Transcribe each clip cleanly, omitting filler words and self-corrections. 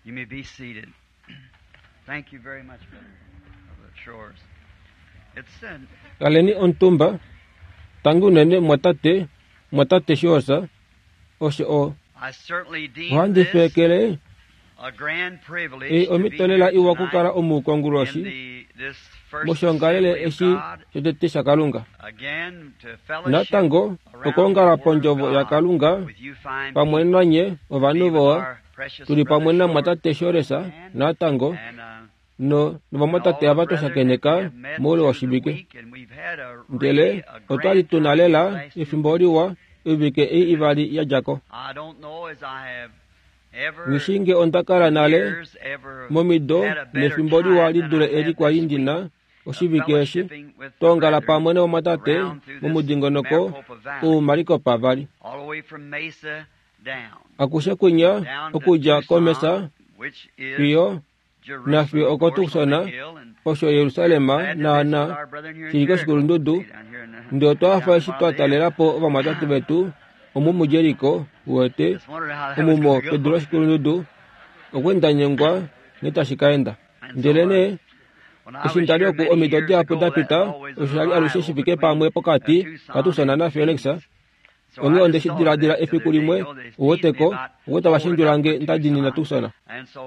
You may be seated. Thank you very much, Brother, Brother Shores. It's an Kaleni omutumba tangi unene mwatate mwatate Shores osho o I certainly deem ohandi this feekele a grand privilege ei to be omhito lela here iwa tonight okukala omu in konguloshi the, this first moshongalele assembly of eshi God, shotete shakalunga again to fellowship natango around the okwoongala Word of pondjovo God yakalunga with you fine pamwe people, nanye be ovanhu with vowa our precious tuli pamwe brother namwatate Shores Shores natango and, no and all novamwatate the ava brethren that we twashakeneka have met moule through the woshivike week, and we've had a ndele really a otwali grand tuna time lela these last 2 efimbo weeks. liwa oivike ei ivali ya dja ko. I don't know as I have ever Ngishinge onda kala in nale years ever momido had a better nefimbo liwa time li than dule I eli had kwali this week ndina of oshivike eshi fellowshipping with the twaongala brethren pamwe novamwatate around through this momudingonoko Maricopa Valley, uMaricopa Valley. all the way from Mesa down, Akushe kwinya down to okudja komesa Tucson, which is fiyo Jerusalem, nafiyo of oko course, on the Tucson hill, and osho we're Yerusalem glad to visit with naana our brethren here in shili Jericho, koshikulundudu see down here in the, ndele otwa down hafa the eshi bottom twa of the hill. talela po ovamwatate vetu omu muJeriko wete Just wondered how that was omumo going to pedu go. loshikulundudu okwenda nyengwa nghee tashi ka enda. And so, Ndele nee when I eshi was ndali here oku many omido years dihapu ago, da that pita was always a osho shali alushe rival shi fike between pamwe pokati Tucson kaTucson and naPhoenix. Phoenix. So Onghee I onde just shi thought of diladila that the efiku other day. limwe You know, they teased me uweteko about oko tava holding up shendjulange for nda dinina Tucson. Tucson. And so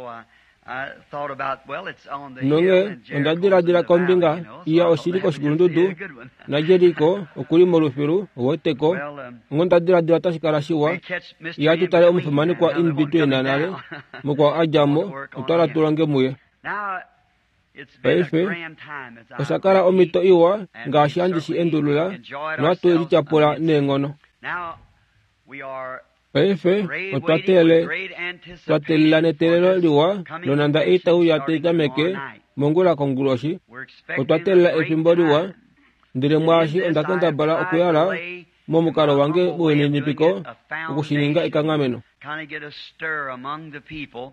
I thought about, well, it's on the hill Nonghee and onda Jericho's in diladila the valley, kombinga you know, so iya I thought oshili that would just be koshikulundudu a good one. naJeriko okuli molufilu uweteko Well, onghee onda diladila otashi kala shiwa we catch Mr. iya In tu tale Between omufimanekwa now, the In one Between coming nale down. mukwao a Want dja to mo work on otwala him. tu longe muye. Now, it's been a Paife grand time, as I osha kala repeat, omhito iwa and we've ngaashi handi shi certainly endulula enjoyed nohatu ourselves lityapula immensely. neenghono. Now, we are Paife great otwa waiting with teele great twa teelela anticipation for neteelelo this liwa coming nonanda convention eitauya starting taitameke tomorrow night. mongula konguloshi We're otwa expecting a teelela great efimbo liwa time. ndele And in mwaashi this, onda I have kendabala tried to okuyala lay, in momukalo my wange humble way of doing welininipiko it, a okushininga foundation, ekanghameno. kind of get a stir among the people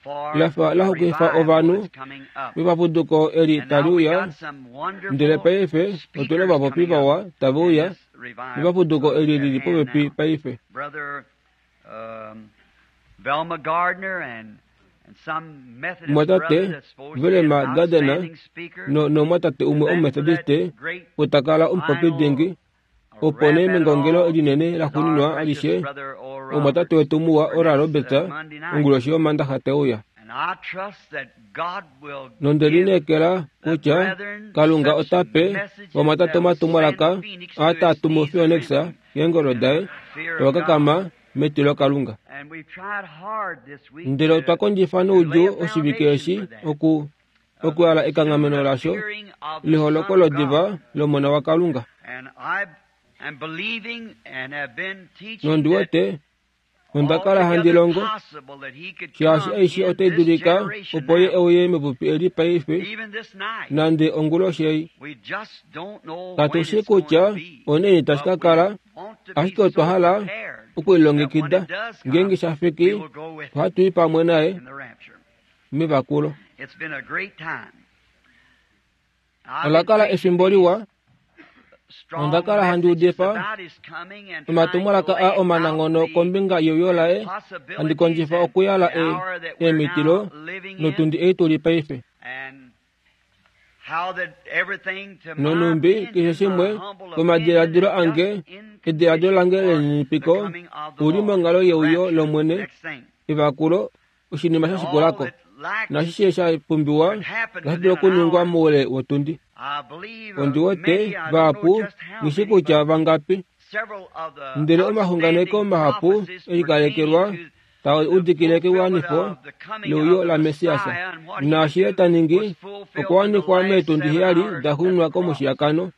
for Lafa the la xukifa revival ovanhu that's coming up. vepapuduko eli And now tali we uya got some ndele wonderful paife otuna speakers ovapopi coming up vawa tave in uya this revival mepapuduko eli at lili hand popepi now. paife. Brother Velma Gardner and some Methodist Mwatate brother that's supposed to be an Velma Gardner outstanding speaker. nomwatate umwe And then for that omumethodiste great utakala omupopi final dingi opo wrap nee at it mengongelo all linene is la our xuuninwa precious alishe brother Oral omwatate Roberts wetu muwa for Oral next Roberts Monday night. onguloshi yomandaxa teuya. And I trust that God will Nonde give lineekela the kutya brethren Kalunga such ota pe messages vamwatate that will omatumwalaka send Phoenix to aa its taa tumu knees Phoenix trembling keengolo in daye the fear of tava God. kakama metilo Kalunga. And we've tried hard this week Ndele otwa to, kondjifa to lay noudjuu a oshivike foundation eshi for that. oku Of okuyala the ekanghameno soon lasho appearing of the Son leholoko of God. lodiva lomona waKalunga. And I am believing and have been teaching Nondi that wete onda kala handi altogether longo possible that he could shaashi come aishe in otai this dulika generation opo ye now, euye mepupi eli paife even this night. nande onguloshi ei. We just don't know when Katushi it's going to kutya be, onaini tashi but ka we kala want to be ashike otwa so hala prepared that when okulilongekida it does ngeenge come, sha we fiki will go with him ohatu i pamwe naye in the rapture. mevakulo. It's been a great time. I've Ola been kala preaching efimbo these liwa strong onda kala handi messages udifa about his coming and trying to omatumwalaka a lay out omananghono the kombinga yeuyo laye handi possibilities kondjifa and okuyala the hour that we're eemitilo now living in notundi ei tuli paife. and how that everything to my Nonumbi keshe opinion, my shimwe humble opinion, komadiladilo is ange just in ediladilo condition lange for the lelininipiko coming of the uli Lord, monghalo the yeuyo rapture. lomwene Next thing. evakulo oshinima And sha all shikulako that lacks nashishe sha pumbiwa could happen otashi within dulu an okuningwa hour. moule wotundi. I believe Ondi wete many, I don't know vahapu just how ngishi many, kutya but vangapi several of the ndele omahunganeko outstanding mahapu prophecies pertaining elikalekelwa to taa the udikile fulfillment kewanifo of the coming leuyo of the la Mesiasa. Messiah and what he would Naashi ye do ta ningi was fulfilled in the okuwanifwa last meetundi 7 heyali hours da at the xuuninwa cross. komushiyakano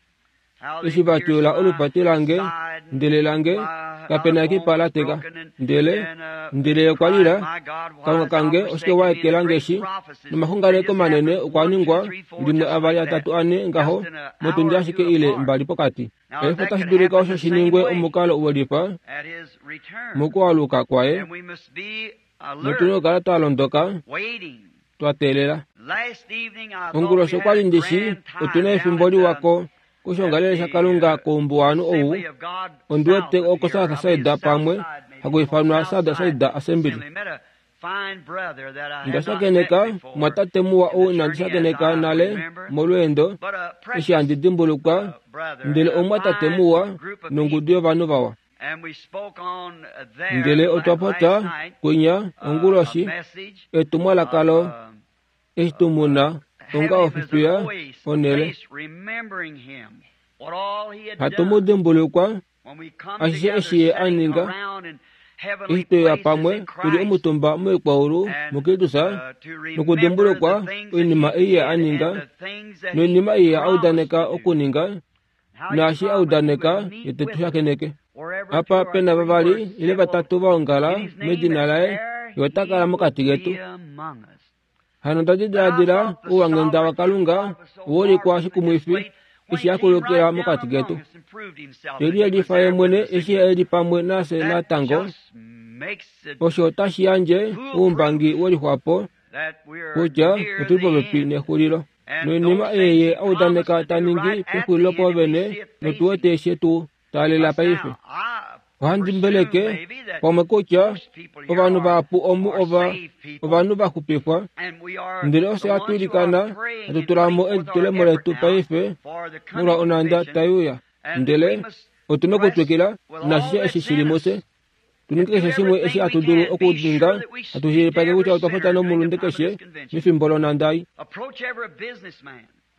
How they eshi va pierced tyuula my olupati lange side and ndele lange my kapena other ekipa bone la was teka broken and, ndele and ndele okwa cried, lila My God, why Kalunga hast thou kange oshike forsaken wa me? And the ekelange great eshi prophecies, they nomaxunganeko just manene happened okwa 1 2 ningwa 3 4 limwe just avali like that, atatu ane ngaho just in an motundi hour or ashike two ile apart. mbali pokati. Now, if Paife that otashi could dulika happen osho the shi same ningwe way omukalo welifa at his return, mokualuka kwaye then we must be notuna alert, okukala twa londoka waiting. twa teelela. Last evening I thought we Onguloshi had okwali a ndishi grand otuna time down efimbo at the liwako at kushongalele the shakalunga koumbuwanu ou Assembly of God ondi wete South up oko here. South I believe Side pamwe Southside maybe haku called ifanwa South Southside Side Assembly. Assembly. Met a Onda shakeneka mwatate muwa ou inandi shakeneka nale molweendo eshi handi dimbulukwa, ndele omumwatate muwa nongudu yovanhu vawa. Ndele otwa popya kwinya onguloshi etumwalaka lo eshi tu muna onga ofifiya onhele. Hatu mu dimbulukwa ashishe eshi ye a ninga eshi tweya pamwe tuli omutumba moikwaulu muKristus nokudimbulukwa oinima ei ye a ninga noinima ei ye a udaneka okuninga naashi a udaneka ye te tu shakeneke. Apa pe na vavali ile vatatu va ongala medina laye, ye ota kala mokati ketu. Hano onda diladila ouwanghenda waKalunga owaulikwa shikumwifi eshi a kulukila mokati ketu. Te liyelifa ye mwene eshi e li pamwe nafye natango, osho otashi yandje oumbangi welixwapo kutya otuli popepi nexulilo. Noinima ei ye a udaneka ta ningi pexulilo pwoovene, notu wete she tu taalela paife. Ohandi mbeleke pamwe kutya ovanhu vahapu omu ova ovanhu va xupifwa, ndele ofye hatu ilikana hatu tula mo elitulemo letu paife molwa onhanda tai uya. Ndele otu na okutwikila naashishe eshi shi li mufye, tu ninge keshe shimwe eshi hatu dulu okuninga, hatu shilipaleke kutya otwa popya nomulunde keshe mefimbo lonhanda ei.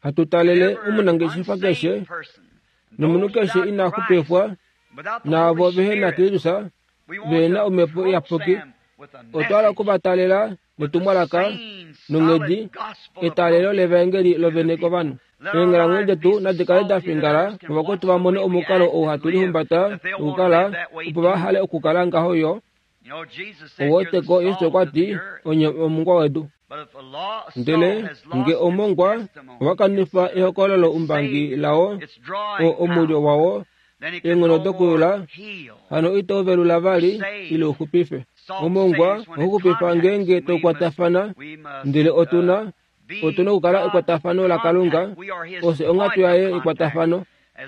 Hatu talele omunangeshefa keshe nomunhu keshe ina xupifwa naavo vehe na Kristus vehe na Omhepo Iyapuki, otwa hala oku va talela netumwalaka nonghedi etalelo levaengeli lovene kovanhu. Eenghalamwenyo detu nadi kale da fingala ovakwetu va mone omukalo ou hatu lihumbata nokukala, opo va hale okukala ngaho yo. Oweteko Jesus okwa ti, Onye omongwa wedu. Ndele nge omongwa owa kanifa ehokololo umbangi lao, o omulyo wao, eenghono dokuyula, hano ito velula vali ile u xupife. Omongwa ohau xupifa ngeenge to kwatafana, ndele otu na otu na okukala ekwatafano laKalunga, ofye onghatu yaye yekwatafano.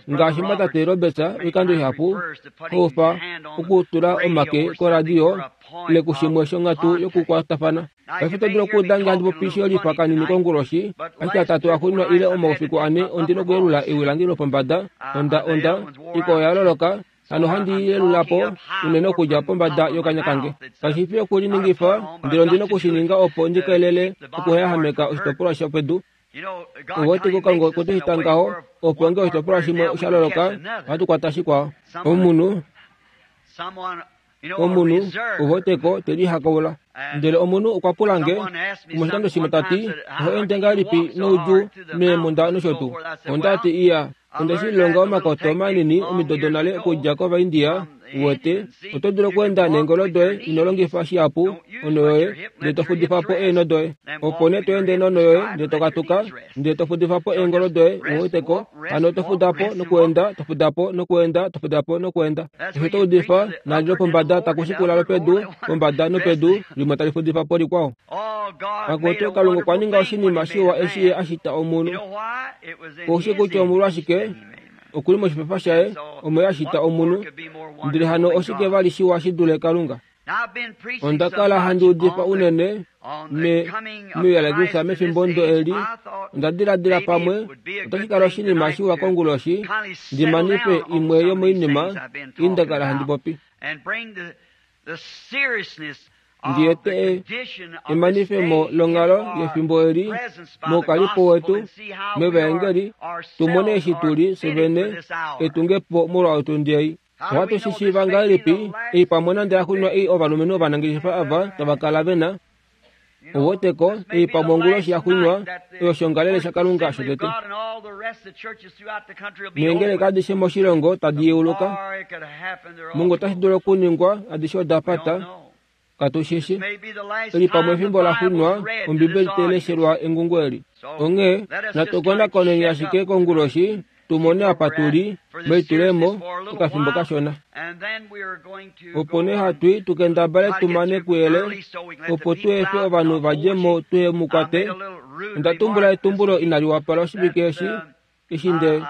Ngaashi mwatate Roberts oikando ihapu haufa okutula omake koradio ile kushimwe shonghatu yokukwatafana. Paife oto dulu okuuda nge handi popi shiyolifa kanini konguloshi, ashike atatu axuuninwa ile omaufiku ane ondi nokuyelula ewi lange lopombada. Onda, onda, ikwao oya loloka, hano ohandi i yelula po unene okudja pombada yokanya kange. Kashi fi okuliningifa, ndele ondi noku shi ninga opo ndi kelele okuheyahameka oshitopolwa shopedu. Owete Kalunga okwe tu shita ngaho, opo nge oshitopolwa shimwe sha loloka, ohatu kwata shikwao. Omunhu, omunhu, oweteko, te lihakaula. Ndele omunhu okwa pula nge, omoshikando shimwe ta ti, Oho ende ngahelipi noudjuu meemhunda nosho tuu? Onda ti, Iya, Onde shi lilonga omakoto manini omido donale okudja kOvaindia, uwete, oto dulu okweenda neengolo doye ino longifa shihapu onho yoye, ndele to fudifa po eenho doye. Opo nee to ende nonho yoye ndele to katuka, ndele to fudifa po eengolo doye, uwete ko, hano to fuda po nokuenda, to fuda po nokuenda, to fuda po nokuenda. Osho to udifa, naali lopombada taku shikula lopedu, pombada nopedu, limwe tali fudifa po likwao. Akutu, Kalunga okwa ninga oshinima shiwa eshi Ye a shita omunhu. Ou shii kutya omolwashike? Oku li moshipefa shaye omo Ye a shita omunhu. Ndele hano oshike vali shiwa shi dule Kalunga? Onda kala handi udifa unene me, meuyalekisa mefimbo ndo eli, onda diladila pamwe otashi kala oshinima shiwa konguloshi ndi manife imwe yomoinima ei nda kala handi popi. Ndi ete emanifemo longhalo yefimbo eli moukalipo wetu mevaengeli, tu mone eshi tu li fye vene etungepo molwa otundi ei. Ohatu shi shiiva ngahelipi ei pamwe nande yaxuuninwa ei ovalumenhu ovanangeshefa ava tava kala ve na? Ou wete ko, ei pamwe onguloshi yaxuuninwa oyo shongalele shaKalunga shotete. Neengeleka adishe moshilongo tadi yeuluka. Mungu otashi dulu okuningwa adishe oda pata. Katu shi shi. Eli pamwe efimbo laxuuninwa Ombibeli tai leshelwa engungo eli. Onghee natu konakoneni ashike konguloshi tu mone apa tu li melitulemo okafimbo kashona. Opo nee hatu i tu kendabale tu mane kuyele opo tu efe ovanhu va dje mo tuhe mu kwate. Onda tumbula etumbulo inali wapala oshivike eshi. Eshi nde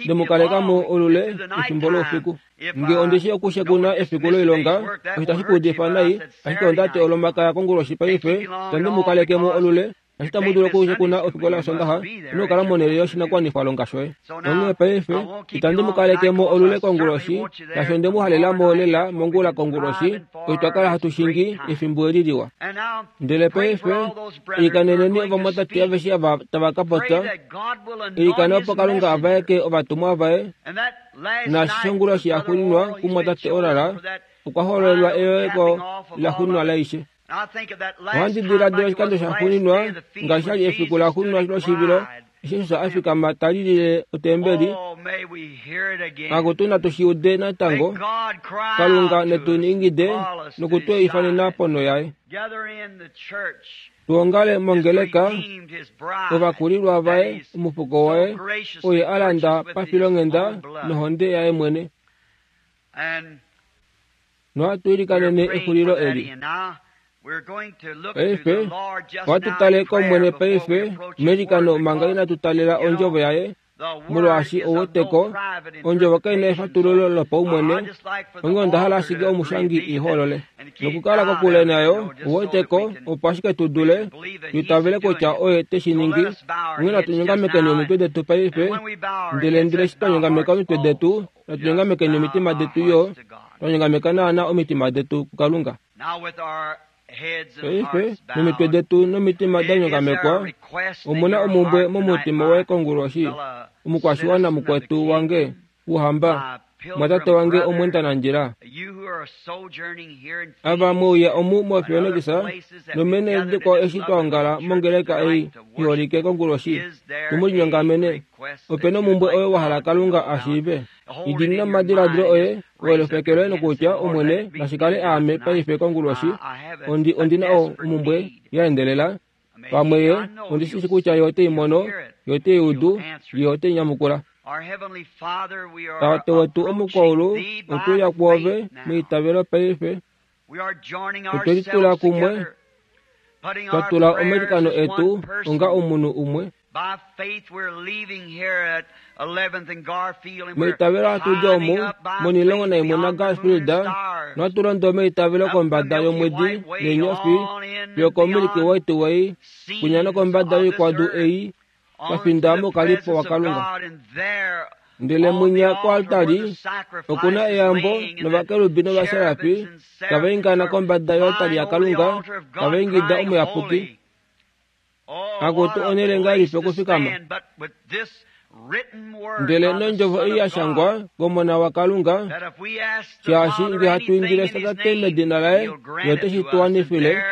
ndemukaleka mo olule efimbo loufiku. Nge ondishi okushekuna efiku loilonga, osho tashi ku udifa nai, ashike onda ti olomakaya konguloshi paife, itandi mu kaleke mo olule, ashike tamu dulu okushekuna ofikola yosondaxa, inokala monhele yoshinakuwanifwalonga shoye. Onghee paife, itandi mu kaleke mo olule konguloshi, shaashi onde mu halela mo lela mongula konguloshi, osho twa kala hatu shingi efimbo eli liwa. Ndele paife, ilikaneneni ovamwatate aveshe ava tava ka popya, ilikana opo Kalunga a vaeke ovatumwa vaye, naashi shonguloshi yaxuuninwa kumwatate Oral, okwa hololelwa eyoeko laxuuninwa laishe. Ohandi diladila oshikando shaxuuninwa ngaashi sha li efiku laxuuninwa loshivilo eshi Jesus a fikama ta lilile otembeli. Akutu natu shi ude natango, Kalunga netu ingide noku tu ifanena ponho yaye. Tuongale mongeleka ovakulilwa vaye, omufuko waye, oye a landa pafilonghenda nohonde yaye mwene. Nohatu ilikanene exulilo eli. Paife, ohatu tale kOmwene paife meilikano manga inatu talela ondjovo yaye, molwaashi ouweteko, ondjovo kai na efatululo lopaumwene, onghee onda hala ashike omushangi i holole. Nokukala kokule nayo, ouweteko, opo ashike tu dule tu itavele kutya oye te shi ningi. Onghee natu nyongamekeni omitwe detu paife, ndele ndele eshi twa nyongameka omitwe detu, natu nyongamekeni omitima detu yo, twa nyongameka naana omitima detu kuKalunga. Paife, nomitwe detu nomitima da nyongamekwa, omu na omumbwe momutima woye konguloshi, omukwashiwana mukwetu wange, Ouhamba, mwatate wange omwendanandjila. Ava mweuya omu moPhoenix nomeenhele dikwao eshi twa ongala mongeleka ei iholike konguloshi, tu mu linyongamene. Ope na omumbwe oyo wa hala Kalunga a shiive. Idiinina omadiladilo oye, oelofeke loye nokutya, Omwene, nashi kale aame paife konguloshi, ondi, ondi na omumbwe ya endelela. Pamwe ye, ondi shi shi kutya ye ote i mono, ye ote i udu, ye ote i nyamukula. Tate wetu omukwaulu, otwe uya kwoove meitavelo paife. Otwe litula kumwe, twa tula omailikano etu onga omunhu umwe. Meitavelo hatu dja omu monilongo naimwe naGarfield, nohatu londo meitavelo kombada yomwedi neenyofi fiyo koMilky White Way, kwinya nokombada yoikwadu ei twa finda mokalipo waKalunga. Ndele mwinya koaltari oku na eyambo novakerubi novaserafi tava ingana kombada yoaltari yaKalunga, tava ingida Omuyapuki. Akutu onhele ngahelipi okufikama? Ndele nondjovo ei ya shangwa kOmona waKalunga, shaashi nge hatu indile Tate medina laye, Ye ote shi tu wanifile,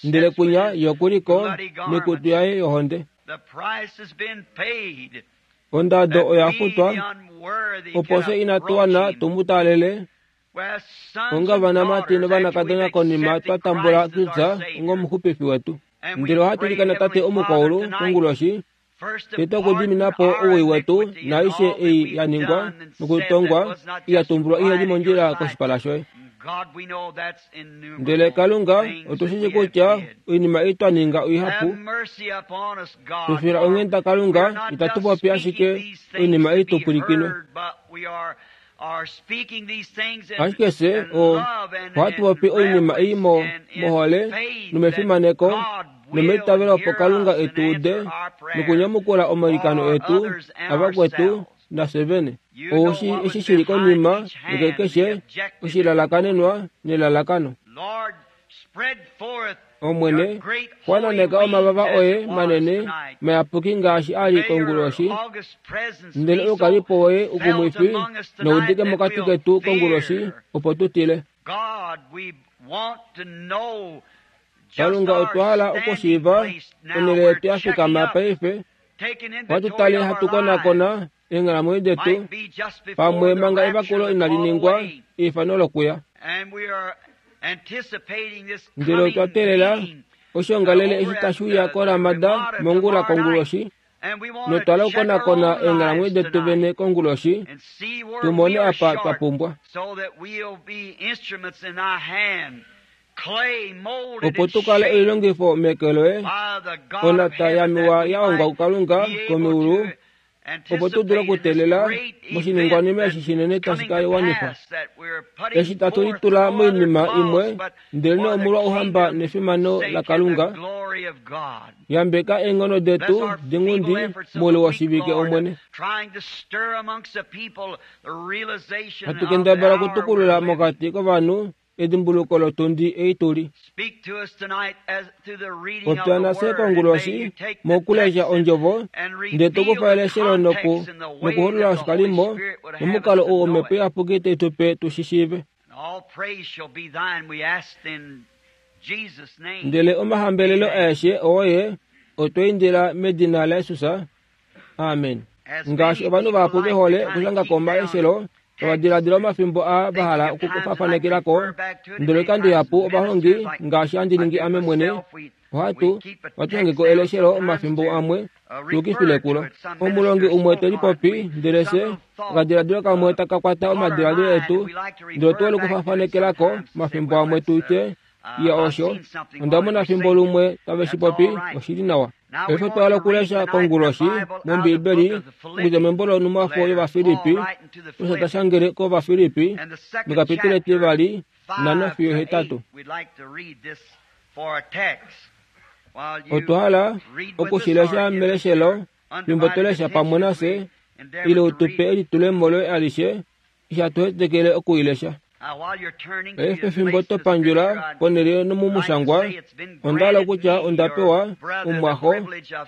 ndele kwinya Ye oku li ko noikutu yaye yohonde. Ondado oya futwa, opo fye inatu wana tu mu taalele onga ovanamati novanakadona konima twa tambula Kristus ongomuxupifi wetu. Ndele ohatu ilikana Tate omukwaulu konguloshi, tete okudimina po owii wetu naaishe ei ya ningwa nokutongwa ya tumbulwa ihe li mondjila koshipala shoye. Ndele Kalunga, otu shi shii kutya oinima ei twa ninga oihapu. Tu fila onghenda Kalunga, itatu popi ashike oinima ei tu pwilikinwe. Ashike fye ohatu popi oinima ei mo, mohole nomefimaneko nomeitavelo opo Kalunga e tu ude nokunyamukula omailikano etu avakwetu nafye vene. Ou shii eshi shi li konima yekekeshe oshilalakanenwa nelalakano. Omwene, xwananeka omavava oye manene mayapuki ngaashi a li konguloshi, ndele oukalipo woye ukumwifi noudike mokati ketu konguloshi, opo tu tile. Kalunga, otwa hala okushiiva onhele yetu ya fikama paife. Ohatu tale hatu konakona eenghalamwenyo detu, pamwe manga evakulo inali ningwa, eifano lokuya. Ndele otwa teelela oshoongalele eshi tashi uya koRamada mongula konguloshi, notwa hala okukonakona eenghalamwenyo detu vene konguloshi, tu mone apa twa pumbwa. Opo tu kale oilongifo meke loye, onhata ya miwa ya hongwa kuKalunga komeulu, opo tu dule okuteelela moshiningwanima eshi shinene tashi ka wanifwa. Eshi tatu litula moinima imwe, ndelenee omolwa ouhamba nefimano laKalunga, yambeka eenghono detu dinghundi moule woshivike, Omwene. Hatu kendabala okutukulula mokati kovanhu edimbuluko lotundi ei tuli. Popya nafye konguloshi mokulesha ondjovo, ndele to kufa eleshelo nokuholola oshikalimo momukalo ou Omhepo Iyapuki tai tu pe tu shi shiive. Ndele omahambelelo aeshe oye otwa indila medina laJesus. Amen. Ngaashi ovanhu vahapu ve hole okushanga ko omaleshelo, tava diladila omafimbo aa va hala okufafanekela ko, ndele oikando ihapu ovahongi, ngaashi handi ningi ame mwene, ohatu ohatu shange ko eleshelo omafimbo amwe tu yukifile kulo. Omulongi umwe te lipopi, ndele fye okadiladilo kamwe taka kwata omadiladilo etu, ndele otu hole okufafanekela ko omafimbo amwe tu tye, Iya osho, onda mona fimbo lumwe tave shi popi, oshi li nawa. Paife otwa hala okulesha konguloshi mOmbiibeli okudja membo lonhumwafo yOvafilippi, osho ta shangele kOvafilippi mekapitule etivali, 5 fiyo 8. Otwa hala oku shi lesha meleshelo fimbo to lesha pamwe nafye, ile u tu pe elitulemo loye alishe eshi hatu hetekele oku i lesha. Paife fimbo to pandjula ponhele nomumushangwa, onda hala okutya onda pewa omumwaxo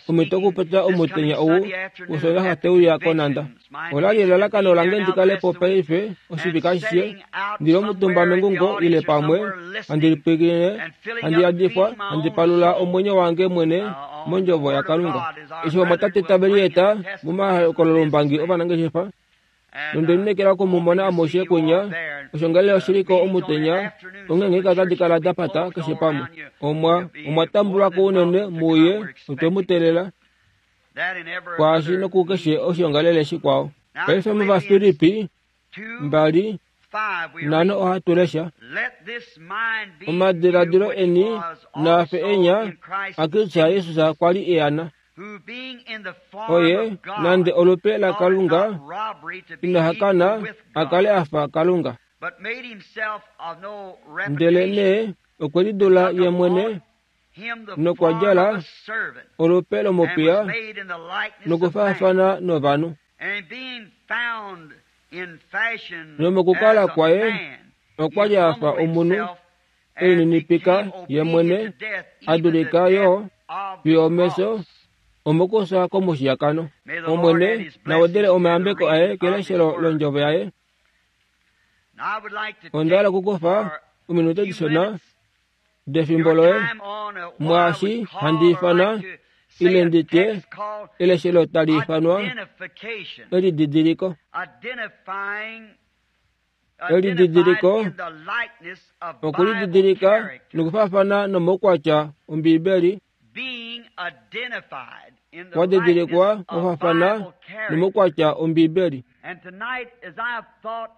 omhito okupopya omutenya ou wOsoondaxa tau uya konhanda. Ola li elalakano lange ndi kale po paife oshivike ashishe, ndi li omutumba mengungo ile pamwe, handi lipwilikine, handi yadifwa, handi palula omwenyo wange mwene mOndjovo yaKalunga. Eshi ovamwatate tave lieta momahokololombangi ovanangeshefa, Nonde lineekela oku mu mona amushe kwinya, osho ngele oshi li ko omutenya, onghee ngeenge otadi kala da pata keshe pamwe. Omwa, omwa tambulwa ko unene muye, otwe mu teelela kwaashi nokukeshe oshiongalele shikwao. Paife mOvafilippi 2, 5 ohatu lesha, Omadiladilo eni naa fe enya aKristus Jesus kwa li e a na. Oye nande olupe laKalunga ina hakana a kale a fa Kalunga. Ndelenee okwe lidula ye mwene nokwa djala olupe lomupiya nokufaafana novanhu. Nomokukala kwaye okwa li a fa omunhu e lininipika ye mwene, a dulika yo fiyo omefyo omokufya komushiyakano. Omwene na wedele omayambeko aye keleshelo londjovo yaye. Onda hala okukufa ominute dishona defimbo loye mwaashi handi ifana ile ndi tye eleshelo tali ifanwa elididiliko. Elididiliko okulididilika nokufaafana nomaukwatya Ombiibeli wa didilikwa wa faafana nomaukwatya Ombiibeli.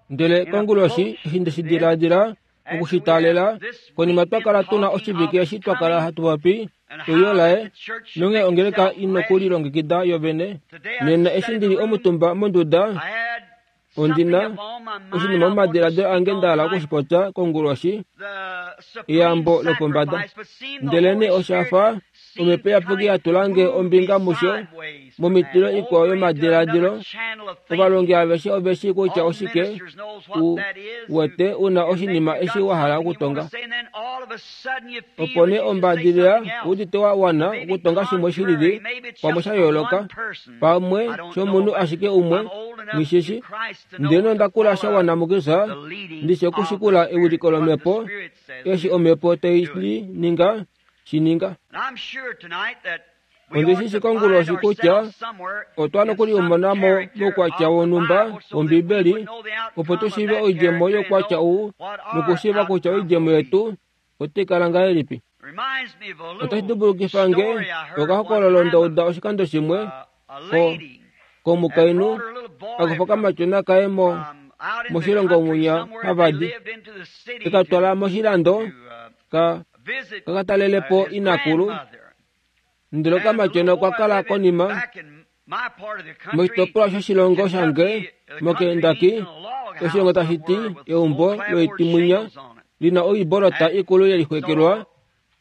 Ndele konguloshi eshi nde shi diladila oku shi taalela, konima twa kala tu na oshivike eshi twa kala hatu popi euyo laye, nonghee ongeleka i nokulilongekida yo vene. Nena eshi ndi li omutumba monduda, Ondi na oshinima momadiladilo ange nda hala oku shi popya konguloshi, eyambo lopombada. Ndelenee osha fa Omhepo Iyapuki ya tula nge ombinga musho, momitilo ikwao yomadiladilo. Ovalongi aveshe ove shii kutya oshike u wete u na oshinima eshi wa hala okutonga. Opo nee ombadilila u udite wa wana okutonga shimwe shi lili, pamwe sha yooloka, pamwe shomunhu ashike umwe, nghishishi. Ndele nonda kula sha wana muKristus ndi shi okushikula ewiliko lOmhepo, eshi Omhepo tai li ninga, shi ninga. Ondi shi shi konguloshi kutya otwa nokulimona mo moukwatya wonhumba wOmbibeli opo tu shiive oidjemo youkwatya ou nokushiiva kutya oidjemo yetu otai kala ngahelipi. Otashi dimbulukifa nge okahokololo nda uda oshikando shimwe ko, komukainhu a kufa okamatyona kaye mo, moshilongo mwinya hava di, e ka twala moshilando ka ka talele po inakulu. Ndele okamatyona okwa kala konima. Moshitopolwa shoshilongo shange moKentucky, oshilongo tashi ti eumbo loitimwinya lina oibolota ikulu yelixwekelwa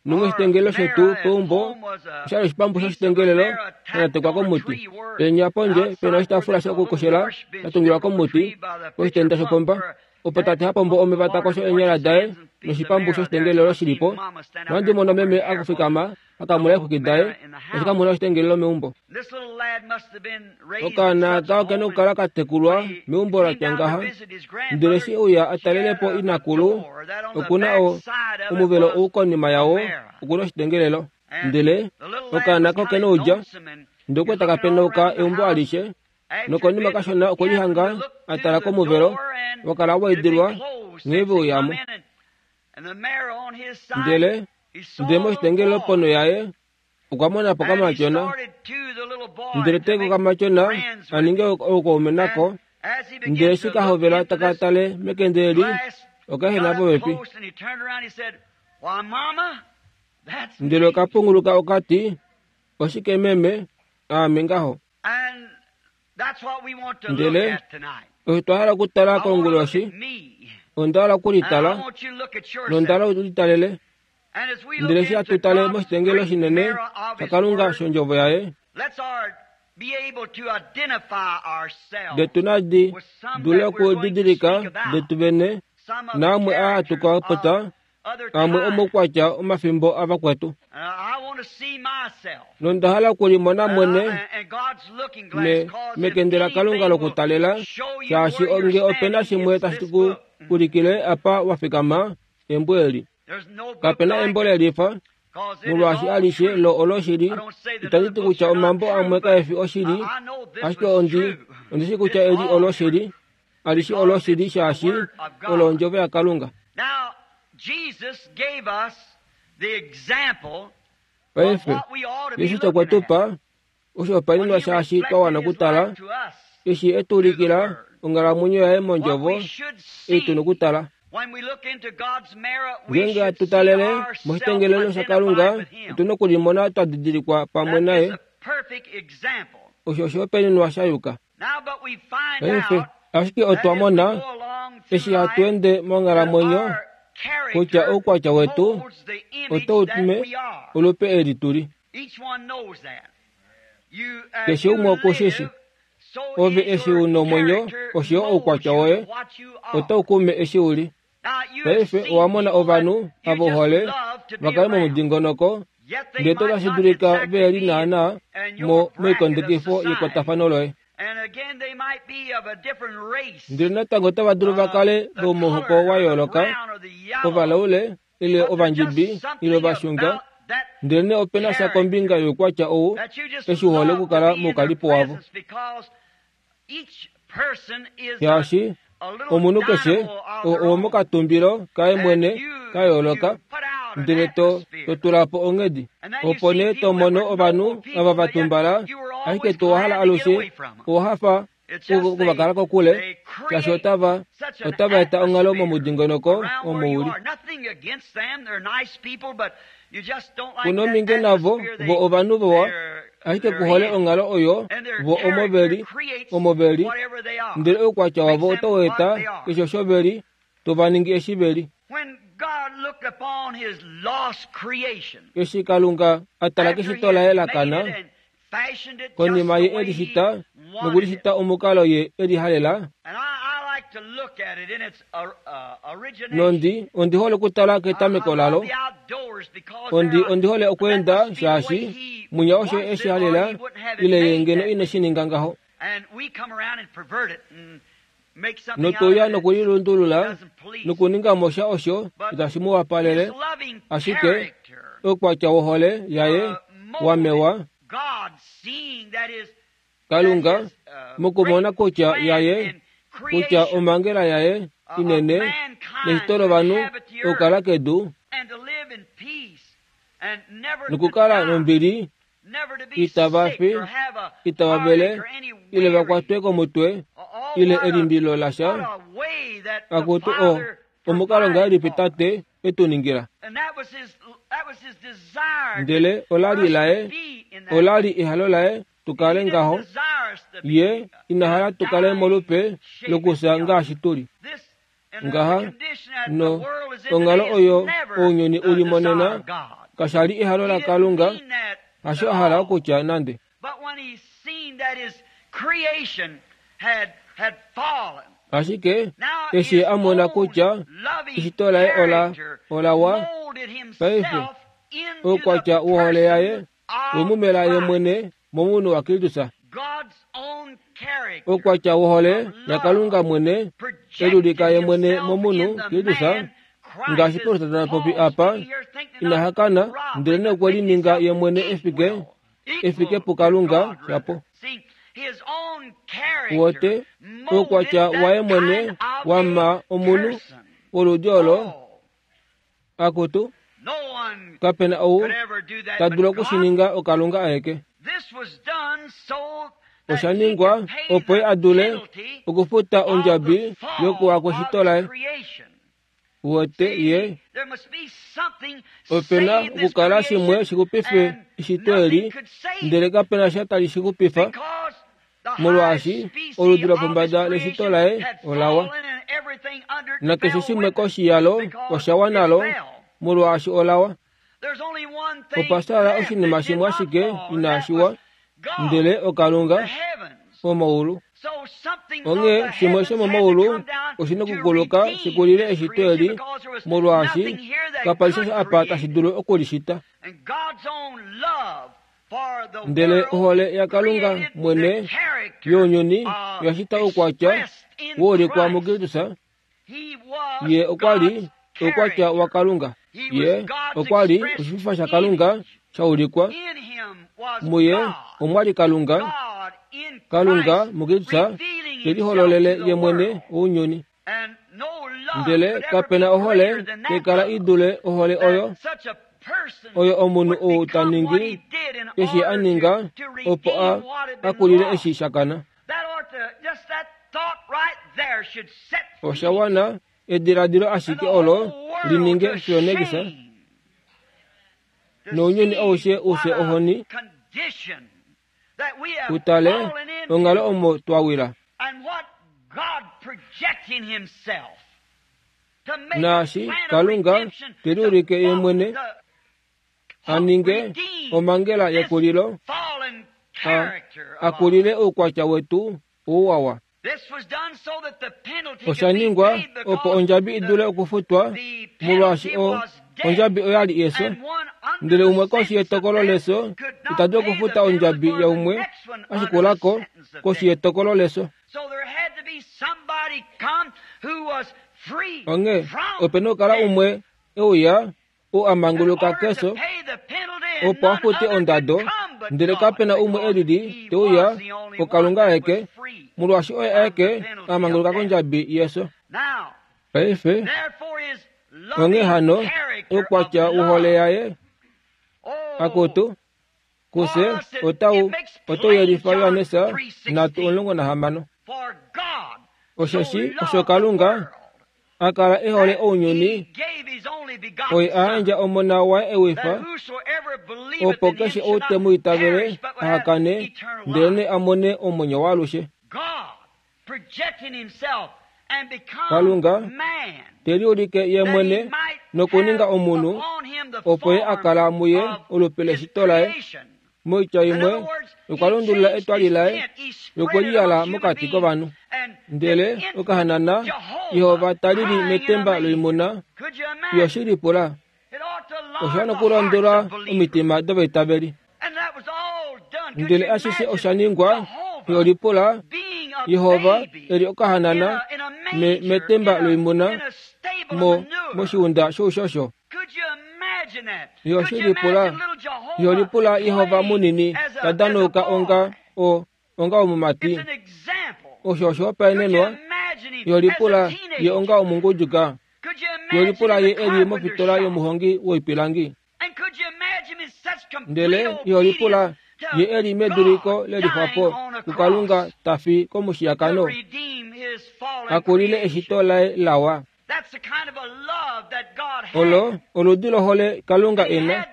nomoshitengelelo shetu peumbo oshali oshipambu shoshitengelelo shanatekwa komuti. Penya pondje pena oshitaafula shokukoshela sha tungilwa komuti poshitenda shopomba. Opo tate ha pombo omeva ta kosho eenyala daye noshipambu shoshitengelelo shilipo. Nohandi mono meme akufikama akamula eexwiki daye eshi kamuna oshitengelelo meumbo. Okaana aka okena okukala katekulwa meumbo latya ngaha. Ndele eshi euya atalele po inakulu, okuna omuvelo ou konima yawo okuna oshitengelelo. Ndele okaana aka okena oudja, ndele okwe taka penauka eumbo alishe, nokonima kashona okwe lihanga a tala komuvelo wakala wa idilwa nghee ve uyamo. Ndele ndele moshitengelelo ponho yaye okwa mona po kamatyona, ndele ta i kokamatyona a ninge oukaume nako. Ndele eshi ka hovela taka tale mekende eli, oka ehena popepi. Ndele oka punguluka oka ti, Oshike meme, aame ngaho. Ndele osho twa hala okutala konguloshi, onda hala okulitala, nonda hala ulitalele. Ndele eshi hatu tale moshitengelo shinene shaKalunga shondjovo yaye, detu nadi dule okudidilika detu vene naamwe aa hatu ka popya amwe omoukwatya omafimbo avakwetu. Nonda hala okulimona mwene mekende laKalunga lokutalela, shaashi nge ope na shimwe tashi ku ulikile apa wa fikama, embo eli. Kape na embo le lifa, molwaashi alishe lo oloshili. Itandi ti kutya omambo amwe kae fi oshili, ashike ondi, ondi shii kutya eli oloshili. Alishe oloshili shaashi olo ondjovo yaKalunga. Paife, Jesus okwe tu pa oshihopaenenwa shaashi twa wana okutala, eshi e tu ulikila onghalamwenyo yaye mondjovo ei tu na okutala. Ngeenge hatu talele moshitengelelo shaKalunga, otu na okulimona twa didilikwa pamwe naye. Osho oshihopaenenwa sha yuka. Paife, ashike otwa mona, eshi hatu ende monghalamwenyo, kutya oukwatya wetu otau tume olupe eli tu li. Keshe umwe oku shi shi. Ove eshi u nomwenyo osho yo oukwatya woye otau kume eshi u li. Paife owa mona ovanhu ava u hole va kale momudingonoko, ndele otashi dulika ve li naanaa mo moikondekifo yekwatafano loye. Ndele natango otava dulu va kale vomuhoko wa yooloka, ovalaule ile ovandjibi ile ovashunga, ndelenee ope na sha kombinga youkwatya ou eshi u hole okukala moukalipo wavo. Shaashi omunhu keshe owomokatumbilo kaye mwene ka yooloka, ndele to to tula po onghedi. Opo nee to mono ovanhu ava va tumbala, ashike to hala alushe owa hafa okuvakala kokule, shaashi otava otava eta onghalo momudingonoko omo u li. Ku nominge navo, vo ovanhu vawa, ashike ku hole onghalo oyo vo omo ve li, omo ve li, ndele oukwatya wavo otau eta keshe osho ve li, to va ningi eshi ve li. Eshi Kalunga a tala keshito laye la kana, konima ye e li shita noku li shita omukalo ye e li halela, nondi ondi hole okutala ketameko lalo. Ondi ondi hole okweenda shaashi mwinya osho e shi halela ile ye ngeno ine shi ninga ngaho. Notuya nokulilundulula nokuninga mo sha osho itashi mu wapalele, ashike oukwatya wohole yaye wa mewa, Kalunga mokumona kutya yaye, kutya omhangela yaye inene neshito lovanhu okukala kedu nokukala nombili itava fi, itava vele, ile va kwatwe komutwe, ile elimbilo lasha. Akutu o, omukalo ngahelipi Tate e tu ningila? Ndele ola li laye, ola li ehalo laye. tu kale ngaho. Ye ina hala tu kale molupe lokufya ngaashi tu li. Ngaha, no, onghalo oyo ounyuni u li monena kasha li ehalo laKalunga, hasho a hala okutya nande. Ashike eshi a mona kutya eshito laye ola olawa, paife oukwatya wohole yaye wemumela ye mwene momunhu waKristus. Oukwatya wohole yaKalunga mwene elulika ye mwene momunhu Kristus, ngaashi Paulus ta popi apa, ina hakana ndele nokwe lininga ye mwene efike efike puKalunga shapo. Wote oukwatya waye mwene wama omunhu woludi olo akutu kapena ou ta dulu okushininga oKalunga aeke. Osha ningwa opo ye a dule okufuta ondjabi yokuwa kweshito laye. Wote ye opena okukala shimwe shixupife eshito eli, ndele kapena sha tali shixupifa, molwaashi oludi lopombada leshito laye olawa, nakeshe shimwe koshi yalo osha wa nalo, molwaashi olawa. Opa sala oshinima shimwe ashike inashi wa, ndele oKalunga womaulu. Onghee shimwe shomomaulu oshina okukuluka shikulile eshito eli, molwaashi kapa li sha apa tashi dulu okulishita. Ndele ohole yaKalunga mwene younyuni oya shita oukwatya woulikwa muKristus. Ye okwa li oukwatya waKalunga. Ye okwa li oshififa shaKalunga sha ulikwa. Muye omwa li Kalunga. Kalunga muKristus te lihololele ye mwene ounyuni. Ndele kapena ohole tekala i dule ohole oyo oyo omunhu ou ta ningi eshi a ninga opo a akulile eshi shakana. Osha wana ediladilo ashike olo lininge Phoenix nounyuni aushe ufye ohoni utale onghalo omo twa wila. Naashi Kalunga te liulike ye mwene a ninge omhangela yekulilo, akulile oukwatya wetu ouwawa. Osha ningwa opo ondjabi i dule okufutwa, molwaashi ondjabi oya li efyo, ndele umwe koshi yetokolo lefyo ita dulu okufuta ondjabi yaumwe a shikulako koshi yetokolo lefyo. Onghee ope na okukala umwe e uya ou a manguluka kefyo opo a fute ondado, ndele kape na umwe e lili te uya oKalunga aeke, molwaashi oye aeke a manguluka kondjabi yefyo. Paife onghee hano oukwatya wohole yaye akutu kufye otau yelifa Johannes 3:16. Osheshi osho Kalunga a kala e hole ounyuni, oye a yandja Omona waye ewifa, opo keshe ou te mu itavele aha kane, ndelenee a mone omwenyo waalushe. Kalunga te liulike ye mwene nokuninga omunhu, opo ye a kala muye olupe leshito laye. Moitya imwe, okwa lundulula etwali laye lokuliyala mokati kovanhu. Ndele okahanana Jehova ta lili metemba loimuna, yo shi lipula. Osha nokulondolwa omitima dovaitaveli. Ndele ashishe osha ningwa, yo lipula Jehova e li okahanana metemba loimuna moshiunda shoushosho. Yo shi lipula, yo lipula Jehova munini ta danauka onga onga omumati. Osho oshihopaenenwa. Yo lipula ye onga omunguduka. Yo lipula ye e li mofitola yomuhongi woipilangi. Ndele yo lipula ye e li meduliko lelixwapo kuKalunga ta fi komushiyakano, akulile eshito laye lawa. Olo oludi lohole Kalunga e na.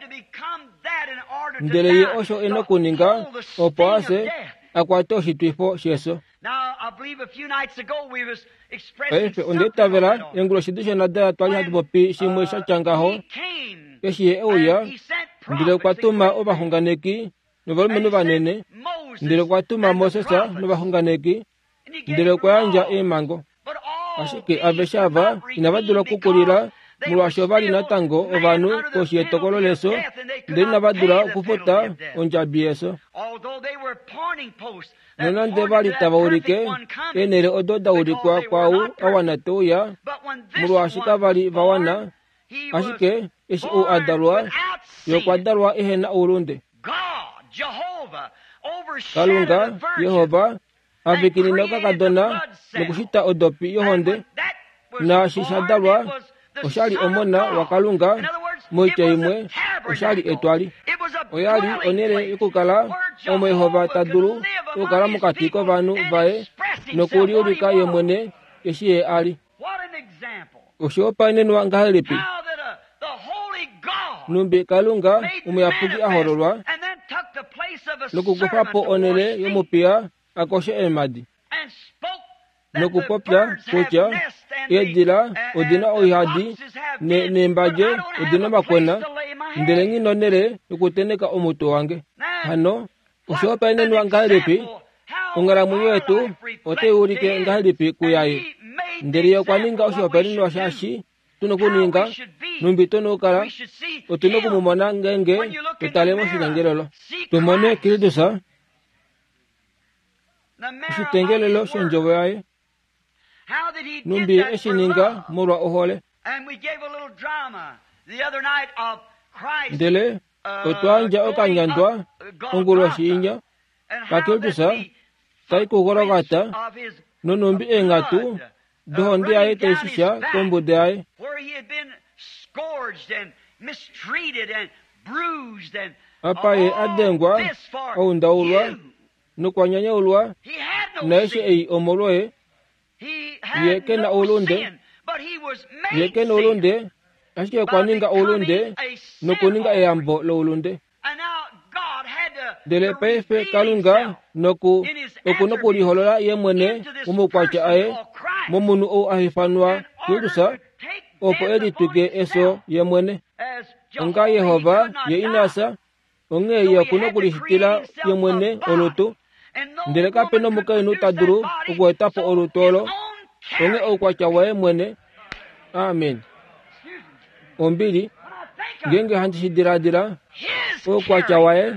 Ndele ye osho e na okuninga opo a fye a kwate oshitwifo shefyo. Paife onda itavela enguloshi dishonadala twali hatu popi shimwe sha tya ngaho eshi ye e uya, ndele okwa tuma ovaxunganeki novalumenhu vanene, ndele okwa tuma Moses novaxunganeki, ndele okwa yandja eemhango. Ashike aveshe ava inava dula okukulila molwaashi ova li natango ovanhu koshi yetokolo lefyo, ndele inava dula okufuta ondjabi yefyo. Nonande va li tava ulike eenhele odo da ulikwa kwaau a wana te uya, molwaashi kava li va wana, ashike eshi ou a dalwa, ye okwa dalwa ehe na oulunde. Kalunga, Jehova, a vikinina okakadona nokushita odopi yohonde, naashi sha dalwa osha li Omona waKalunga, moitya imwe, osha li etwali. Oya li onhele yokukala omo Jehova ta dulu okukala mokati kovanhu vaye nokuliulika ye mwene eshi ye a li. Oshihopaenenwa ngahelipi nhumbi Kalunga omuyapuki a hololwa nokukufa po onhele yomupiya a koshe eemhadi nokupopya kutya eedila odi na oihadi neembadje odi na omakwena, ndele nghi na onhele yokutenheka omutwe wange. Hano oshihopaenenwa ngahelipi onghalamwenyo yetu otai ulike ngahelipi kuyaye? Ndele ye okwa ninga oshihopaenenwa shaashi tu na okuninga, nhumbi tu na okukala, otu na oku mu mona ngeenge to tale moshitengelelo. Tu mone Kristus, oshitengelelo shondjovo yaye, nhumbi ye e shi ninga molwa ohole. Ndele otwa yandja okanyandwa onguloshi inya kaKristus tai kuGolgata, nonhumbi eenghatu dohonde yaye tai shisha kombuda yaye. Apa ye a dengwa, a undaulwa nokwa nyanyaulwa, naaishe ei omolwoye, Ye ke na oulunde, ye ke na oulunde, ashike okwa ninga oulunde nokuninga eyambo loulunde. Ndele paife Kalunga noku oku nokuliholola ye mwene momaukwatya aye momunhu ou a ifanwa Kristus, opo e litwike efyo ye mwene. Onga Jehova, ye ina fya, onghee ye oku nokulishitila ye mwene olutu. Ndele kape nomukainhu ta dulu okueta po olutu olo, onghee oukwatya waye mwene. Amen. Ombili, ngeenge handi shi diladila, oukwatya waye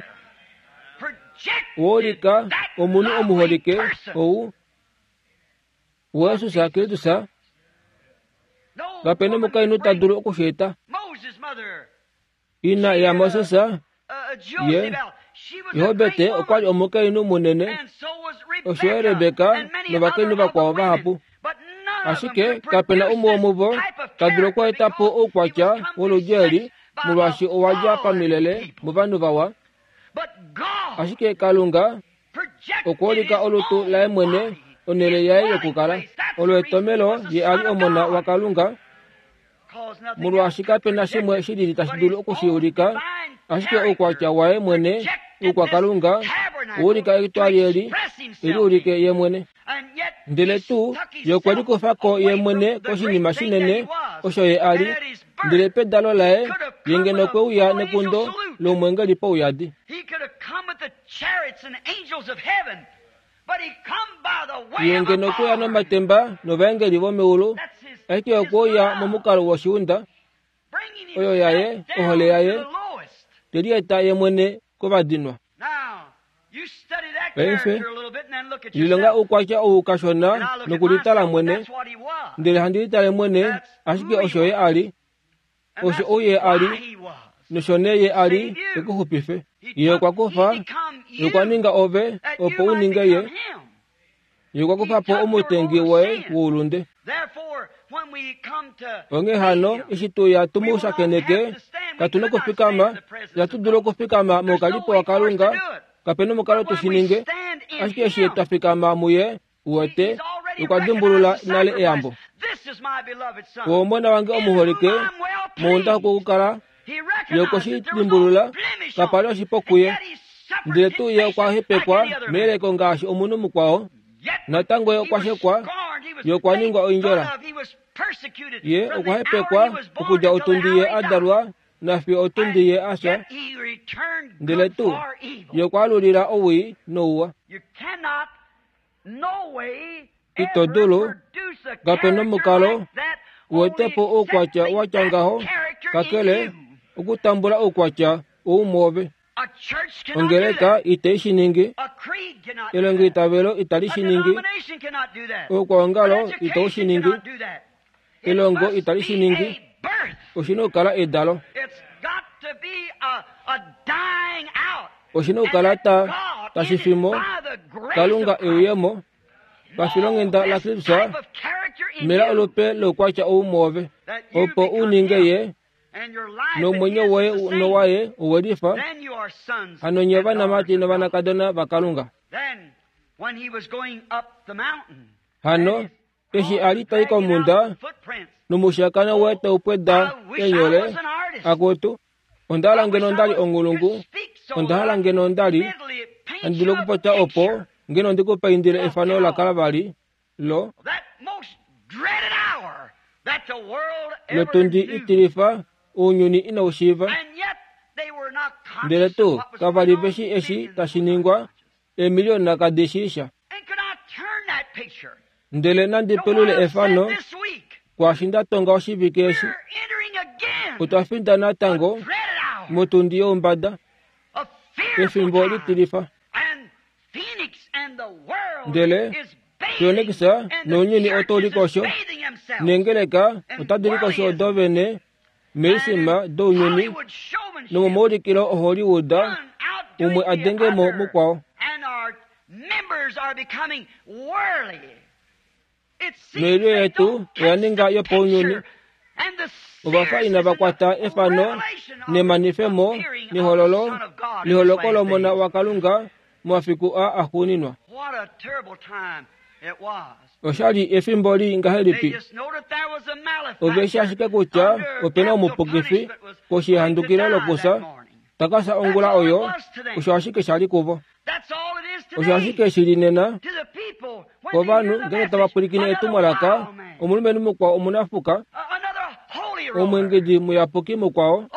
woulika omunhu omuholike ou Jesus Kristus. Kape nomukainhu ta dulu oku shi eta. Ina yaMoses, ye, Johobete okwa li omukainhu munene, osho yo Rebeka novakainhu vakwao vahapu. Ashike kape na umwe womuvo ta dulu okweeta po oukwatya woludi eli, molwaashi owa dja pamilele movanhu vawa. Ashike Kalunga okwa ulika olutu laye mwene, onhele yaye yokukala. Olo etomelo ye a li Omona waKalunga. Molwaashi kape na shimwe shi lili tashi dulu oku shi ulika, ashike oukwatya waye mwene wOukwakalunga owa ulika etwali eli e liulike ye mwene. Ndele tuu ye okwe likufa ko ye mwene koshinima shinene osho ye a li, ndele pedalo laye ye ngeno okwe uya nekundo lomwengeli pauyadi. Ye ngeno okwe uya nomatemba novaengeli vomeulu, ashike okwe uya momukalo woshiunda, oyo yaye, ohole yaye, te lieta ye mwene kovadinwa. Paife, lilonga oukwatya ou kashona nokulitala mwene, ndele handi litale mwene, ashike osho ye a li. Osho ou ye a li, nosho nee ye a li e ku xupife. Ye okwa kufa, ye okwa ninga ove, opo u ninge ye. Ye okwa kufa po omutengi woye woulunde. Onghee hano, eshi tu ya tu mu shakeneke, katu na okufikama, itatu dulu okufikama moukalipo waKalunga, kape na omukalo tu shi ninge. Ashike eshi twa fikama muye, Uwete, okwa dimbulula nale eyambo. Omona wange omuholike, muunda okukala. Ye okwe shi dimbulula, kapa li oshipo kuye. Ndele tuu ye okwa hepekwa meyeleko ngaashi omunhu mukwao. Natango ye okwa shekwa, ye okwa ningwa oindjola. Ye okwa hepekwa okudja otundi ye a dalwa nafiyo otundi ye a fya. Ndele tuu ye okwa alulila owii nouwa. Ito dulu, kape nomukalo, u ete po oukwatya wa tya ngaho, kakele okutambula oukwatya ou mwoove. Ongeleka itai shi ningi, elongoitavelo itali shi ningi, oukwaongalo itau shi ningi, elongo itali shi ningi. Oshi na okukala edalo. Oshi na okukala ta, tashi fi mo, Kalunga e uye mo, pafilonghenda laKristus, mela olupe loukwatya ou mwoove, opo u ninge Ye, nomwenyo woye nowaye owe lifa, hano nye ovanamati novanakadona vaKalunga. Hano, eshi a li ta i komhunda, nomushiyakano waye tau pweda eenyole, Akutu, onda hala ngeno nda li onghulungu, onda hala ngeno nda li handi dulu okupopya opo ngeno ndi ku paindile efano la kala vali lo lotundi itilifa ounyuni inau shiiva. Ndele tuu kava li ve shii eshi tashi ningwa, eemiliona kadi shii sha. Ndele nandi pelule efano kwaashi nda tonga oshivike eshi. Otwa finda natango motundi youmbada, efimbo litilifa. Ndele Phoenix nounyuni otau likosho, neengeleka otadi likosho odo vene meesima dounyuni nomomaulikilo oHollywood, umwe a denge mo mukwao. Noilyo yetu oya ninga yopaunyuni. Ova fa inava kwata efano nemanifemo nehololo leholoko lOmona waKalunga momafiku aa axuuninwa. Osha li efimbo lii ngahelipi! Ove shi ashike kutya ope na omupukifi koshihandukilo lokufya ta ka fya ongula oyo, osho ashike sha li kuvo. Osho ashike shi li nena kovanhu ngeenge tava pwilikine etumwalaka, omulumenhu mukwao omunafuka, omweengedi muyapuki mukwao,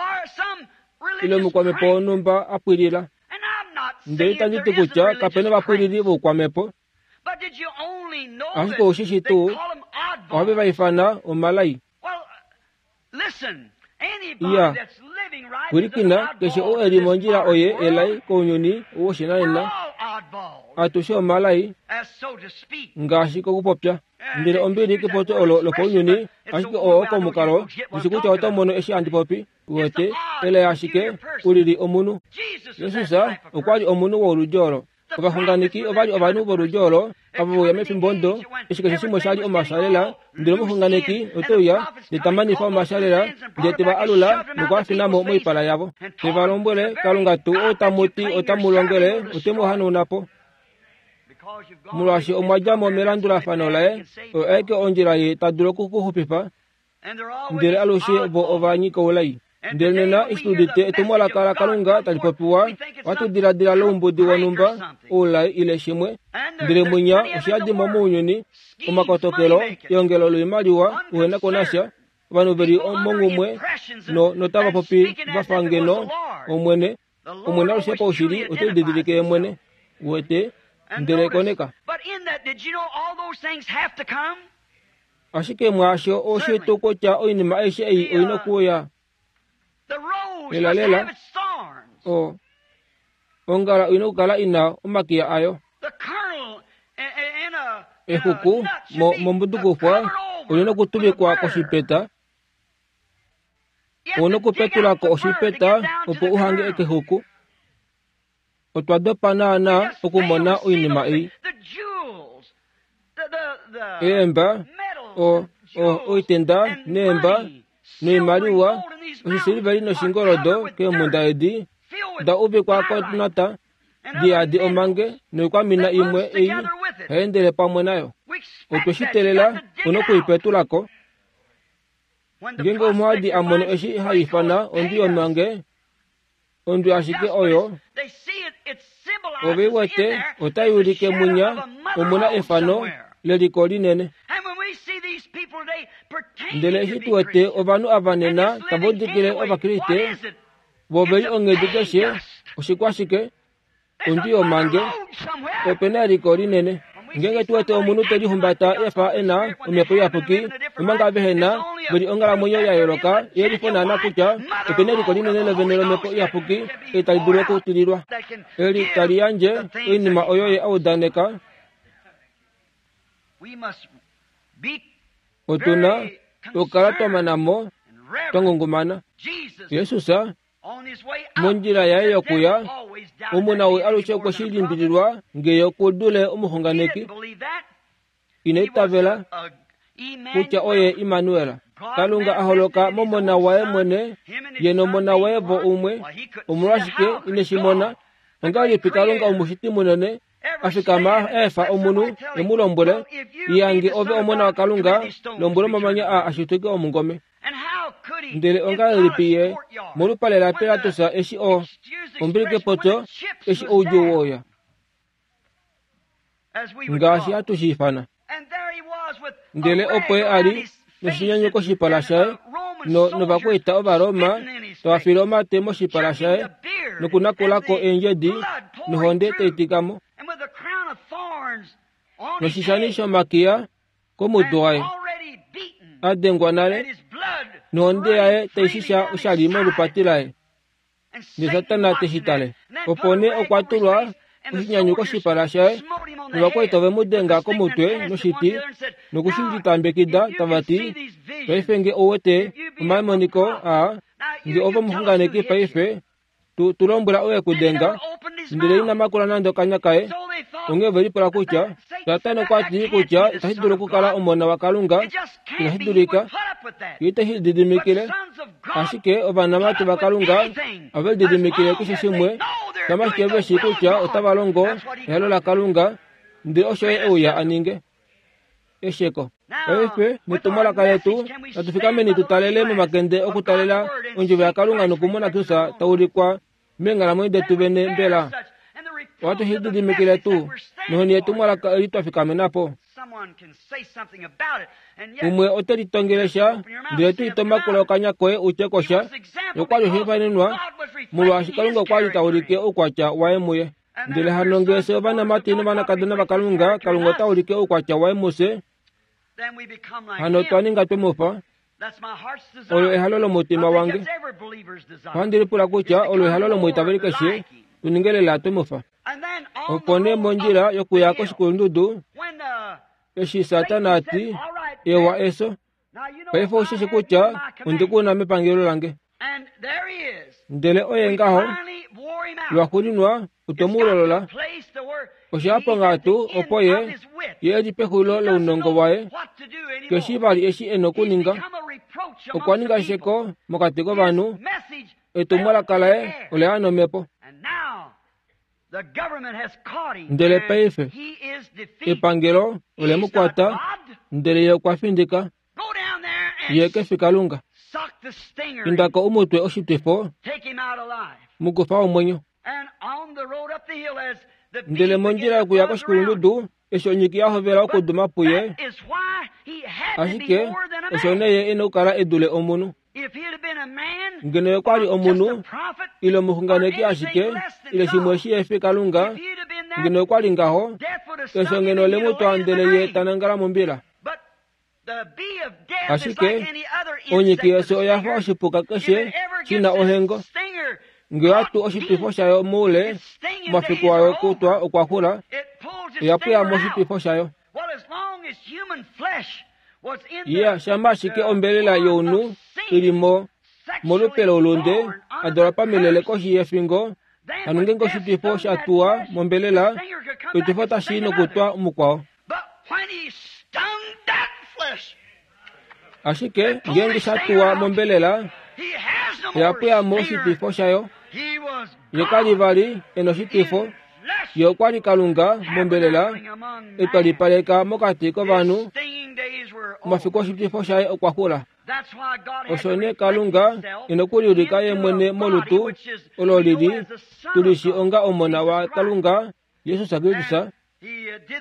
ile omukwamhepo wonhumba a pwilila. Ndele itandi ti kutya kape na ovapwilili voukwamhepo, ashike ou shi shii tuu, ohave va ifana omalai. Iya, pwilikina, keshe ou e li mondjila oye elai kounyuni woshinanena. Atushe omalai, ngaashi kokupopya. Ndele ombili kepopyo olo lopaunyuni, ashike oo komukalo, ndishi kutya oto mono eshi handi popi. Uwete, elai ashike, u lili omunhu. Jesus okwa li omunhu woludi olo. Ovaxunganeki ova li ovanhu voludi olo, ava ve uya mefimbo odo, eshi keshe shimwe sha li omashalela, ndele omuxunganeki ote uya, ndele ta manifa omashalela, ndele te va alula noku a fina mo moipala yavo. Te va lombwele, Kalunga tuu ou tamu ti ota mu longele, ote mu hanauna po. Molwaashi omwa dja mo melandulafano laye, oyo aike ondjila ye ta dulu oku ku xupifa, Ndele alushe vo ova nyika oulai. Ndele nena eshi tu udite etumwalaka laKalunga tali popiwa, ohatu diladila loumbudi wonhumba, oulai ile shimwe. Ndele mwinya osha yadi mo mounyuni, omakotokelo, eongelo loimaliwa, uhena ko nasha, ovanhu ve li monghumwe no, notava popi va fa ngeno Omwene. Omwene alushe paushili ote lididilike ye mwene. Uwete? Ndele koneka. Ashike mwaasho oshe tu kutya oinima aishe ei oi na okuuya. Lelalela, o, ongala oi na okukala i na omakiya ayo. Exuku mo, mombudukufwa oli na okutuvikwa koshipeta. Ou na okupetula ko oshipeta opo u hange ekexuku. Otwa dopa naanaa okumona oinima ei. Eemba, o, o, oitenda neemba, noimaliwa, oshisiliveli noshingoldo keemhunda edi, da uvikwa konata, di yadi omange noikwamina imwe ei hai endele pamwe nayo. Otwe shi teelela, u noku i petula ko. Ngeenge omuhadi a mono eshi ha ifana ondwi yomange, ondwi ashike oyo ove wete otai ulike munya omuna efano leliko linene. Ndele eshi tu wete ovanhu ava nena tava udikile Ovakriste vo veli onghedi keshe, oshikwashike ondwi yomange, ope na eliko linene. Ngeenge tu wete omunhu te lihumbata efa e na omhepo iyapuki, omanga vehe na veli onghalamwenyo ya yooloka, yelifo naana kutya ope na eliko linene lovene lomhepo iyapuki eli tali dulu okutililwa, eli tali yandje oinima oyo ye a udaneka. Otu na okukala twa mana mo, twa ngungumana. Jesus mondjila yaye yokuya, omuna ou alushe okwe shi limbililwa ngee oku dule omuxunganeki. Ina itavela kutya oye Immanuel, Kalunga a holoka momona waye mwene, ye nomona waye vo umwe. Omolwashike ine shi mona? Ongahelipi Kalunga omushiti munene a fikama a efa omunhu e mu lombwele, Yange ove omona waKalunga, lombwela omamanya aa a shituke omungome. Ndele ongahelipi ye molupale laPilatus eshi o ombilikepotyo eshi oudjuu woya, ngaashi hatu shi ifana. Ndele opo ye a li noshinyanyu koshipala shaye, novakwaita Ovaroma tava file omate moshipala shaye nokunakula ko eendjedi nohonde tai tika mo, noshishani shomakiya komutwe waye, a dengwa nale, nohonde yaye tai shisha oshali molupati laye, ndele Satana te shi tale. Opo nee okwa tulwa oshinyanyu koshipala shaye, novakwaita ove mu denga komutwe noshiti noku shi litambekida tava ti, Paife nge ou wete omamoniko aa, nge ove omuxunganeki paife, tu lombwela oye ku denga. Ndele ina makula nande okanya kaye. Onghee ove lipula kutya Satana okwa ti kutya itashi dulu okukala omona waKalunga, inashi dulika, ye ite shi lididimikile. Ashike ovanamati vaKalunga ove lididimikile keshe shimwe, shama ashike ve shii kutya otava longo ehalo laKalunga, ndele osho ye e uya a ninge. Esheko. Paife, netumwalaka letu, natu fikameni tu talele momakende okutalela ondjovo yaKalunga nokumona Kristus ta ulikwa meenghalamwenyo detu vene. Mbela ohatu shi lididimikile tuu nohoni yetumwalaka eli twa fikamena po? Umwe ote litongele sha, ndele to itomakula okanya koye u tye ko sha. Okwa li oshihopaenenwa, molwaashi Kalunga okwa li ta ulike oukwatya waye muye. Ndele hano ngee fye ovanamati novanakadona vaKalunga, Kalunga ota ulike oukwatya waye mufye, hano otwa ninga twe mu fa. Olo ehalo lomutima wange. Ohandi lipula kutya olo ehalo lomwiitaveli keshe, tu ninge lela twe mu fa. Opo nee mondjila yokuya koshikulundudu, eshi Satana a ti, Ewa eso, paife ou shi shi kutya ondi ku na mepangelo lange. Ndele oye ngaho, lwaxuuninwa otwe mu lolola. Osha ya ponghatu opo ye, ye e li pexulilo lounongo waye, keshi vali eshi e na okuninga. Okwa ninga esheko mokati kovanhu, etumwalaka laye ola ya nomhepo. Ndele paife epangelo ole mu kwata, ndele ye okwa findika. Ye ke fi Kalunga. Inda ko u mu twe oshitwifo, mu kufa omwenyo. Ndele mondjila yokuya koshikulundudu, eshi onyiki ya hovela okuduma puye, ashike osho nee ye e na okukala e dule omunhu. Ngeno ye okwa li omunhu, ile omuxunganeki ashike, ile shimwe shi he fi Kalunga, ngeno okwa li ngaho, efyo ngeno ole mu twa ndele ye ta nangala mombila. Ashike onyiki yefyo oya fa oshipuka keshe shi na ohengo. Nge oya tu oshitwifo shayo moule, omafiku ayo okutwa okwa xula, oya pweya moshitwifo shayo. Ya shama ashike ombelela younhu i li mo molupe loulunde, a dalwa pamilele koshi yefingo, hano ngeenge oshitwifo sha tuwa mombelela, oshitwifo otashi i nokutwa mukwao. Ashike ngeenge sha tuwa mombelela, oya pweya mo oshitwifo shayo. Ye ka li vali e noshitwifo. Ye okwa li Kalunga mombelela, e twalipaleka mokati kovanhu. Omafiku oshitwifo shaye okwa xula. Osho nee Kalunga e na okuliulika ye mwene molutu olo li li tu li shi onga Omona waKalunga, Jesus Kristus,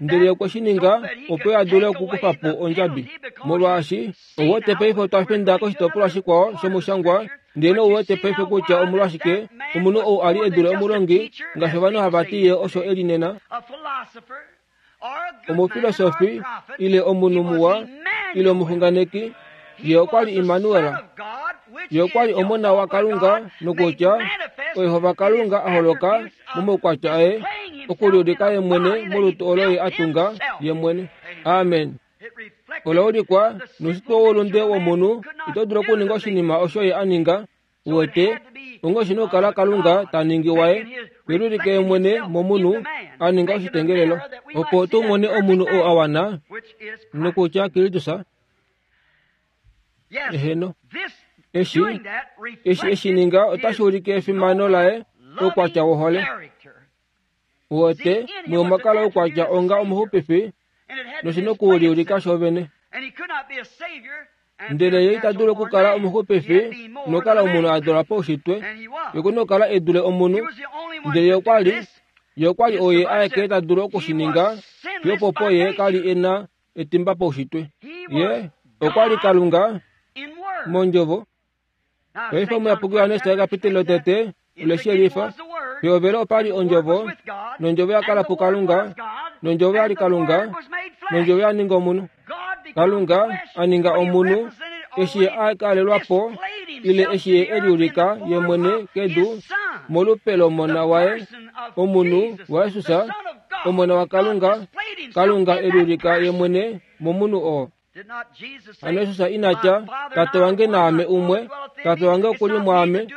ndele okwe shi ninga opo a dule okukufa po ondjabi. Molwaashi ou wete paife otwa finda koshitopolwa shikwao shomushangwa, ndele nou wete paife kutya omolwashike omunhu ou a li e dule omulongi, ngaashi ovanhu hava ti ye osho e li nena, omufilosofi ile omunhu muwa ile omuxunganeki, ye okwa li Immanuel. Ye okwa li Omona waKalunga nokutya oYehova Kalunga a holoka momaukwatya aye okuliulika ye mwene molutu olo ye a tunga ye mwene. Amen. Ola ulikwa noushitwe woulunde womunhu ito dulu okuninga oshinima osho ye a ninga. Uwete, onghee oshi na okukala Kalunga ta ningi waye, te liulike ye mwene momunhu, a ninga oshitengelelo, opo tu mone omunhu oo a wana, nokutya Kristus. Eheno. Eshi, eshi e shi ninga otashi ulike efimano laye oukwatya wohole. Uwete, muye omwa kala oukwatya onga omuxupifi, noshi na okuliulika shovene. Ndele ye ita dulu okukala omuxupifi nokukala omunhu a dula paushitwe. Ye oku na okukala e dule omunhu. Ndele ye okwa li, ye okwa li oye aeke ta dulu oku shi ninga, fiyo opopo ye ka li e na etimba paushitwe. Ye okwa li Kalunga mondjovo. Paife Omuyapuki Johannes ekapiteli lotete ole shi yelifa. Pehovelo opa li Ondjovo, nOndjovo ya kala puKalunga, nOndjovo ya li Kalunga, nOndjovo ya ninga omunhu. Kalunga a ninga omunhu eshi ye a kalelwa po ile eshi ye e liulika ye mwene kedu molupe lOmona waye, omunhu waJesus, Omona waKalunga, Kalunga e liulika ye mwene momunhu oo. Hano Jesus ina tya, Tate wange naame umwe, Tate wange oku li mwaame.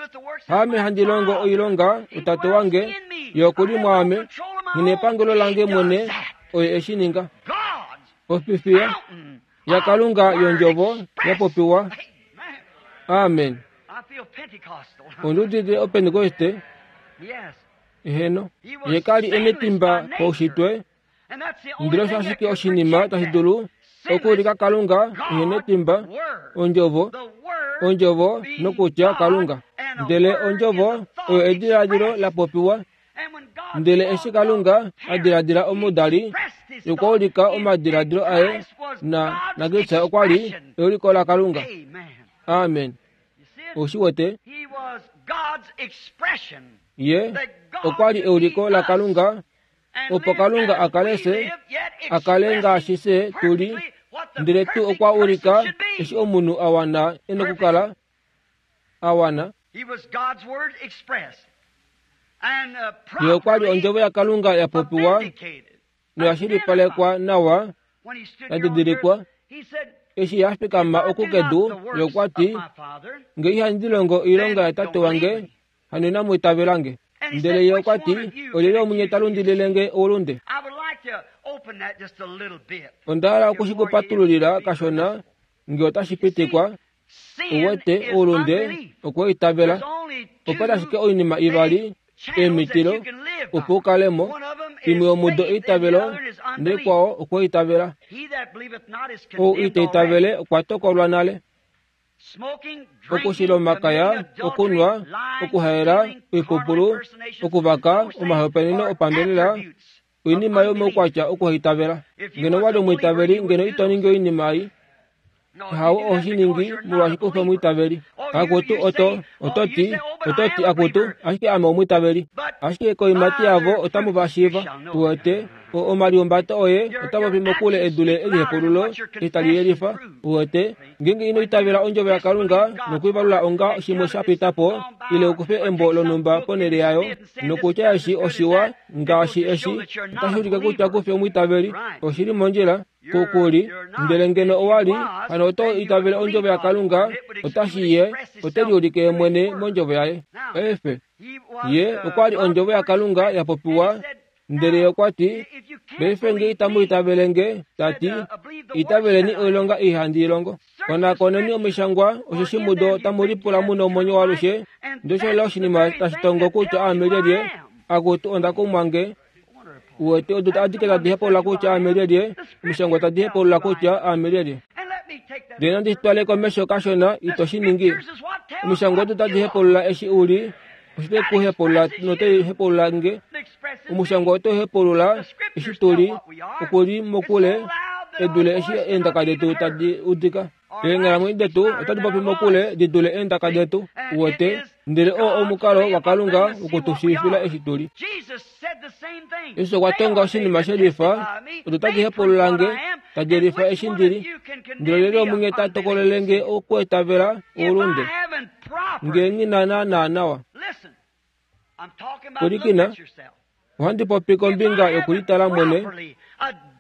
Haame handi longo oilonga, oTate wange, Ye oku li mwaame. Nghi na epangelo lange mwene, oye e shi ninga. Ofifiya yaKalunga yOndjovo ya popiwa. Amen. Ondi udite Opentekoste. Eheno. Ye ka li e netimba paushitwe, Ndele osho ashike oshinima tashi dulu okuulika Kalunga ehe netimba, Ondjovo, Ondjovo nokutya Kalunga. Ndele Ondjovo oyo ediladilo la popiwa. Ndele eshi Kalunga a diladila omudali, okwa ulika omadiladilo aye na naKristus okwa li euliko laKalunga. Amen. Ou shi wete? Ye okwa li euliko laKalunga opo Kalunga a kale fye, a kale ngaashi fye tu li, ndele tu okwa ulika eshi omunhu a wana e nokukala a wana. Ye okwa li ondjovo yaKalunga ya popiwa noya shilipalekwa nawa, ya didilikwa. Eshi ya fikama oku kedu, ye okwa ti, Nge ihandi longo oilonga yaTate wange, hano inamu itavela nge. Ndele ye okwa ti, Olyelye omunye ta lundilile nge oulunde? Onda hala oku shi ku patululila kashona, nge otashi pitikwa. U wete, oulunde okweitavela. Ope na ashike oinima ivali, eemitilo, opo u kale mo. Imwe yomudo eitavelo, naikwao okweitavela. Ou ita itavele okwa tokolwa nale. Okushila omakaya, okunwa, okuhaela, oipupulu, okuvaka, omahopaeneno opambelela, oinima yomaukwatya okuhaitavela. Ngeno owa li omwiitaveli, ngeno ito ningi oinima ei. Hawo oho shi ningi molwaashi ku fi omwiitaveli. Akutu, oto, oto ti, oto ti, akutu, ashike ame omwiitaveli. Ashike koiimati yavo otamu va shiiva. Uwete? Omalihumbato oye ota popi mokule e dule elihepululo eshi tali yelifa. Uwete, ngeenge ino itavela Ondjovo yaKalunga nokuivalula onga shimwe sha pita po, ile u kufe embo lonhumba ponhele yayo, nokutya eshi oshiwa ngaashi eshi, otashi ulike kutya ku fi omwiitaveli. Oshi li mondjila, ku, ku li. Ndele ngeno owa li, hano oto itavele Ondjovo yaKalunga, otashi Ye ote liulike Ye mwene mOndjovo Yaye. Paife, Ye okwa li Ondjovo yaKalunga ya popiwa Ndele ye okwa ti, Paife nge itamu itavele nge, ta ti, itaveleni oilonga ei handi i longo. Konakoneni omishangwa, osheshi mudo tamu lipula mu nomwenyo waalushe, ndele osho lela oshinima tashi tongo kutya aame lyelye. Akutu, onda kumwa nge. Uwete, odo adike tadi hepaulula kutya aame lyelye, omishangwa tadi hepaulula kutya aame lyelye. Ndele nandi twale komesho kashona ito shi ningi. Omishangwa odo tadi hepulula eshi u li, oshite ku hepulula notai hepulula nge. Omushangwa otau hepulula eshi tu li, oku li mokule e dule eshi eendaka detu tadi udika. Eenghalamwenyo detu otadi popi mokule di dule eendaka detu, uwete, ndele oo omukalo waKalunga woku tu shiivifila eshi tu li. Jesus okwa tonga oshinima she lifa, odo tadi hepulula nge, tadi yelifa eshi ndi li. Ndele olyelye womunye ta tokolele nge okuetavela oulunde, nge nghi na naanaa nawa? Pwilikina, ohandi popi kombinga yokulitala mwene,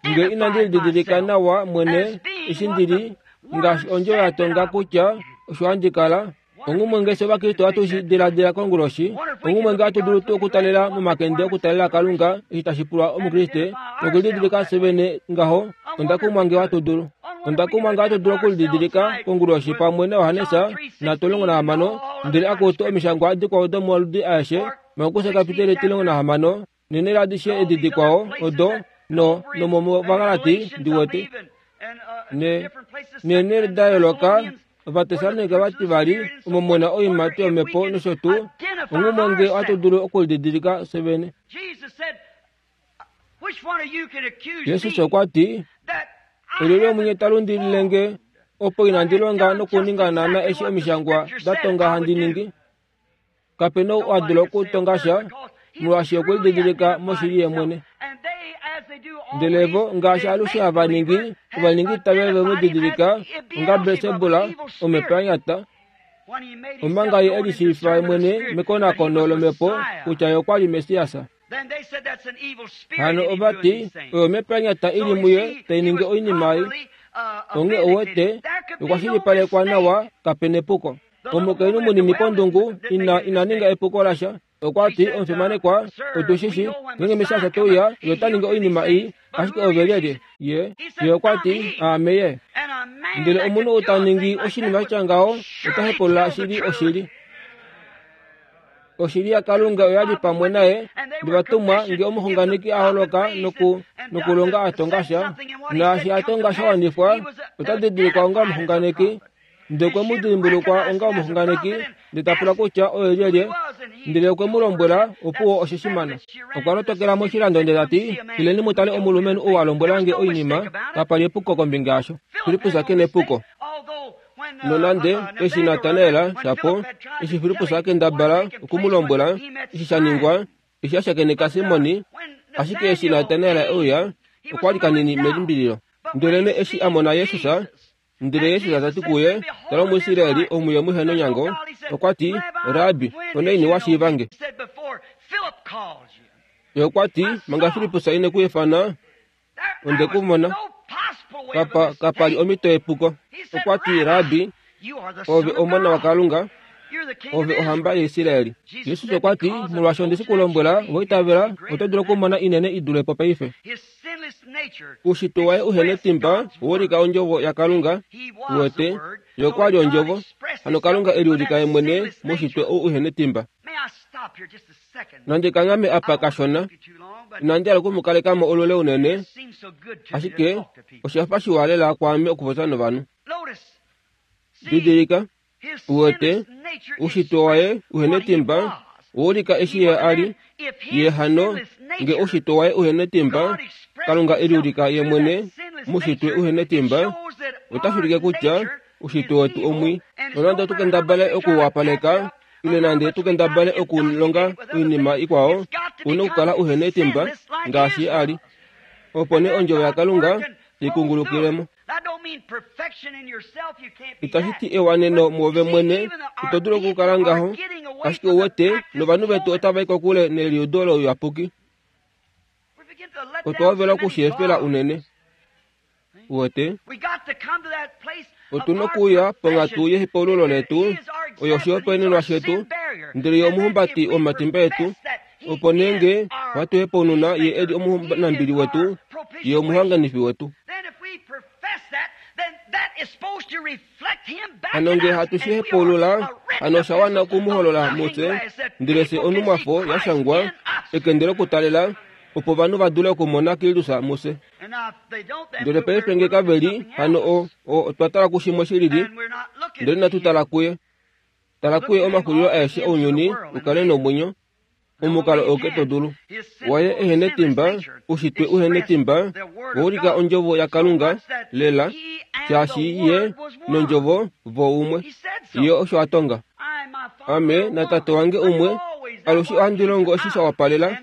nge inandi lididilika nawa mwene eshi ndi li, ngaashi ondjo ya tonga kutya osho handi kala. Onghumwe nge fye Ovakriste ohatu shi diladila konguloshi, onghumwe nge hatu dulu tuu okutalela momakende okutalela Kalunga eshi tashi pulwa Omukriste nokulididilika fye vene ngaho, onda kumwa nge ohatu dulu. Onda kumwa nge ohatu dulu okulididilika konguloshi pamwe naJohannes na16 ndele akutu omishangwa dikwao domaludi aeshe, Markus kapiteli 16 nene ladishe edi dikwao odo no nomovagalati ndi wete ne nene da yooloka Ovatessalonika vati vali omo mu na oiimati yomhepo nosho tuu, onghumwe nge ohatu dulu okulididilika fye vene. Jesus okwa ti, Olyelye womunye ta lundilile nge opo inandi longa nokuninga naana eshi omishangwa da tonga handi ningi? Kape na ou a dula okutonga sha, molwaashi okwe lididilika moshili ye mwene. Ndele vo, ngaashi alushe hava ningi, ova ninga itavelo ve mu didilika onga Belsebul, omhepo ya nyata, omanga ye e lishiivifa ye mwene mekonakono lomhepo kutya ye okwa li Messias. Hano ova ti, Oyo omhepo ya nyata i li muye tai ningi oinima ei. Onghee ou wete, okwa shilipalekwa nawa, kape nepuko. Omukainhu munini pondungu ina ina ninga epuko lasha. Okwa ti, Omufimanekwa, otu shi shi, ngeenge Messias te uya, ye ota ningi oinima ei, ashike ove lyelye? Ye, ye okwa ti, Aame ye. Ndele omunhu ou ta ningi oshinima sha tya ngaho, ota hepulula shili oshili. Oshili yaKalunga oya li pamwe naye, novatumwa nge omuxunganeki a holoka noku, nokulonga a tonga sha, naashi a tonga sha wanifwa, ota didilikwa onga omuxunganeki. Ndele okwe mu dimbulukwa onga omuxunganeki, ndele ta pula kutya oye lyelye, ndele okwe mu lombwela, opuwo oshe shi mana. Okwa lotokela moshilando ndele ta ti, Ileni mu tale omulumenhu ou a lombwela nge oinima, kapa li epuko kombinga yasho. Filippus ke na epuko. Nonande, eshi Natanael shapo, eshi Filippus a kendabala oku mu lombwela eshi sha ningwa, eshi a shakeneka Simoni, ashike eshi Natanael e uya, okwa li kanini melimbililo. Ndelenee eshi a mona Jesus, Ndele Jesus ta ti kuye, Tala Omuisraeli omuye muhe nonyango, okwa ti, Rabbi, onaini wa shiiva nge? Ye okwa ti, Manga Filippus ine ku ifana, onde ku mona. Kapa, kapa li omhito yepuko. Okwa ti, Rabbi, ove Omona waKalunga, ove ohamba yaIsraeli. Jesus okwa ti, Molwaashi onde shi ku lombwela, wa itavela, oto dulu okumona inene i dule po paife. Uushitwe waye uhe netimba owa ulika ondjovo yaKalunga, uwete, Ye okwa li ondjovo. Hano Kalunga e liulika ye mwene moushitwe ou uhe netimba. Nandi kanghame apa kashona, inandi hala oku mu kaleka mo olule unene, ashike osha fa shiwa lela kwaame okupopya novanhu. Didilika, Uwete, oushitwe waye uhe netimba owa ulika eshi ye a li. Ye hano, nge oushitwe waye uhe netimba, Kalunga e liulika ye mwene moushitwe uhe netimba, otashi ulike kutya oushitwe wetu omwii. Nonande otu kendabale oku u wapaleka, ile nande tu kendabale okulonga oinima ikwao, ou na okukala uhe netimba ngaashi ye a li. Opo nee ondjovo yaKalunga tai kungulukile mo. Itashi ti ewaneno muove mwene, ito dulu okukala ngaho, ashike ou wete, novanhu vetu otava i kokule neliudo louyapuki. Otwa hovela oku shi efela unene. Uwete? Otu na okuuya ponghatu yehepaululo letu, oyo oshihopaenenwa shetu, ndele ye omuhumbati womatimba etu. Opo nee nge ohatu hepaununa ye e li omunambili wetu, ye omuhanganifi wetu. Hano nge hatu shi hepaulula, hano osha wana oku mu holola mufye, ndele fye onhumwafo ya shangwa, ekende lokutalela. Opo ovanhu va dule okumona Kristus mufye. Ndele paife nge kave li, hano o, o, otwa tala kushimwe shi lili, ndele inatu tala kuye. Tala kuye omaxulilo aeshe ounyuni u kale nomwenyo, omukalo oo ke to dulu. Waye ehe netimba, ushitwe uhe netimba, wa ulika ondjovo yaKalunga, lela, shaashi Ye nOndjovo vo umwe. Ye osho a tonga. Ame naTate wange umwe, alushe ohandi longo eshi sha wapalela.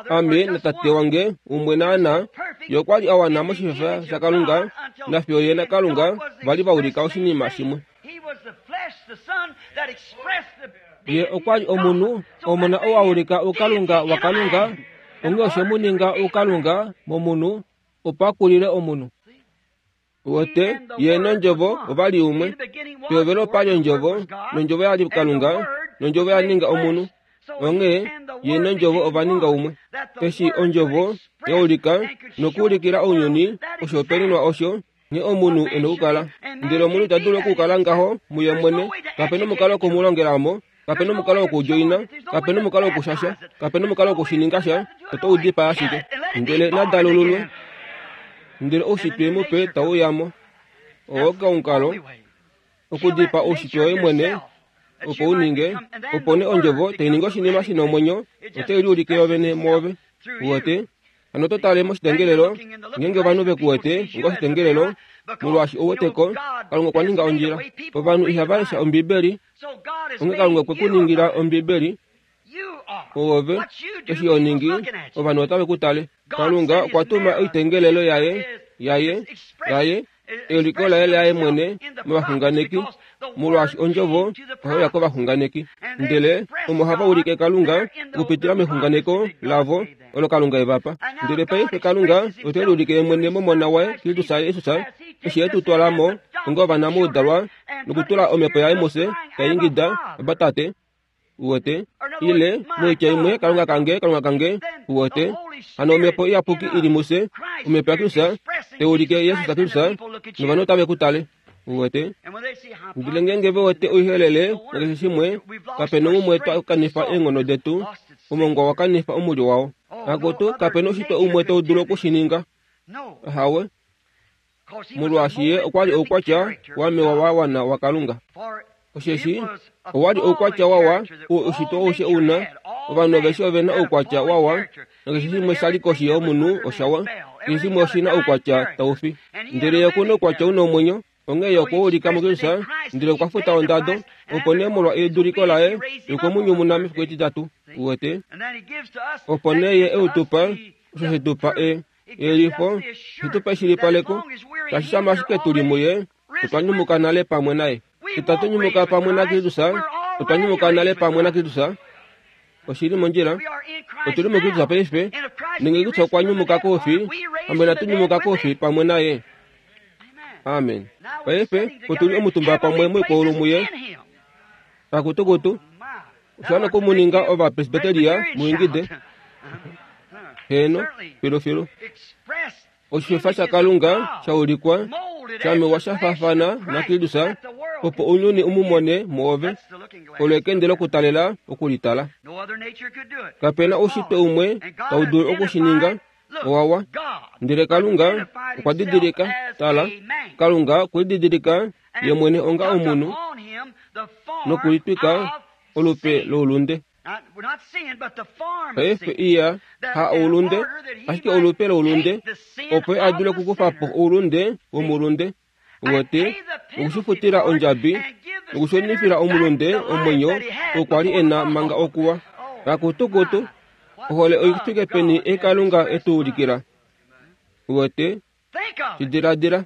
Ame naTate wange umwe naana. Ye okwa li a wana moshifefa shaKalunga, nafiyo Ye naKalunga va li va ulika oshinima shimwe. Ye okwa li omunhu, Omona oo a ulika oukalunga waKalunga, onghee oshe mu ninga oukalunga momunhu, opo a kulile omunhu. Wete, Ye nOndjovo ova li umwe. Pehovelo opa li Ondjovo, nOndjovo ya li Kalunga, nOndjovo ya ninga omunhu. Onghee, Ye nOndjovo ova ninga umwe. Eshi Ondjovo ya ulika nokuulikila ounyuni oshihopaenenwa osho, nghee omunhu e na okukala. Ndele omunhu ita dulu okukala ngaho muye mwene. Kape na omukalo woku mu longela mo. Kape na omukalo wokudjoina. Kape na omukalo wokushasha. Kape na omukalo wokushininga sha. Oto u dipaa ashike. Ndele na dalululwe. Ndele oushitwe mupe tau uya mo. Oo omukalo okudipaa oushitwe woye mwene opo u ninge, opo nee ondjovo tai ningi oshinima shi na omwenyo, otai liulike yovene mwoove. Uwete? Hano oto tale moshitengelelo, ngeenge ovanhu ve ku wete onga oshitengelelo, molwaashi ou wete ko, Kalunga okwa ninga ondjila. Ovanhu ihava lesha Ombibeli, onghee Kalunga okwe ku ningila Ombibeli. Oove, eshi ho ningi, ovanhu otave ku tale. Kalunga okwa tuma oitengelelo yaye, yaye, yaye, euliko laye laye mwene movaxunganeki, molwaashi ondjovo ohai uya kovaxunganeki. Ndele omo hava ulike Kalunga okupitila mexunganeko lavo olo Kalunga e va pa. Ndele paife Kalunga ote liulike ye mwene mOmona waye Kristus Jesus, eshi e tu twala mo onga ovana moudalwa nokutula Omhepo yaye mufye tai ingida, Abba Tate. Uwete? Ile, moitya imwe, Kalunga kange, Kalunga kange, uwete? Hano Omhepo Iyapuki i li mufye, Omhepo yaKristus, tai ulike Jesus Kristus, novanhu otave ku tale. Uwete? Ndele ngeenge ve wete oihelele nakeshe shimwe, kape na umwe twa kanifa eenghono detu, omongwa wa kanifa omulyo wao. Akutu, kape na oshitwa umwe tau dulu oku shi ninga. Ahawe. Molwaashi ye okwa li oukwatya wamewa wa wana waKalunga. Osheshi owa li oukwatya wawa oo oushitwe aushe u na, ovanhu aveshe ove na oukwatya wawa, nakeshe shimwe sha li koshi yomunhu oshawa, keshe shimwe oshi na oukwatya tau fi. Ndele ye oku na oukwatya u na omwenyo, onghee ye okwe u ulika muKristus, ndele okwa futa ondado, opo nee molwa eduliko laye, ye okwe mu nyumuna mefiku etitatu. Uwete? Opo nee ye e u tu pa, osho she tu pa e, eyelifo, she tu pa eshilipaleko, tashi shama ashike tu li muye, otwa nyumuka nale pamwe naye. Itatu nyumuka pamwe naKristus, otwa nyumuka nale pamwe naKristus. Oshi li mondjila. Otu li muKristus paife, nenge Kristus okwa nyumuka koufi, pamwe natu nyumuka koufi pamwe naye. Amen. Paife otu li omutumba pamwe moikwaulu muye. Kakutukutu, osha wana oku mu ninga Ovapresbiteria mu ingide. Heeno, filufilu. Oshifefa shaKalunga sha ulikwa, sha mewa sha faafana naKristus, opo ounyuni u mu mone mwoove. Olo ekende lokutalela oku li tala. Kape na oushitwe umwe tau dulu oku shi ninga, owa wa. Ndele Kalunga okwa didilika, tala, Kalunga okwe lididilika ye mwene onga omunhu nokulitwika olupe loulunde. Paife iya, ha oulunde, ashike olupe loulunde, opo ye a dule okukufa po oulunde womulunde, uwete, nokushifutila ondjabi, nokushunifila omulunde omwenyo oo kwa li e na manga okuwa. Kakutukutu, ohole oi fike peni ei Kalunga e tu ulikila! Uwete, shi diladila.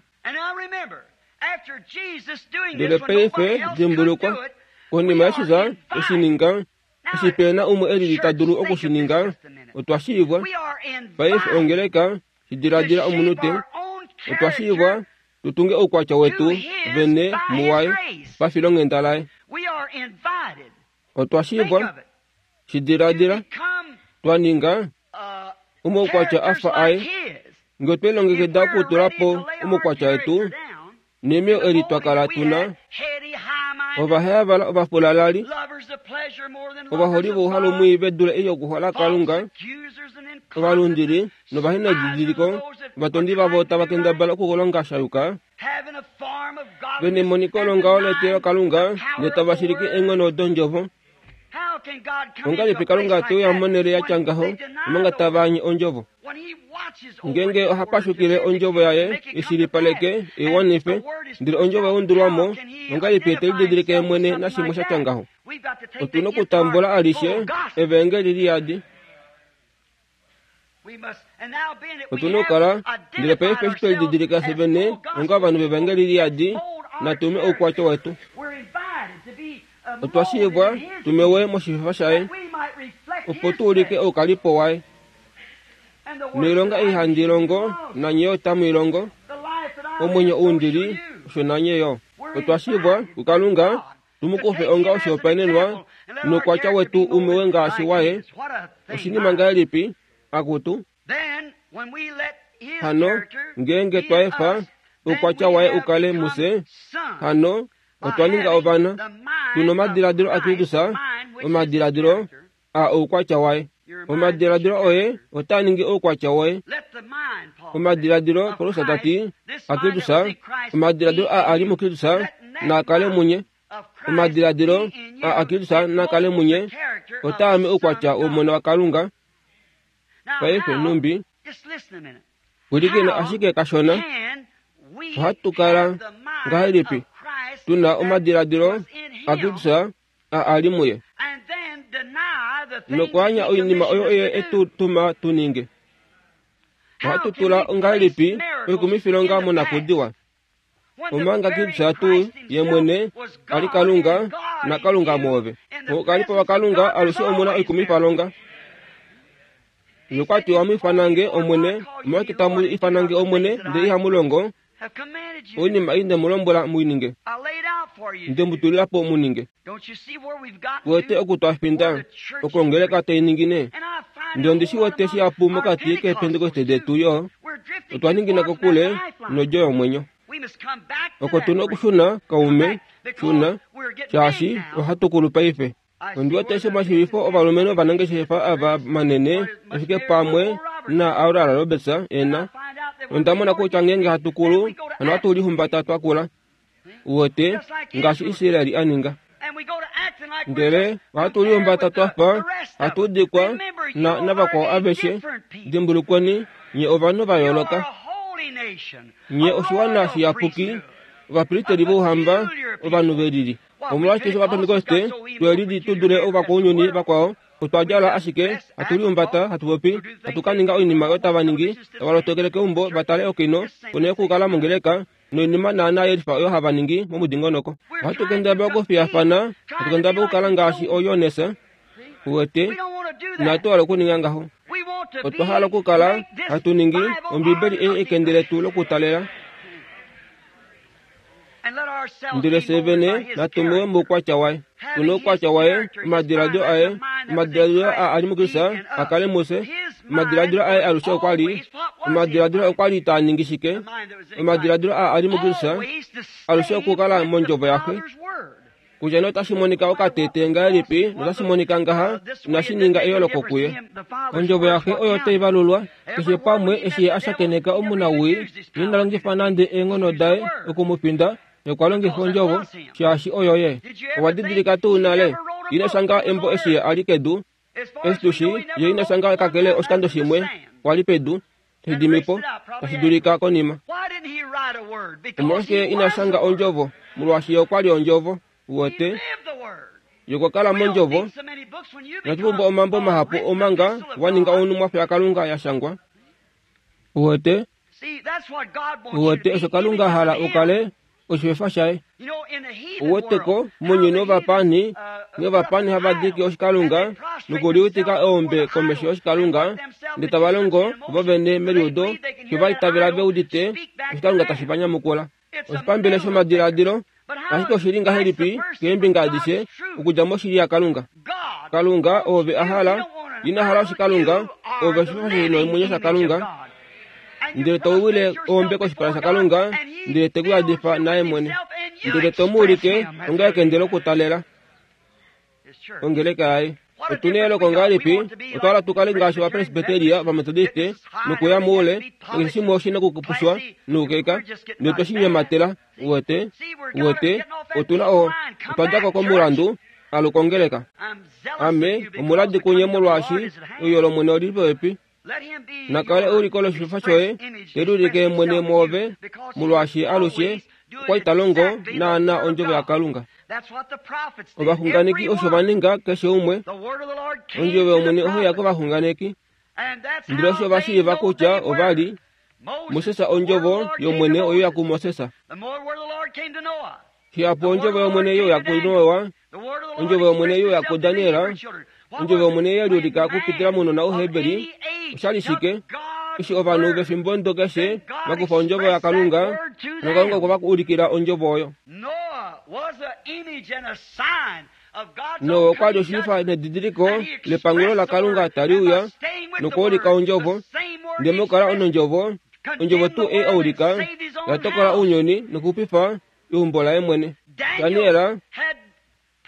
Ndele paife dimbulukwa, konima Jesus e shi ninga, eshi pe na umwe e lili ta dulu oku shi ninga, otwa shiivwa. Paife ongeleka, shi diladila omunute, otwa shiivwa tu tunge oukwatya wetu vene muwaye pafilonghenda laye. Otwa shiivwa, shi diladila, twa ninga omaukwatya a fa aye. Nge otwe lilongekida okutula po omaukwatya etu, neemwiyo eli twa kala tu na. Ovaheyavala ovafulalali, ovaholi vouhalu mwii ve dule ei yokuhola Kalunga, ovalundili novahenadidiliko, ovatondi vavo tava kendabala okukulonga sha yuka, ve nemoniko longaho leteyo Kalunga, ndele tava shilike eenghono dondjovo. Ongahelipi Kalunga te uya monhele ya tya ngaho omanga tava anye ondjovo? Ngeenge oha pashukile ondjovo yaye i shilipaleke, i wanife, ndele ondjovo ya undulwa mo, ongahelipi te lididilike ye mwene nashimwe sha tya ngaho? Otu na okutambula alishe evaengeli liyadi. Otu na okukala, ndele paife eshi twe lididilika fye vene onga ovanhu vevaengeli liyadi, natu me oukwatya wetu. Otwa shiivwa tu mewe moshififa shaye, opo tu ulike oukalipo waye. Noilonga ei handi longo, nanye yo tamu i longo. Omwenyo ou ndi li, osho nanye yo. Otwa shiivwa kuKalunga tu mu kufe onga oshihopaenenwa noukwatya wetu u mewe ngaashi waye. Oshinima ngahelipi, akutu? Hano, ngeenge twa efa oukwatya waye u kale mufye, hano otwa ninga ovana, tu nomadiladilo aKristus, omadiladilo a oukwatya waye. Omadiladilo oye otaa ningi oukwatya woye. Omadiladilo, Paulus ta ti, aKristus, omadiladilo a a li muKristus, naa kale munye. Omadiladilo a aKristus naa kale munye, otaa ame oukwatya wOmona waKalunga. Paife nhumbi, pwilikina ashike kashona, ohatu kala ngahelipi tu na omadiladilo aKristus a a li muye, nokwaanya oinima oyo ye e tu tuma tu ninge? Ohatu tula ngahelipi oikumifilonga monakudiwa, omanga Kristus tuu ye mwene a li Kalunga naKalunga mwoove? Moukalipo waKalunga alushe omu na oikumifalonga. Nokwa tiwa mu ifanange Omwene, omolwashike tamu ifanange Omwene ndele ihamu longo oinima ei nde mu lombwela mu i ninge, nde mu tulila po mu ninge? Wete oku twa finda okongeleka tai ningine? Ndele ondi shi wete shihapu mokati keepentekoste detu yo, otwa ningina kokule nodjo yomwenyo. Oko tu na okushuna, kaume, shuna, shaashi ohatu kulu paife. Ondi wete eshi omashiivifo ovalumenhu ovanangeshefa ava manene efike pamwe na Aurora Roberts e na. Onda mona kutya ngeenge hatu kulu, hano ohatu lihumbata twa kula. Uwete, ngaashi Israel a ninga. Ndele ohatu lihumbata twa fa hatu dikwa na navakwao aveshe. Dimbulukweni, nye ovanhu va yooloka. Nye oshiwana shiyapuki, ovapristeli vouhamba, ovanhu ve lili. Omolwashike eshi Ovapentekoste twe lili tu dule ovakwaunyuni vakwao? Otwa djala ashike, hatu lihumbata, hatu popi, hatu ka ninga oinima oyo tava ningi, tava lotokele keumbo va tale okino, ponhele yokukala mongeleka, noinima naanaa ye lifa oyo hava ningi momudingonoko. Ohatu kendabala okufiyafana, hatu kendabala okukala ngaashi ooJones. Uwete, inatu hala okuninga ngaho. Otwa hala okukala hatu ningi Ombibeli ei ekende letu lokutalela. Ndele fye vene natu muwe moukwatya waye. Tu na oukwatya waye, omadiladilo aye, omadiladilo a a li muKristus a kale mufye. Omadiladilo aye alushe okwa li, omadiladilo okwa li taa ningi shike? Omadiladilo a a li muKristus alushe okukala mondjovo yaXe. Kutya nee otashi monika okatete ngahelipi notashi monika ngaha, inashi ninga eyooloko kuye. Ondjovo yaXe oyo tai valulwa keshe pamwe eshi ye a shakeneka omunawii, ye ina longifa nande eenghono daye oku mu finda, ye okwa longifa ondjovo, shaashi oyo ye. Owa didilika tuu nale? Ina shanga embo eshi ye a li kedu. Eshi tu shi, ye ina shanga kakele oshikando shimwe, kwa li pedu, tashi dimi po, tashi dulika konima. Omolwashike ina shanga ondjovo? Molwaashi ye okwa li ondjovo. Uwete? Ye okwa kala mondjovo. Inatu pumbwa omambo mahapu omanga wa ninga onhumwafo yaKalunga ya shangwa. Uwete? Uwete osho Kalunga a hala u kale oshifefa shaye. Uwete ko mounyuni wovapaani nghee ovapaani hava diki oshikalunga nokuliutika eombe komesho yoshikalunga, ndele tava longo vo vene meliudo fiyo va itavela ve udite oshikalunga tashi va nyamukula. Oshipambele shomadiladilo, ashike oshi li ngahelipi keembinga adishe okudja moshili yaKalunga? Kalunga oove a hala, ina hala oshikalunga, oove oshifa shomwenyo shaKalunga, ndele to wile eombe koshipala shaKalunga, ndele te ku yadifa naye mwene. Ndele to mu ulike onga ekende lokutalela ongeleka yaye. Otu na eyooloko ngahelipi? Otwa hala tu kale ngaashi Ovapresbiteria, Ovametodiste, nokuya moule, nakeshe shimwe oshi na okupushwa noukeka, ndele twe shi nyematela. Uwete? Uwete? Otu na o, otwa dja ko komulandu, aluka ongeleka. Ame omuladi kunye molwaashi euyo lOmwene oli li popepi. Na kale euliko loshififa shoye, te liulike mwene mwoove, molwaashi alushe okwa li ta longo naanaa Ondjovo yaKalunga. Ovaxunganeki osho va ninga, keshe umwe. Ondjovo yOmwene ohai ya kovaxunganeki. Ndele osho va shiiva kutya ova li Moses, Ondjovo yOmwene oyo ya kuMoses. Shihapu Ondjovo yOmwene yo ya kuNoa, Ondjovo yOmwene yo ya kuDaniel, Ondjovo yOmwene ye liulika okupitila mounona Ouheberi. Osha li shike? Eshi ovanhu vefimbo ndo keshe va kufa Ondjovo yaKalunga, naKalunga okwe va ulikila Ondjovo oyo. Noa okwa li oshifa nedidiliko lepangulo laKalunga tali uya nokuulika Ondjovo. Ndele mokukala nOndjovo, Ondjovo tuu ei a ulika, ya tokola ounyuni nokuxupifa eumbo laye mwene. Daniel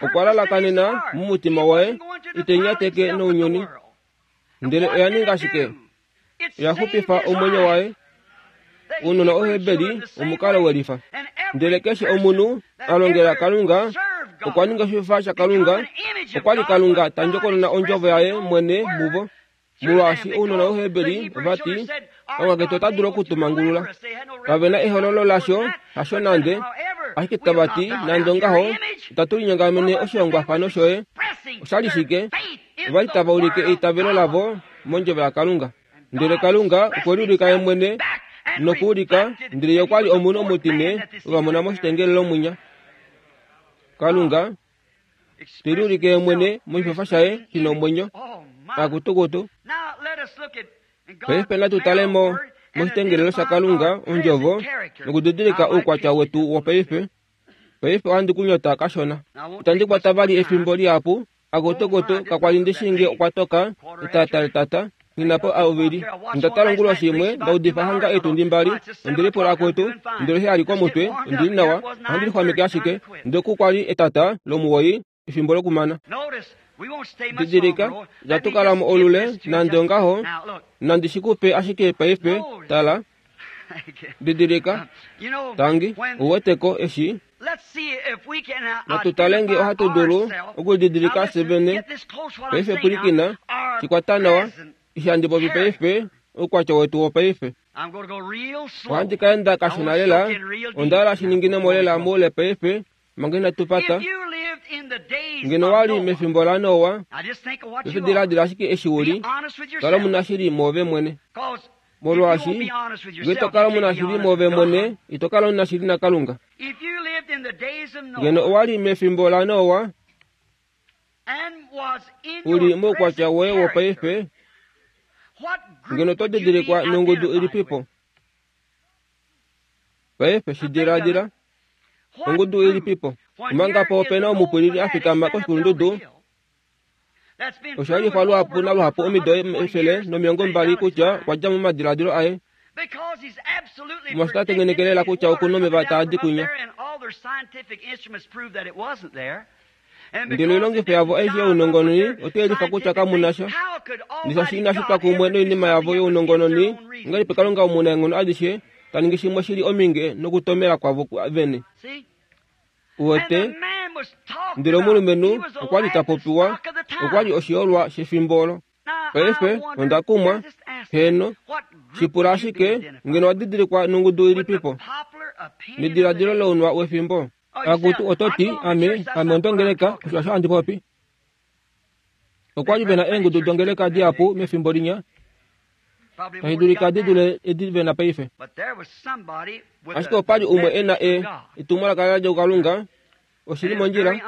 okwa lalakanena momutima waye ite nyateke nounyuni. Ndele oya ninga shike? Oya xupifa omwenyo waye. Ounona Ouheberi omukalo welifa. Ndele keshe omunhu a longela Kalunga okwa ninga oshifa shaKalunga. Okwa li Kalunga ta ndjokonona ondjovo yaye mwene muvo. Molwaashi ounona Ouheberi ova ti, Kalunga ketu ota dulu oku tu mangulula. Kave na ehololo lasho, hasho nande. Ashike tava ti, nande ongaho, itatu linyongamene oshihongwafano shoye. Osha li shike? Ova li tava ulike eitavelo lavo mondjovo yaKalunga. Ndele Kalunga okwe liulika ye mwene nokuulika, ndele ye okwa li omunhu omutine ova mona moshitengelelo mwinya. Kalunga te liulike ye mwene moshifafa shaye shi na omwenyo. Akutukutu. Paife natu tale mo moshitengelelo shaKalunga, Ondjovo, nokudidilika oukwatya wetu wopaife. Paife ohandi ku nyota kashona. Itandi kwata vali efimbo lihapu. Akutukutu, kakwa li ndi shii nge okwa toka, etata letata, nghi na po ovili. Onda tala onguloshi imwe, nda udifa hanga eetundi mbali, ondi lipula akutu, ndele eshi a li komutwe, ondi li nawa, ohandi lixwameke ashike. Ndele oku kwa li etata lomuwoi, efimbo lokumana. Didilika, itatu kala mo olule, nande ongaho, nandi shi ku pe ashike paife, tala. Didilika, tangi, ou wete ko eshi. Natu tale nge ohatu dulu okulididilika fye vene. Paife pwilikina, shi kwata nawa, eshi handi popi paife, oukwatya wetu wopaife. Ohandi ka enda kashona lela, onda hala shi ningine mo lela moule paife, manga inatu pata. Ngeno wa li mefimbo laNoa, paife diladila ashike eshi u li, kala omunashili mwoove mwene. Molwaashi nge to kala omunashili mwoove mwene, ito kala omunashili naKalunga. Ngeno owa li mefimbo laNoa, u li moukwatya woye wopaife, ngeno oto didilikwa nongudu ilipipo? Paife shi diladila. Ongudu ilipipo? Omanga po ope na omupwilili a fikama koshikulundudu, Osha yelifwa luhapu naluhapu omido 120 kutya okwa dja momadiladilo aye. Molwaashi ota tengeneke lela kutya oku na omeva taa di kwinya. Ndele oilongifo yavo aishe younongononi otai yelifa kutya kamu na sha. Ndele shaashi inashi twa kumwe noinima yavo younongononi, ongahelipi Kalunga Omunaenghono adishe ta ningi shimwe shi li omhinge nokutomela kwavo vene? Uwete? Ndele omulumenhu okwa li ta popiwa, okwa li oshiyolwa shefimbo olo. Paife, onda kumwa, heeno, shi pula ashike, ngeno wa didilikwa nongudu ilipipo? Nediladilo lounwa wefimbo. Akutu, oto ti, Ame, ame ondongeleka, osho osho handi popi. Okwa li ve na eengudu dongeleka dihapu mefimbo linya, tashi dulika di dule edi ve na paife. Ashike opa li umwe e na e, etumwalaka la dja kuKalunga, oshi li mondjila,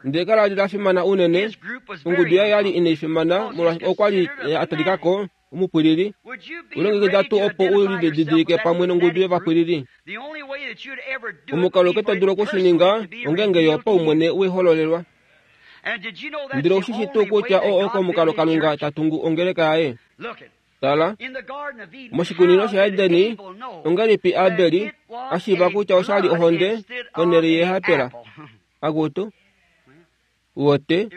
ndele kala li la fimana unene. Ongudu yaye ya li inai fimana molwaashi okwa li a talika ko omupwilili. Ulongekida tuu opo u lididilike pamwe nongudu yovapwilili? Omukalo auke to dulu oku shi ninga ongeenge yo paumwene we hololelwa. Ndele ou shi shii tuu kutya oo oko omukalo Kalunga ta tungu ongeleka yaye? Tala, moshikunino shaEdeni, ongahelipi Abeli a shiiva kutya osha li ohonde ponhele yehapela? Akutu, wote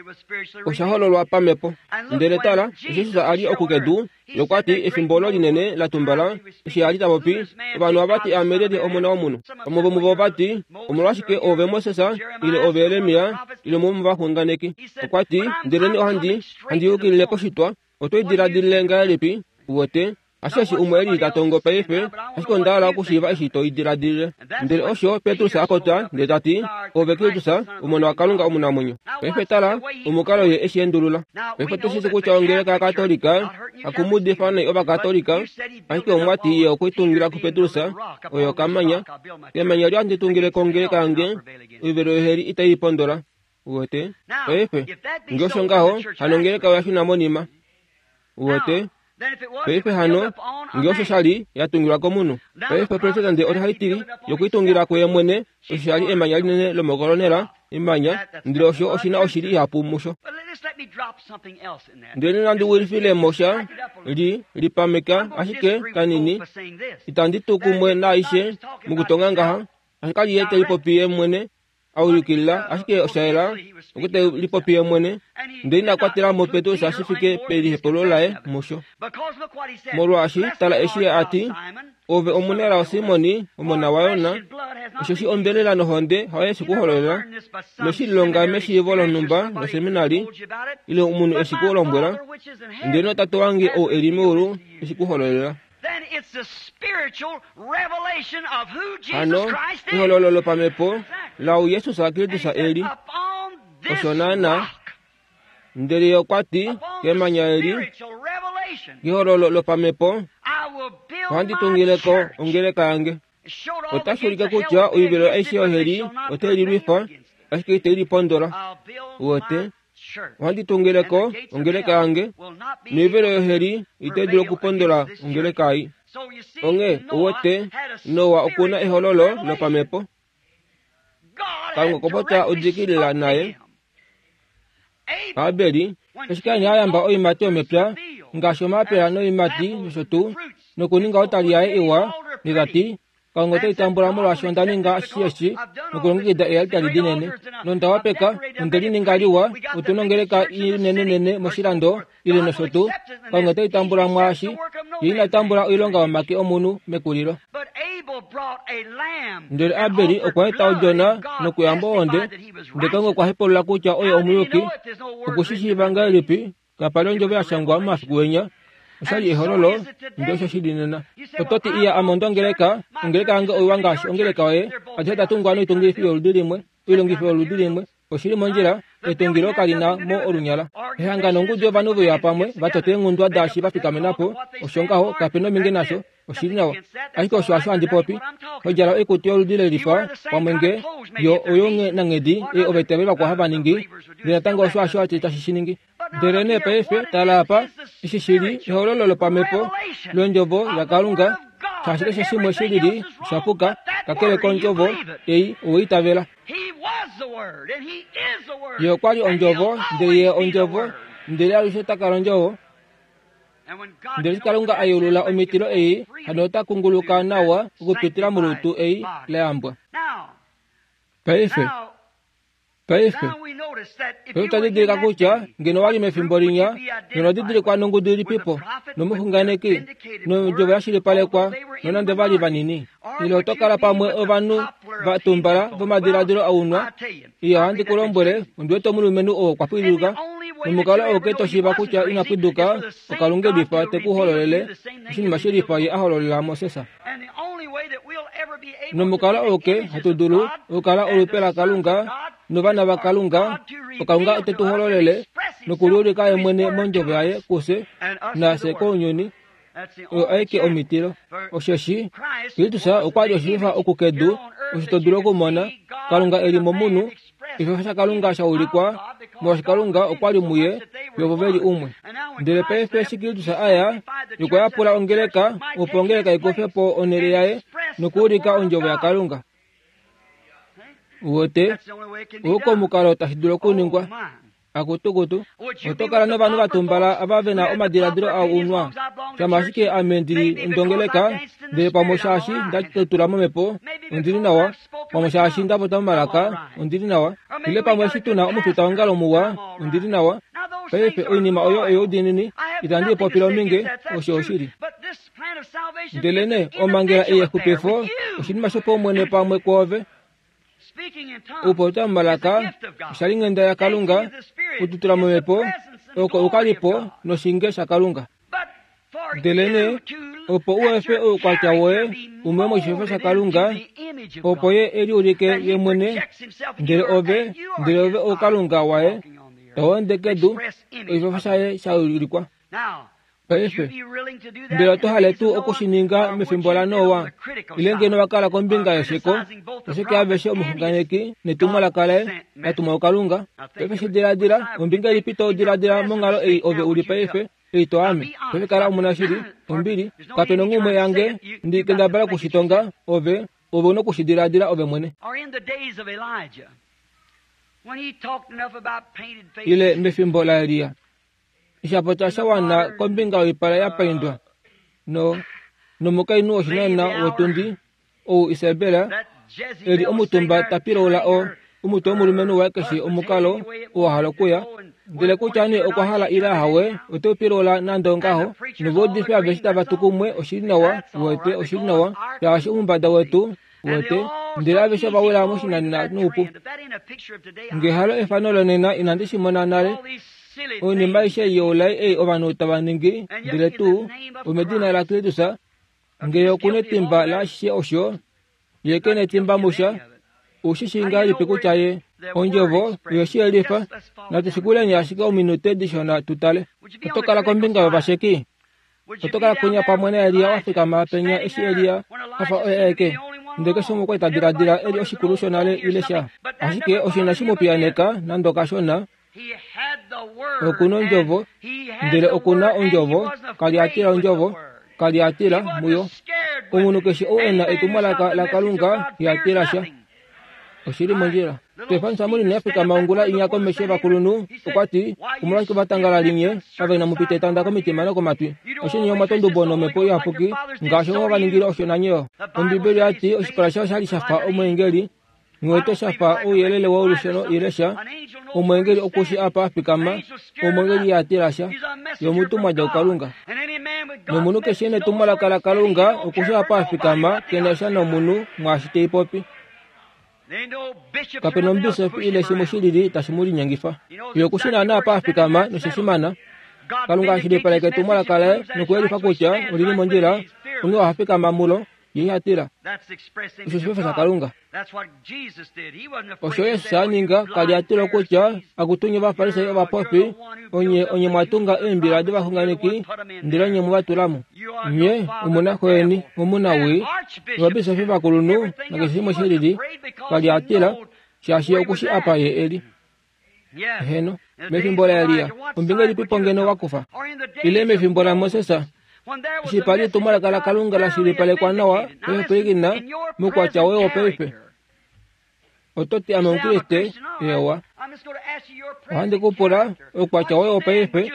osha hololwa pamhepo. Ndele tala, Jesus a li okukedu, ye okwa ti efimbo olo linene la tumbala, eshi a li ta popi, ovanhu ova ti ame lyelye omona womunhu. Vamwe vomuvo ova ti, omolwashike oove Moses, ile oove Jeremia, ile umwe womovaxunganeki. Okwa ti, ndeleni ohandi, handi yukilile koshitwa, oto i diladilile ngahelipi? Uwete? Hasheshi umwe eli ta tongo paife, ashike onda hala okushiiva eshi to i diladilile. Ndele osho Petrus a popya, ndele ta ti, Ove Kristus, Omona waKalunga omunamwenyo. Paife tala omukalo ye eshi endulula. Paife otu shii kutya ongeleka yaKatolika, hakumudifa nai Ovakatolika, ashike omwa ti ye okwe tungila kuPetrus, oyo okamanya. Kemanya li handi tungile ko ongeleka yange, oivelo yoheli itai i pondola. Uwete? Paife, nge osho ngaho, hano ongeleka oya shuna monima. Uwete? Paife hano, nge osho sha li ya tungilwa komunhu. Paife presidente ota tili yokuitungila kuye mwene, osho sha li emanya linene lomokolonela, emanya, ndele osho oshi na oshili ihapu musho. Ndele nandi wilifile mo sha, li, lipameka ashike kanini, itandi tu kumwe naaishe mokutonga ngaha, ashike ka li ye te lipopi ye mwene, a ulikilila ashike osha yela okwe te lipopi ye mwene, ndele ina kwatela mo Petrus shi fike pelihepululo laye musho. Molwaashi tala eshi ye a ti, Ove omunelao Simoni, omona waYona, osheshi ombelela nohonde hayo ye shi ku hololela, noshi lilonga meshiivo lonhumba loseminari, ile omunhu e shi ku lombwela, ndele noTate wange ou e li meulu e shi ku hololela. Hano, ehololo lopamhepo laou Jesus Kristus e li, osho naanaa. Ndele ye okwa ti kemanya eli, kehololo lopamhepo, ohandi tungile ko ongeleka yange. Otashi ulike kutya oivelo aishe yoheli otai lilwifa, ashike itai lipondola. Uwete? Ohandi tungile ko ongeleka yange, noivelo yoheli itai dulu okupondola ongeleka ei. Onghee, uwete, Noa oku na ehololo lopamhepo. Kalunga okwa popya odikilila naye. Abeli, eshi Kain a yamba oiimati yomepya, ngaashi omaapela noiimati nosho tuu, nokuninga otali yaye iwa, ndele ta ti, Kalunga ote litambula molwaashi onda ninga ashishe eshi nokulongekida ealtari dinene, nonda wapeka, nonde lininga liwa, otu nongeleka inenenene moshilando, ile nosho tuu. Kalunga ote litambula mwaashi, ye ina tambula oilonga yomake omunhu mekulilo. Ndele Abel okwa eta odjona nokuyamba ohonde, ndele Kalunga okwa hepulula kutya oye omuyuki. Oku shi shiiva ngahelipi? Kapa li ondjovo ya shangwa momafiku enya. Osha li ehololo, ndele osho shi li nena. Oto ti, Iya, ame onda ongeleka. Ongeleka yange oiwa ngaashi ongeleka yoye. Adishe oda tungwa noitungifi yoludi limwe, oilongifo yoludi limwe. Oshi li mondjila, etungilo kali na mo olunyala. Ehangano ongudu yovanhu ve uya pamwe, va tota eenghundwa daashi va fikamena po. Osho ngaho, kape na ominge nasho. Oshi li nawa. Ashike osho hasho handi popi. Ho djala oikutu yoludi le lifa, pamwe nge yo oyo nanghedi ei ovaitaveli vakwao hava ningi, ndele natango osho hasho tashi shi ningi. Ndele nee paife, tala apa, eshi shi li ehololo lopamhepo lOndjovo yaKalunga, shaashi keshe shimwe shi lili osha puka, kakele kOndjovo ei owe itavela. Ye okwa li Ondjovo, ndele Ye Ondjovo, ndele alushe ta kala Ondjovo. Ndele eshi Kalunga a yeulula omitilo ei, hano ota kunguluka nawa okupitila molutu ei la yambwa. Paife, Paife, paife otwa didilika kutya ngeno wa li mefimbo linya, ngeno didilikwa nongudu ilipipo, nomuxunganeki, nondjovo ya shilipalekwa, nonande va li vanini. Ile oto kala pamwe ovanhu va tumbala vomadiladilo a unwa. Iya, ohandi ku lombwele, ondi wete omulumenhu oo okwa pwiduka, nomukalo auke to shiiva kutya ina pwiduka, oKalunga elifa te ku hololele oshinima shelifa ye a hololela Moses. Nomukalo auke hatu dulu okukala olupe laKalunga novana vaKalunga, oKalunga ote tu hololele nokuliulika ye mwene mondjovo yaye kufye nafye kounyuni. Oyo aike omitilo. Osheshi Kristus okwa li oshivifa oku kedu, osho to dulu okumona Kalunga e li momunhu, Osho shaKalunga sha ulikwa, molwaashi Kalunga okwa li muye, yo vo ve li umwe. Ndele paife eshi Kristus a ya, ye okwa yapula ongeleka, opo ongeleka i kufe po onhele yaye nokuulika ondjovo yaKalunga. Uwete, oo komukalo tashi dulu okuningwa. Akutukutu, oto kala novanhu va tumbala ava ve na omadiladilo a unwa. Shama ashike ame ndi li ondongeleka, ndele pamwe shaashi nda tula momhepo, ondi li nawa. Pamwe shaashi nda popya momalaka, ondi li nawa. Ile pamwe eshi tu na omufitaongalo muwa, ondi li nawa. Paife oinima oyo oyoudiinini, itandi i popile ominge, osho oshili. Ndelenee omhangela ei yexupifo oshinima shopaumwene pamwe kwoove. Okupopya momalaka oshalinghenda yaKalunga, okututula momhepo oko ukalipo noshinge shaKalunga. Ndelenee opo u efe oukwatya woye umwe moshifefa shaKalunga, opo ye e liulike ye mwene, ndele ove, ndele ove oukalunga waye, tau ende kedu, oshifefa shaye sha ulikwa. Paife, mbela oto hale tuu oku shi ninga mefimbo laNoa, ile ngeno wa kala kombinga yesheko, ashike aveshe omuxunganeki netumwalaka laye la tumwa kuKalunga? Paife shi diladila, ombinga ilipi to diladila monghalo ei ove u li paife, ei to ame? Paife kala omunashili, ombili, kape nonghumwe yange, ndi kendabala oku shi tonga, ove, ove u noku shi diladila ove mwene. Ile mefimbo laElia, Osha sha wana kombinga yoipala ya paindwa no nomukainhu woshinana wotundi ou Isabel e li omutumba ta pilaula o omutwe womulumenhu waye keshe omukalo oo a hala okuya ndele kutya nee okwa hala ile ahawe ote u pilaula nande ongaho novaudifi aveshe tava tu kumwe oshili nawa wete oshili nawa shaashi omumbada wetu wete ndele aveshe ova wila moshinanena noupu nge halo efano lonena inandi shi mona nale oinima aishe youlai ei ovanhu tava ningi ndele tuu omedina laKristus ngee okuna etimba laashishe osho ye ke netimba musha oushi shii ngahelipi kutya ye ondjovo oyo shi yelifa natu shikuleni ashike ominute dishona tu tale oto kala kombinga yovasheki Oto kala kwinya pamwe naElia wa fikama penya eshi Elia a fa oye aeke. Ndele keshe umwe okwa li ta diladila e li oshikulu shonale ile sha. Ashike osho inashi mu piyaaneka nande okashona. Oku na ondjovo, ndele oku na ondjovo, ka li a tila ondjovo, ka li a tila muyo. Omunhu keshe ou e na etumwalaka laKalunga iha tila sha. Oshi li mondjila. Stefan Samuli a fikama ongula inya komesho yovakulunhu, okwa ti, Omolwashike ovatangalali nye ava inamu pita etanda komitima nokomatwi? Osho nye omwa twa ondubo nomhepo iyapuki, ngaashi ovo va ningile osho nanye yo. Ombibeli oya ti oshipala shaye osha li sha fa omweengeli, nghiwete sha fa ouyelele wolusheno ile sha. Omweengeli oku shi apa a fikama, omweengeli iha tila sha. Ye omutumwa dja kuKalunga. Nomunhu keshe e netumwalaka laKalunga oku shi apa a fikama, ke na sha nomunhu mwaashi te i popi. Kape na omubisofi ile shimwe shi lili tashi mu linyengifa. Ye oku shi naanaa apa a fikama noshe shi mana. Kalunga a shilipaleka etumwalaka laye nokuyelifa kutya oli li mondjila, onghee oha fikama mulo, ye iha tila. Osho oshifefa shaKalunga. Osho Jesus a ninga, ka li a tila kutya akutu nye Ovafarisai ovapofi, onye onye mwa tunga eembila dovaxunganeki, ndele onye mwe va tula mo. Nye omu na xo yeni omunawii, ovabisofi vakulunhu nakeshe shimwe shi lili, ka li a tila, shaashi ye oku shi apa ye e li. Eheno, mefimbo laElia, ombinga ilipi po ngeno wa kufa? Ile mefimbo laMoses, eshi pa li etumwalaka laKalunga la shilipalekwa nawa, paife moukwatya woye wopaife. Oto ti ame Omukriste? Eewa. Ohandi ku pula, oukwatya woye wopaife,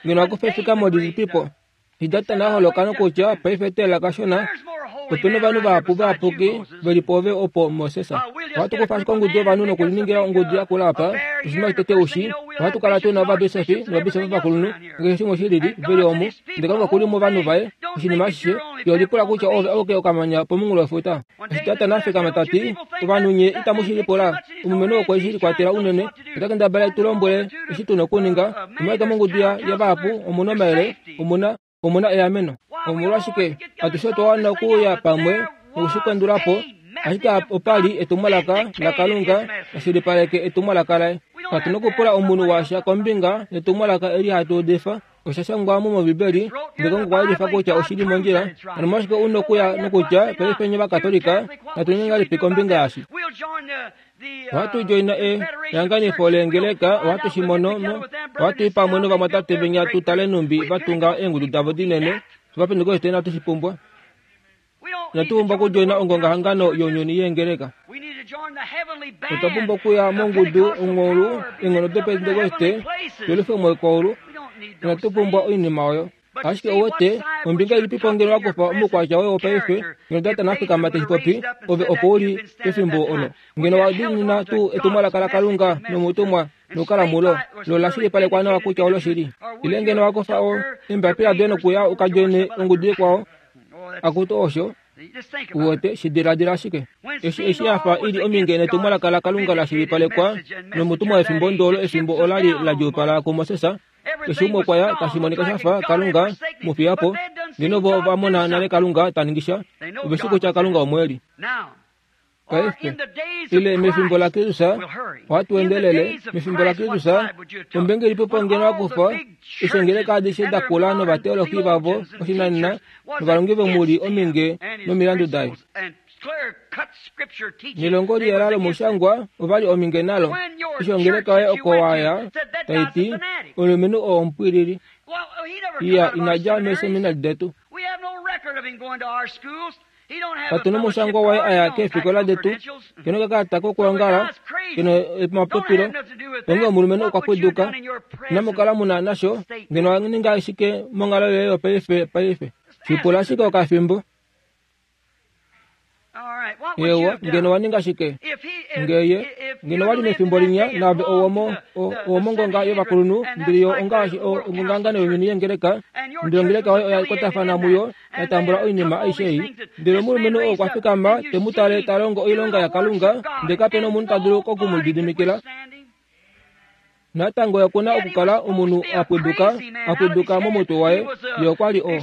ngeno wa kufa efikamo lilipi po? Hidata na holoka nokutya paife tela kashona ope novanhu vahapu vayapuki ve li pwoove opo Moses. Ohatu kufa ashike ongudu yovanhu nokuliningila ongudu yakula apa, oshinima shotete ushi, ohatu kala tu na ovabisofi novabisofi ovakulunhu, nakeshe shimwe shi lili, ve li omu. Ndele Kalunga oku li movanhu vaye, oshinima ashishe. Ye olipula kutya oove auke okamanya pomunghulo wefuta. Eshi Datan a fikama ta ti, Ovanhu nye itamu shi lipula, omulumenhu okwe shi likwatela unene, ota kendabala e tu lombwele eshi tu na okuninga. Omolwashike mongudu yavahapu omu na omayele, omu na, omu na eameno. Omolwashike atushe otwa wana okuuya pamwe noku shi pendula po, ashike opa li etumwalaka laKalunga la shilipaleke etumwalaka laye. Katu na okupula omunhu washa kombinga yetumwalaka eli hatu udifa. Osha shangwa mo mOmbibeli, ndele Kalunga okwa yelifa kutya oshi li mondjila. Hano omolwashike u nokuya nokutya, Paife nye Ovakatolika, natu ninge ngahelipi kombinga yaashi? Ohatu djoina e, ehanganifo leengeleka, ohatu shi mono mo. Ohatu i pamwe novamwatate venya tu tale nhumbi va tunga eengudu davo dinene. Ovapentekoste inatu shi pumbwa. Inatu pumbwa okudjoina ongongahangano younyuni yeengeleka. Otwa pumbwa okuya mongudu ongolu eenghono dopentekoste twelufe moikwaulu. Inatu pumbwa oinima oyo. Ashike ouwete, ombinga ilipipo ngeno wa kufa omaukwatya woye wopaife, ngeno Datan a fikama te shi popi, ove opo u li pefimbo olo. Ngeno wa diinina tuu etumwalaka laKalunga nomutumwa nokukala mulo, lo la shilipalekwa nawa kutya oloshili? Ile ngeno wa kufa o, eembapila doye nokuya u ka djoine ongudu ikwao? Akutu osho. Uwete, shi diladila ashike. Eshi eshi ya fa i li ominge netumwalaka laKalunga la shilipalekwa nomutumwa wefimbo ndoolo efimbo ola li la djuupala kuMoses, Keshe umwe okwa ya, tashi monika sha fa Kalunga mu fiya po. Ngeno vo ova mona nale Kalunga ta ningi sha, ove shi kutya Kalunga omo e li. Paife, ile mefimbo laKristus, ohatu endelele, mefimbo laKristus, ombenge ilipi po ngeno wa kufa eshi ongeleka adishe da kula novateologi vavo oshinanena novalongi vomuli ominge nomilandu daye? Nelongo liyela lomushangwa ova li ominge nalo. Eshi ongeleka yoye oko wa ya tai ti, Omulumenhu oo omupwilili. Iya, ina dja meeseminali detu. Katu nomushangwa waye a ya keefikola detu, ke nokakalata kokwoongala, ke nomapopilo. Onghee omulumenhu okwa pwiduka. Inamu kala mu na nasho, ngeno wa ninga shike monghalo yoye yopaife paife? Shi pula ashike okafimbo. Ewa, ngeno wa ninga shike? Ngeye, ngeno wa li mefimbo linya naave owomo, owomongonga yovakulunhu, ndele yo ongaashi ongongangano yonyuni yengeleka, ndele ongeleka yoye oya kwatafana muyo, ya tambula oinima aishe ei. Ndele omulumenhu oo okwa fikama te mu tale ta longo oilonga yaKalunga, ndele kape na omunhu ta dulu oku mu lididimikila. Natango ye oku na okukala omunhu a pwiduka, a pwiduka momutwe waye. Ye okwa li o.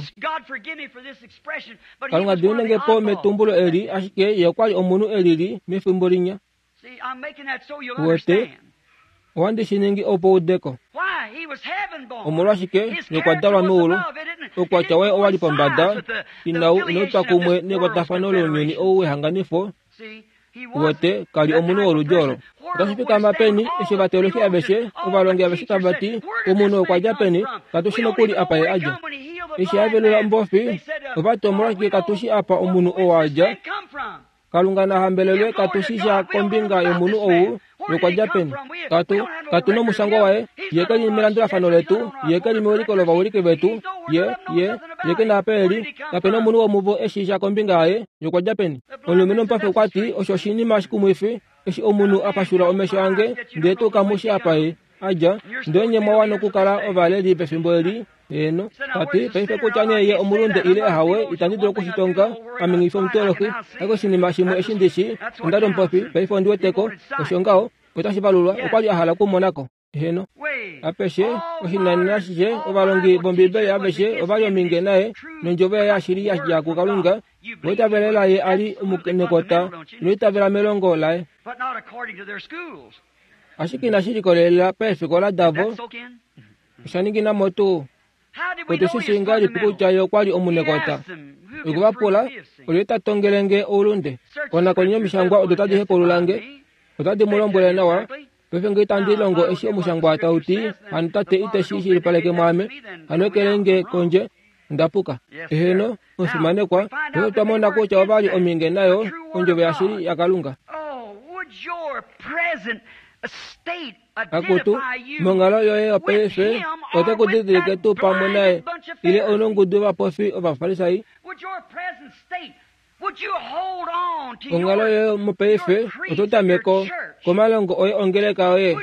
Kalunga dimine nge po metumbulo eli, ashike ye okwa li omunhu e lili mefimbo linya. Uwete, ohandi shi ningi opo ude ko. Omolwashike ye okwa dalwa meulu, oukwatya waye owa li pombada, inau, inau twa kumwe nekwatafano lounyuni ou wehanganifo, Uwete, ka li omunhu woludi olo. Otashi fikama peni, eshi ovateolofi aveshe, ovalongi aveshe tava ti, Omunhu okwa dja peni? Katu shi nokuli apa ye a dja. Eshi a velula ombofi, ova ti, Omolwashike katu shi apa omunhu ou a dja? Kalunga na hambelelwe, katu shi sha kombinga yomunhu ou, ye okwa dja peni. Katu, katu nomushangwa waye. Ye ke li melandulafano letu. Ye ke li mewiliko lovawiliki vetu. Ye, ye, ye ke na apa e li. Kape na omunhu womuvo e shii sha kombinga yaye. Ye okwa dja peni? Omulumenhu omupafi okwa ti, Osho oshinima shikumwifi, eshi omunhu a pashula omesho ange, ndele tuu kamu shi apa ye a dja. Ndele nye mwa wana okukala ovaleli pefimbo eli. Heeno. Ta ti, Paife kutya nee ye omulunde ile ahawe, itandi dulu oku shi tonga. Ame nghi fi omuteolohi. Ashike oshinima shimwe eshi ndi shii, onda li omupofi, paife ondi wete ko. Osho ngaho. Otashi valulwa. Okwa li a hala okumona ko. Heeno. Apeshe, oshinanena ashishe, ovalongi vOmbibeli aveshe ova li ominge naye, nondjovo yaye yashili ya dja kuKalunga, noitavela laye a li omunekota, noitavela melongo laye. Ashike inashi likolelela paefikola davo, osha ningina mo tuu. Otu shi shii ngahelipi kutya ye okwa li omunekota? Okwe va pula, Olyelye ta tongele nge oulunde? Konakoni yOmishangwa odo tadi hepaulula nge, otadi mu lombwele nawa Paife nge itandi longo eshi omushangwa tau ti, hano Tate ite shi shilipaleke mwaame, hano ekele nge kondje, onda puka. Eheno, omufimanekwa, paife otwa mona kutya ova li ominge nayo, ondjovo yashili yaKalunga. Akutu, monghalo yoye yopaife, ote ku didilike tuu pamwe naye, ile onongudu yovapofi Ovafarisai? Onghalo yoye mopaife oto tameko komalongo oye ongeleka yoye.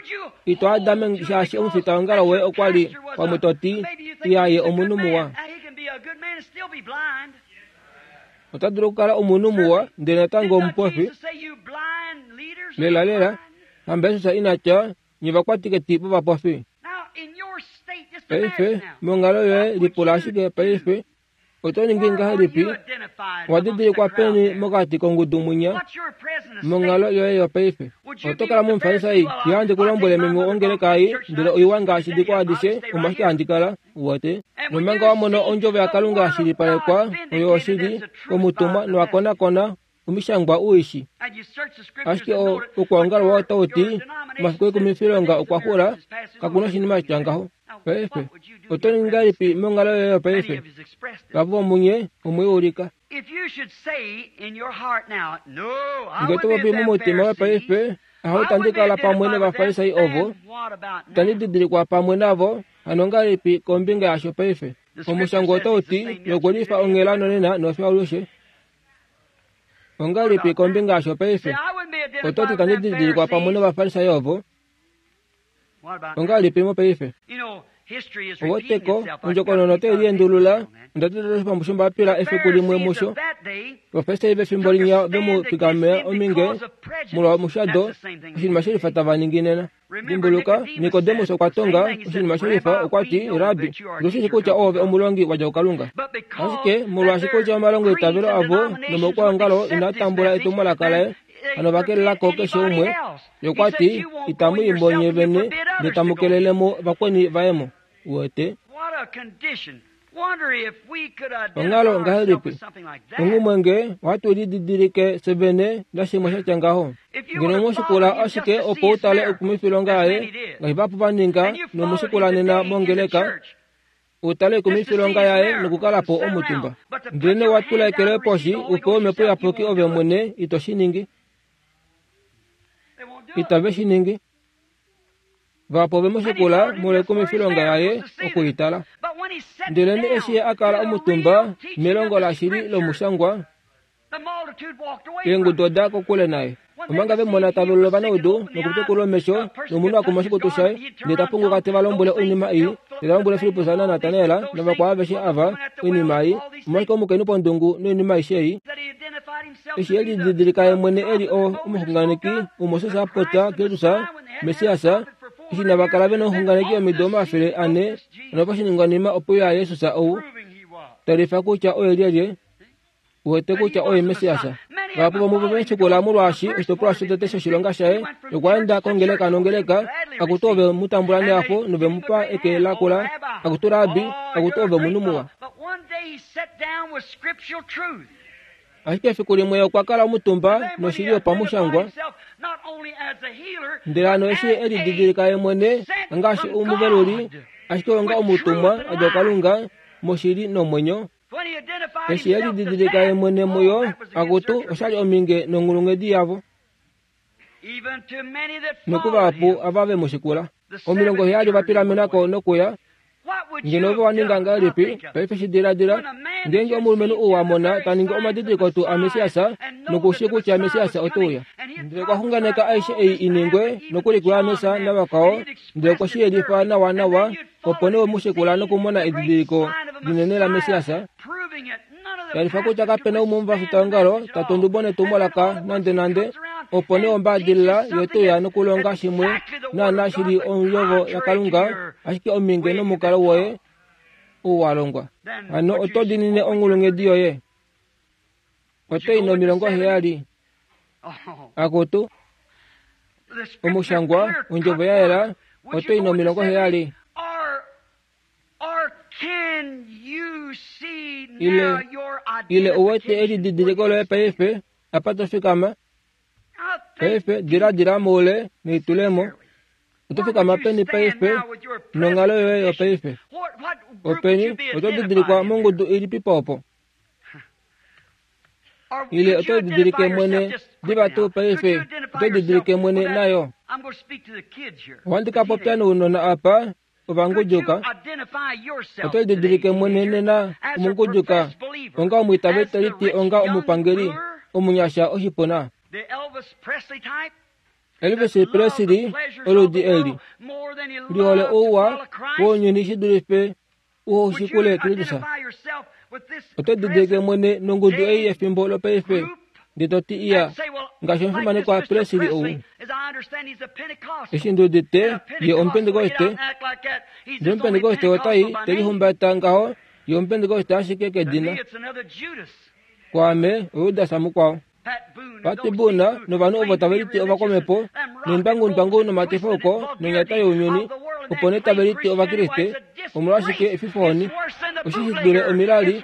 Ito adame shaashi omufitaongalo woye okwa li pamwe to ti, Iyaye omunhu muwa. Ota dulu okukala omunhu muwa ndele natango omupofi. Lelalela, hamba Jesus ina tya, Nye vakwatiketi vovapofi. Paife, monghalo yoye lipula ashike paife Oto ningi ngahelipi? Owa didilikwa peni mokati kongudu mwinya monghalo yoye yopaife? Oto kala mOmufarisai, ye handi ku lombwele meme wongeleka ei, ndele oiwa ngaashi dikwao adishe, omo ashike handi kala. Uwete? Nomanga wa mona ondjovo yaKalunga ya shilipalekwa, oyo oshili, komutumwa, nowa konakona Omishangwa u i shi. Ashike okwoongala wawo otau ti, Omafiku ekumifilonga okwa xula, kaku na oshinima sha tya ngaho. Paife, oto ningi ngahelipi monghalo yoye yopaife? Vavo vomunye omwe i ulika. Nge to popi momutima wepaife, aho itandi kala pamwe nOvafarisai ovo, itandi didilikwa pamwe navo, hano ngahelipi kombinga yasho paife? Omushangwa otau ti, Yokulifa onghela nonena nofye alushe. Ongahelipi kombinga yasho paife? Oto ti itandi didilikwa pamwe nOvafarisai ovo? Ongahelipi mopaife? Oweteko, ondjokonona otai liendulula. Onda teta oshipambu shombapila efiku limwe musho. Ovafarisai vefimbo linya ve mu fikamea ominge molwa omushado, oshinima shelifa tava ningi nena. Dimbuluka, Nikodemus okwa tonga oshinima shelifa, okwa ti, Rabbi, otu shi kutya oove omulongi wa dja kuKalunga. Ashike molwaashi kutya omalongoitavelo avo nomaukwaongalo inaa tambula etumwalaka laye, hano va kelela ko keshe umwe. Ye okwa ti, Itamu i mo nye vene, ndele tamu kelele mo vakweni vaye mo. Uwete? Onghalo ngahelipi? Onghumwe nge ohatu lididilike fye vene nashimwe sha tya ngaho. Ngeno mu shikula ashike opo u tale oikumwifilonga yaye, ngaashi vahapu va ninga, nomu shikula nena mongeleka, u tale oikumwifilonga yaye nokukala po omutumba. Ndele wa tula eke loye poshi u pewe Omhepo Iyapuki ove mwene, ito shi ningi. Itave shi ningi. Vahapu ove mu shikula molwoikumwifilonga yaye oku i tala. Ndelenee eshi ye a kala omutumba melongo lashili lomushangwa, eengudu oda kokule naye. Omanga ve mona ta velula ovanaudu nokutekula omesho, nomunhu a kuma oshikutu shaye, ndele ta punguka te va lombwele oinima ei, ndele ta lombwele Filippus naNatanael navakwao aveshe ava oinima ei, omolwashike omukainhu pondungu noinima aishe ei? Eshi e lididilika ye mwene e li omuxunganeki, ou-Moses a popya, Kristus, Messias, eshi inava kala ve nomuxunganeki omido 400, noposhiningwanima ope uya Jesus ou, ta lifa kutya oye lyelye, uwete kutya oye Messias. Vahapu vomuvo ve shikula molwaashi oshitopolwa shotete shoshilonga shaye okwa enda kongeleka nongeleka, akutu ove mu tambula nehafo nove mu pa eke lakula, akutu Rabbi, akutu ove omunhu muwa. Ashike efiku limwe okwa kala omutumba noshili yopamushangwa, ndele hano eshi e lididilika ye mwene ngaashi omuveluli, ashike onga omutumwa a dja kuKalunga moshili nomwenyo. Eshi e lididilika ye mwene muyo, akutu, osha li ominge nonghulunghedi yavo. Nokuvahapu ava ve mu shikula. 70 ova pilamena ko nokuya. Ngeno ove wa ninga ngahelipi paife shi diladila, ngeenge omulumenhu ou wa mona ta ningi omadidiliko tuu aMessias noku shii kutya Messias ote uya? Ndele okwa xunganeka aishe ei i ningwe, nokuli kuJohannes navakwao, ndele okwe shi yelifa nawanawa, opo nee we mu shikula nokumona edidiliko linene laMessias, Yelifa kutya kape na umwe womuvafitaongalo ta tu ondubo netumwalaka nandenande, opo nee ombaadilila ye te uya nokulonga shimwe naanaa shi li Ondjovo yaKalunga, ashike ominge nomukalo woye ou wa longwa. Hano oto diinine onghulunghedi yoye? Oto i no70? Akutu, Omushangwa, Ondjovo ya yela, oto i no70? Ile, ile u wete elididiliko loye paife, apa to fikama? Paife diladila moule nelitulemo. Oto fikama peni paife nonghalo yoye yopaife? Openi oto didilikwa mongudu ilipi po opo? Ile oto didilike mwene diva tuu paife? Oto didilike mwene nayo? Ohandi ka popya nounona apa ovangujuka. Oto lididilike mwene nena omungujuka onga omwiitaveli te liti onga omupangeli omunyasha oshipuna. Elvis Presley oludi eli lihole ouwa wounyuni shi dulife ushikule Kristus. Oto didilike mwene nongudu ei yefimbo lopaife ndee to ti iya ngaashi omufimanekwa Presley ou. Eshi ndi udite ye Omupentekoste, ndele Omupentekoste otai te lihumbata ngaho, ye Omupentekoste ashike kedina. Kwaame, oJudas mukwao. Pat Boone novanhu ovo tave liti ovakwamhepo, nendwangundwangu nomatifauko nonyata younyuni, Opo nee tave liti Ovakriste, omolwashike efifohoni, osho shi dule omilali,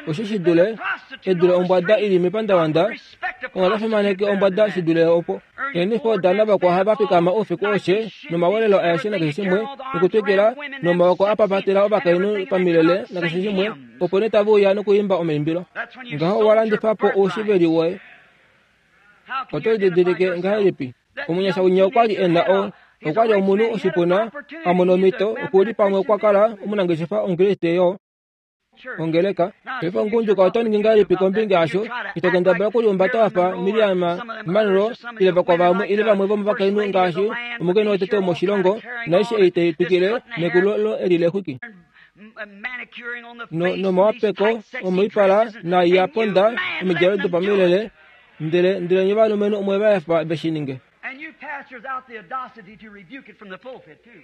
osho shi dule edule ombwada i li mepandavanda, ongha fimaneke ombwada shi dule opo. Eenifo navakwao ohava fikama oufiku aushe nomawelelo aeshe nakeshe shimwe, nokutwikila nomaoko a papatela ovakainhu pamilele nakeshe shimwe, opo nee tave uya nokuimba omaimbilo. Ngaho owa landifa po oushiveli woye. Oto lididilike ngahelipi? Omunyasha winya okwa li e na o okwa li omunhu oshipuna a mona omhito okuli pamwe okwa kala omunangeshefa Omukriste yo ongeleka. Paife omugundjuka oto ningi ngahelipi kombinga yasho? Ito kendabala okulihumbata wa fa Miriam Monroe ile vakwao vamwe ile vamwe vomovakainhu ngaashi omukainhu wotete womoshilongo naaishe ei tai twikile nekulo eli lexwiki nomawapeko omoipala naai ya ponda omidjalo dopamilele ndele ndele nye ovalumenhu omwe va efa ve shi ninge.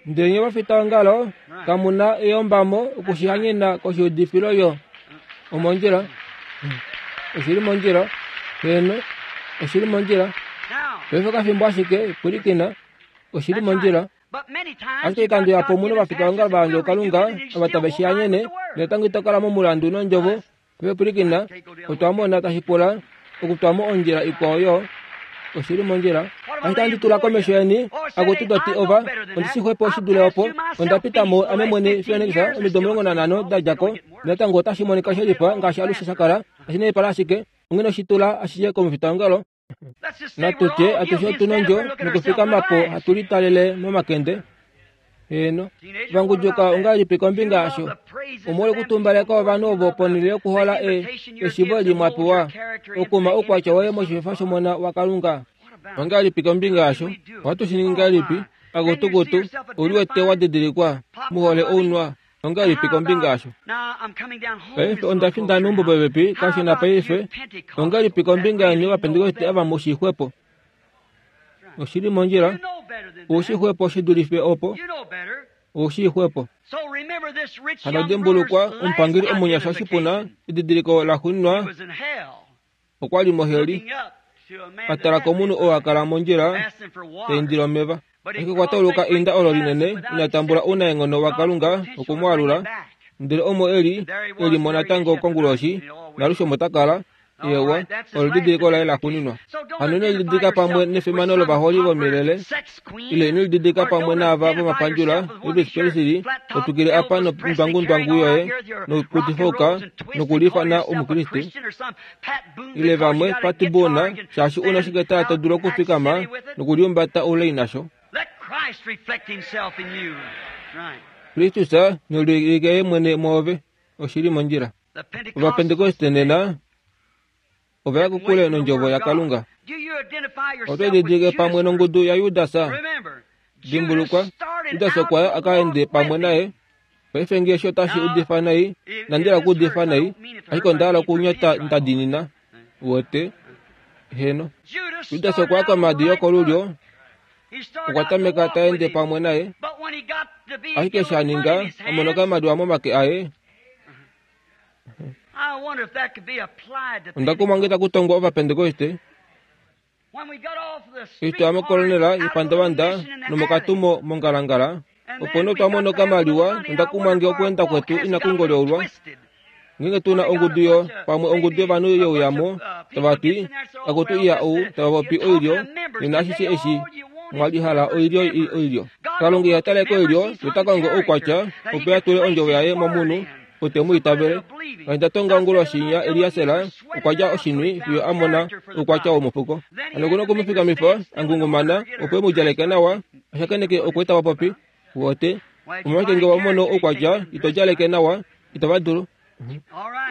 Ndele nye ovafitaongalo kamu na eyombamo okushihanyena koshiudifilo yo. Omondjila. Oshi li mondjila. Heeno, oshi li mondjila. Paife okafimbo ashike, pwilikina. Oshi li mondjila. Ashike oikando ihapu omu na ovafitaongalo va yandjwa kuKalunga ava tave shi hanyene, natango ito kala momulandu nondjovo. Paife pwilikina, otwa mona tashi pula okutwa mo ondjila ikwao yo oshi li mondjila. Ashike ohandi tula komesho yeni, akutu to ti ova, ondi shi xwepo shi dule opo. Onda pita mo ame mwene Phoenix omido 15 da dja ko, natango otashi monika she lifa ngaashi alushe sha kala, tashi naipala ashike, onghee oshi tula ashishe komufitaongalo. Natu tye atushe otu nondjo nokufikama po hatu litalele momakende. Heeno, vangujuka ongahelipi kombinga yasho? Omolwa okutumbaleka ovanhu ovo ponhele yokuhola e, eshivo eli mwa pewa okuma oukwatya woye moshififa shOmona waKalunga. Ongahelipi kombinga yasho? Ohatu shi ningi ngahelipi? Akutukutu, u liwete wa didilikwa, mu hole ounwa. Ongahelipi kombinga yasho? Paife onda finda meumbo popepi kashona paife. Ongahelipi kombinga yeni Ovapentekoste ava mu shii xwepo? Oshi li mondjila. Ou shii xwepo shi dulife opo. Ou shii xwepo. Hano dimbulukwa, omupangeli omunyasha oshipuna, edidiliko laxuuninwa, okwa li moheli, a tala komunhu oo a kala mondjila ta indile omeva. Ashike okwa tauluka einda olo linene, ina tambula ounaenghono waKalunga oku mu alula. Ndele omo e li, e li mo natango konguloshi, naalushe omo ta kala. Eewa, olo edidiliko laye laxuuninwa. Hano ino lididilika pamwe nefimano lovaholi vomilele, ile ino lididilika pamwe naava vomapandjula, Elvis Presley, ho twikile apa nondwangundwangu yoye nokutifauka nokuliifana Omukriste, ile vamwe Pat Boone, shaashi u na oshiketala to dulu okufikama nokuliumbata oulai nasho. Kristus ne liulike Ye mwene mwoove. Oshi li mondjila. Ovapentekoste nena ova ya kokule nOndjovo yaKalunga. Oto lididilike pamwe nongudu yaJudas. Dimbulukwa, Judas okwa ya a ka ende pamwe naye. Paife nge eshi otashi udifa nai, inandi hala okuudifa nai, ashike onda hala okunyota nda diinina. Uwete? Heeno. Judas okwa ya komhadi yokolulyo, okwa tameka ta ende pamwe naye. Ashike eshi a ninga, a mona okamaliwa momake aye. Onda kumwa nge taku tongwa Ovapentekoste. Eshi twa ya mokolonela yepandavanda nomokatumo mongalangala, opo nee otwa mona okamaliwa nonda kumwa nge okweenda kwetu inaku ngolyoulwa. Ngeenge tu na ongudu yo pamwe ongudu yovanhu yeuyamo tava ti, Akutu iya ou, tava popi oilyo, nena ashishe eshi mwa li hala oilyo i oilyo. Kalunga iha tale koilyo, ye ota kongo oukwatya opo a tule ondjovo yaye momunhu ou te mu itavele. Ngaashi nda tonga onguloshi inya, Eliaser okwa lya oshinwi fiyo a mona oukwatya womufuko. Hano oku na oku mu fikamifa a ngungumana opo e mu djaleke nawa, a shakeneke okweeta vapopi. Wote, omolwashike nge wa mono oukwatya ito djaleke nawa, itava dulu.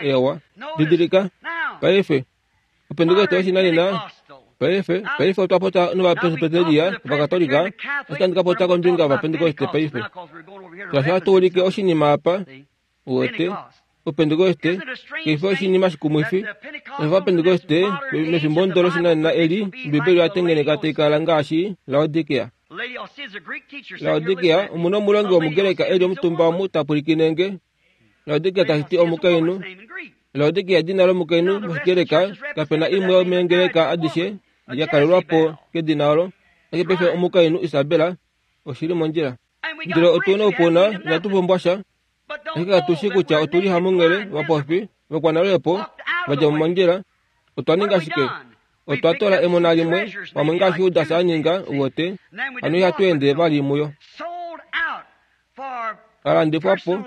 Ewa, didilika, paife, Opentekoste yoshinanena, paife, paife otwa popya nOvapresbyteria, Ovakatolika, ashike ohandi ka popya kombinga yOvapentekoste paife. Shaashi ohatu ulike oshinima apa, uwete, Opentekoste, kaifi oshinima shikumwifi. Ovapentekoste, mefimbo ndo loshinanena eli, Ombibeli oya tengeneka tai kala ngaashi Laodikea. Laodikea, omu na omulongi wOmugreka e li omutumba omu ta pwilikine nge. Laodikea tashi ti omukainhu. Laodikea edina lomukainhu mOshigreka. Kape na imwe yomeengeleka adishe ya kalelwa po kedina olo. Ashike paife omukainhu Isabel oshi li mondjila. Ndele otu na oupuna, inatu pumbwa sha. Ashike katu shii kutya otu li hamunghele vapofi vakwanalweepo va dja mo mondjila. Otwa ninga shike? Otwa tola emona limwe, pamwe ngaashi Judas a ninga, uwete, hano ihatu ende vali muyo. A landifwa po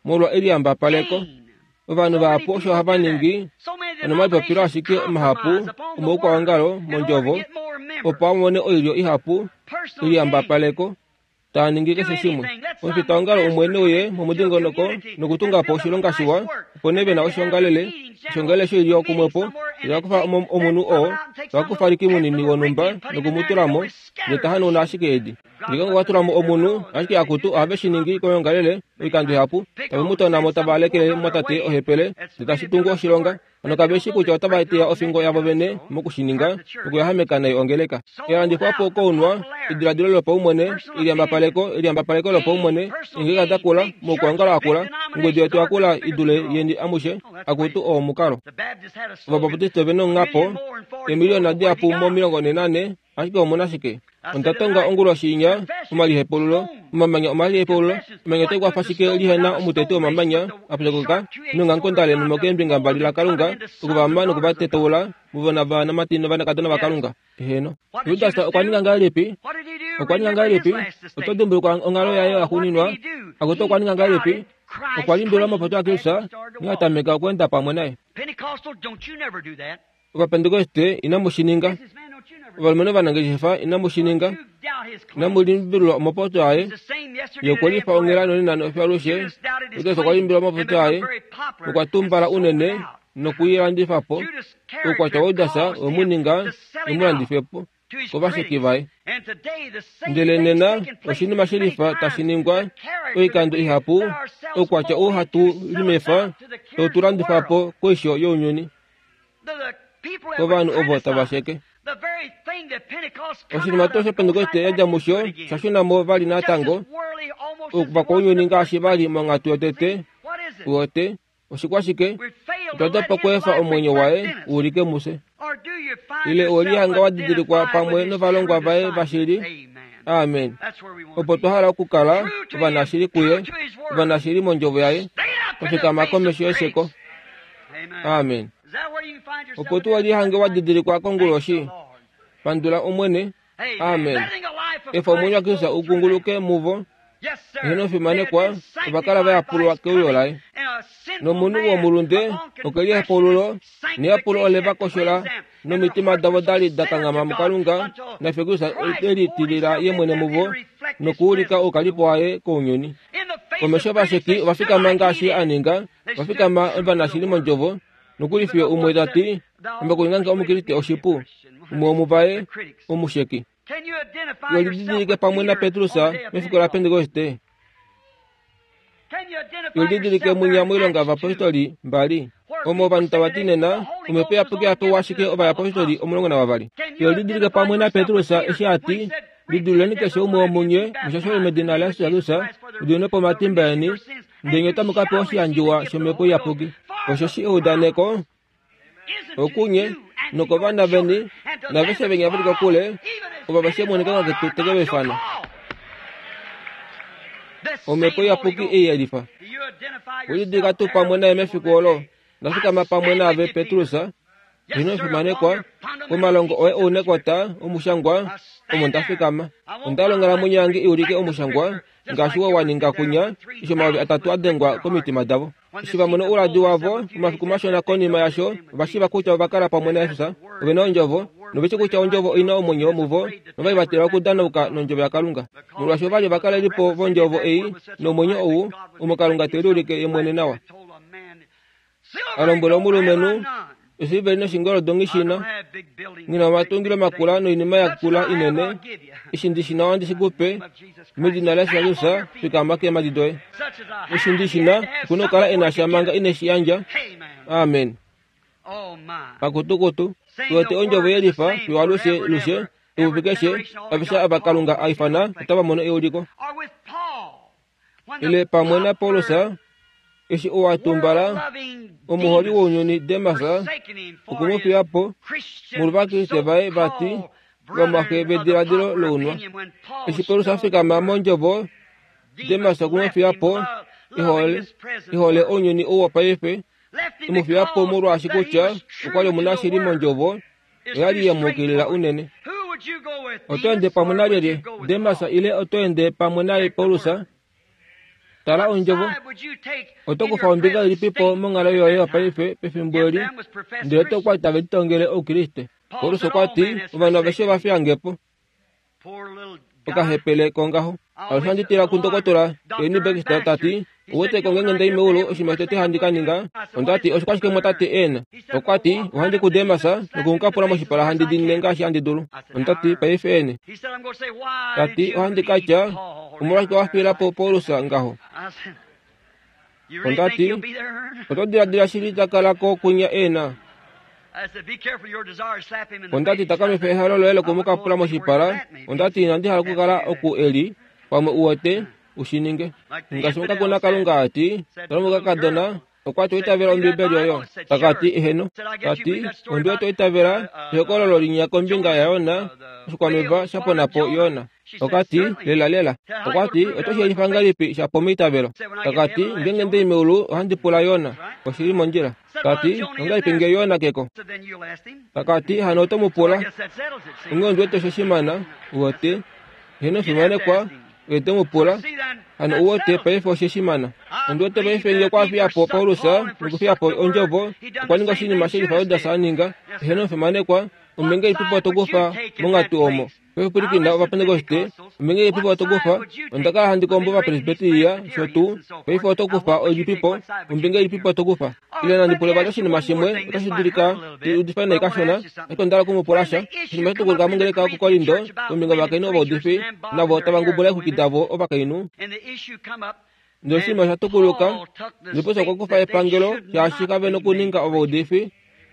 molwa eliyambapaleko. Ovanhu vahapu osho hava ningi nomalipopilo ashike mahapu omoukwaongalo mondjovo opo a mone oilyo ihapu eliyambapaleko taa ningi keshe shimwe. Omufitaongalo umwe neuye momudingonoko nokutunga po oshilonga shiwa, opo nee ve na oshiongalele, oshiongalele shoilyo kumwepo, ndele va kufa omunhu oo, va kufa Ricky munini wonhumba noku mu tula mo, ndele ta hanauna ashike edi. Ngeenge okwa tula mo omunhu, ashike akutu ohave shi ningi koyoongalele oikando ihapu, tave mu tona mo tava lekele mumwatate ohepele, ndele tashi tungu oshilonga. Hano kave shii kutya otava teya ofingo yavo vene moku shi ninga, nokuyahameka nai ongeleka. Elandifwa po kounwa, ediladilo lopaumwene, eliyambapaleko, eliyambapaleko lopaumwene, eengeleka da kula, moukwaongalo akula, ongudu yetu yakula i dule yeni amushe, akutu oo omukalo. Ovabaptiste ove nonghapo, eemiliona dihapu mo 44, Ashike omu na shike? Onda tonga onguloshi inya, omalihepululo, omamanya omalihepululo, omamanya otai kwafa shike lihe na omuteti womamanya a pyokoka nongankondale nomokeembinga mbali laKalunga, oku va ma noku va tetaula muvona vanamati novanakadona vaKalunga? Heeno. Judas okwa ninga ngahelipi? Okwa ninga ngahelipi? Oto dimbulukwa onghalo yaye yaxuuninwa? Akutu okwa ninga ngahelipi? Okwa limbililwa omapoto aKristus, nghee a tameka okweenda pamwe naye. Ovapentekoste, inamu shi ninga. Ovalumenhu ovanangeshefa, inamu shi ninga. Inamu limbililwa omapopyo aye. Ye okwe lifa onghela nonena nofyalushe. Judas okwa limbililwa omapopyo aye nokwa tumbala unene nokulilandifa po. Oukwatya waJudas we mu ninga e mu landife po kovasheki vaye. Ndele nena oshinima shelifa tashi ningwa oikando ihapu, oukwatya ou hatu limefa tau tu landifa po koisho younyuni. Kovanhu ovo tava sheke. Oshinima tuu shOpentekoste ya dja musho sha shuna mo vali natango, ovakwaunyuni ngaashi va li monghatu yotete, uwete, Oshikwashike? Otwa dopa okweefa omwenyo waye u ulike mufye. Ile owe lihanga wa didilikwa pamwe novalongwa vaye vashili? Amen. Opo twa hala okukala ovanashili kuye, ovanashili mondjovo yaye, twa fikama komesho yesheko. Amen. Opo tu we lihange wa didilikwa konguloshi, pandula Omwene. Amen. Efa omwenyo waKristus u kunguluke muvo. Eheno fimanekwa, ova kala va yapulwa keuyo laye. Nomunhu womulunde okwe lihepaululo, neyapulo ole va koshola, nomitima davo da li da kanghama muKalunga, nafye Kristus e litilila ye mwene muvo nokuulika oukalipo waye kounyuni. Komesho ovasheki ova fikama ngaashi a ninga, va fikama ovanashili mondjovo, nokuli fiyo umwe ta ti, Ame okuninga nge Omukriste oshipu, umwe womuvaye omusheki. We lididilike pamwe naPetrus mefiku laPentekoste. We lididilike mwinya moilonga yovapostoli mbali, omo ovanhu tava ti nena Omhepo Iyapuki oya pewa ashike ovayapostoli 12. We lididilike pamwe naPetrus eshi a ti, Lidiluleni keshe umwe womunye mushashole medina laJesus Kristus, mu diminwe po omatimba eni, ndele nye otamu ka pewa oshiyandjiwa shOmhepo Iyapuki. Osheshi eudaneko okunye nokovana veni naveshe venya ve li kokule, ovo va shemoneka ketu teke va ifana. Omhepo Iyapuki ei yelifa. Welidilika tuu pamwe naye mefiku olo? Nda fikama pamwe naave, Petrus, Ino fimanekwa, omalongo oye ounekota omushangwa omo nda fikama. Onda hala onghalamwenyo yange i ulike omushangwa ngaashi wo wa ninga kunya eshi 3000 a dengwa komitima davo. Eshi va mona ouladi wavo omafiku mashona konima yasho, ova shiiva kutya ova kala pamwe naJesus, ove na ondjovo, nove shii kutya ondjovo oi na omwenyo muvo, nova li va tila okudanauka nondjovo yaKalunga. Molwaashi ova li ovakalelipo vondjovo ei nomwenyo ou, omo Kalunga te liulike ye mwene nawa. A lombwela omulumenhu, Oshiliveli noshingoldo nghi shi na, nghi na omatungilo makula noinima ya kula inene, eshi ndi shi na ohandi shi ku pe, medina laJesus Kristus, fikama keemhadi doye. Eshi ndi shi na, oku na okukala e na sha manga ine shi yandja. Amen. Pakutukutu, tu wete ondjovo ye lifa fiyo alushe lushe, epupi keshe, aveshe ava Kalunga a ifana otava mono euliko. Ile pamwe naPaulus, eshi ou a tumbala, omuholi wounyuni Demas, okwe mu fiya po, molwovakriste vaye vati vamwaxe vediladilo lounwa. Eshi Paulus a fikama mondjovo, Demas okwe mu fiya po e hole ounyuni ou wopaife, e mu fiya po molwaashi kutya okwa li omunashili mondjovo oya li ye mu ukilila unene. Oto ende pamwe nalyelye, Demas ile oto ende pamwe naye Paulus? Tala ondjovo. Oto kufa ombinga ilipipo monghalo yoye yopaife pefimbo eli, ndele oto kwa tave litongele Oukriste? Paulus okwa ti, ovanhu aveshe ova fiya nge po. Okahepele kongaho. Alushe handi tila kundokotola Ernie Baxter ta ti, Ouwete ko ngeenge nda i meulu oshinima shotete handi ka ninga? Onda ti, Oshikwashike mwatate ena? Okwa ti, Ohandi ku Demas noku mu kapula moshipala handi diinine ngaashi handi dulu. Onda ti, Paife ene. Ta ti, Ohandi ka tya, Omolwashike wa fiila po Paulus ngaho? Onda ti, Oto diladila shili ta kala ko kunya ena? Onda ti, Takamifa ehalo loye loku mu kapula moshipala. Onda ti, Inandi hala okukala oku e li, pamwe u wete, u shi ninge. Ngaashi omukakona Kalunga a ti, Tala omukakadona, okwa ti oitavela Ombibeli oyo. Taka ti, Eheno. Ta ti, Ondi wete oitavela ehokololo linya kombinga yaYona, oshikwameva sha pona po Yona. Oka ti, Lela lela. Okwa ti, Oto shi yelifa ngahelipi sha po meitavelo? Taka ti, Ngeenge ndi li meulu, ohandi pula Yona. Oshi li mondjila. Ta ti, Ongahelipi nge Yona ke ko? Taka ti, Hano oto mu pula. Onghee ondi wete osho shimana, uwete. Eheno fimanekwa, oye te mu pula, Hano u wete paife oshe shi mana? Ondi wete paife nge okwa fiya po Paulus nokufiya po ondjovo, okwa ninga oshinima shelifa Judas a ninga. Eheno fimanekwa, ombinga ilipipo to kufa monghatu omo? Paife pwilikina Ovapentekoste, ombinga ilipipo to kufa? Onda kala handi kombo Ovapresbiteria, sho tuu. Paife oto kufa oilipipo? Ombinga ilipipo to kufa? Ile nandi pule vali oshinima shimwe, otashi dulika ndi udife nai kashona, ashike onda hala oku mu pula sha. Oshinima sha tukuluka mongeleka yokuKorinto, kombinga yovakainhu ovaudifi, navo tava ngubula eexwiki davo ovakainhu. Ndele oshinima osha tukuluka, ndele Paulus okwa kufa epangelo, shaashi kave nokuninga ovaudifi.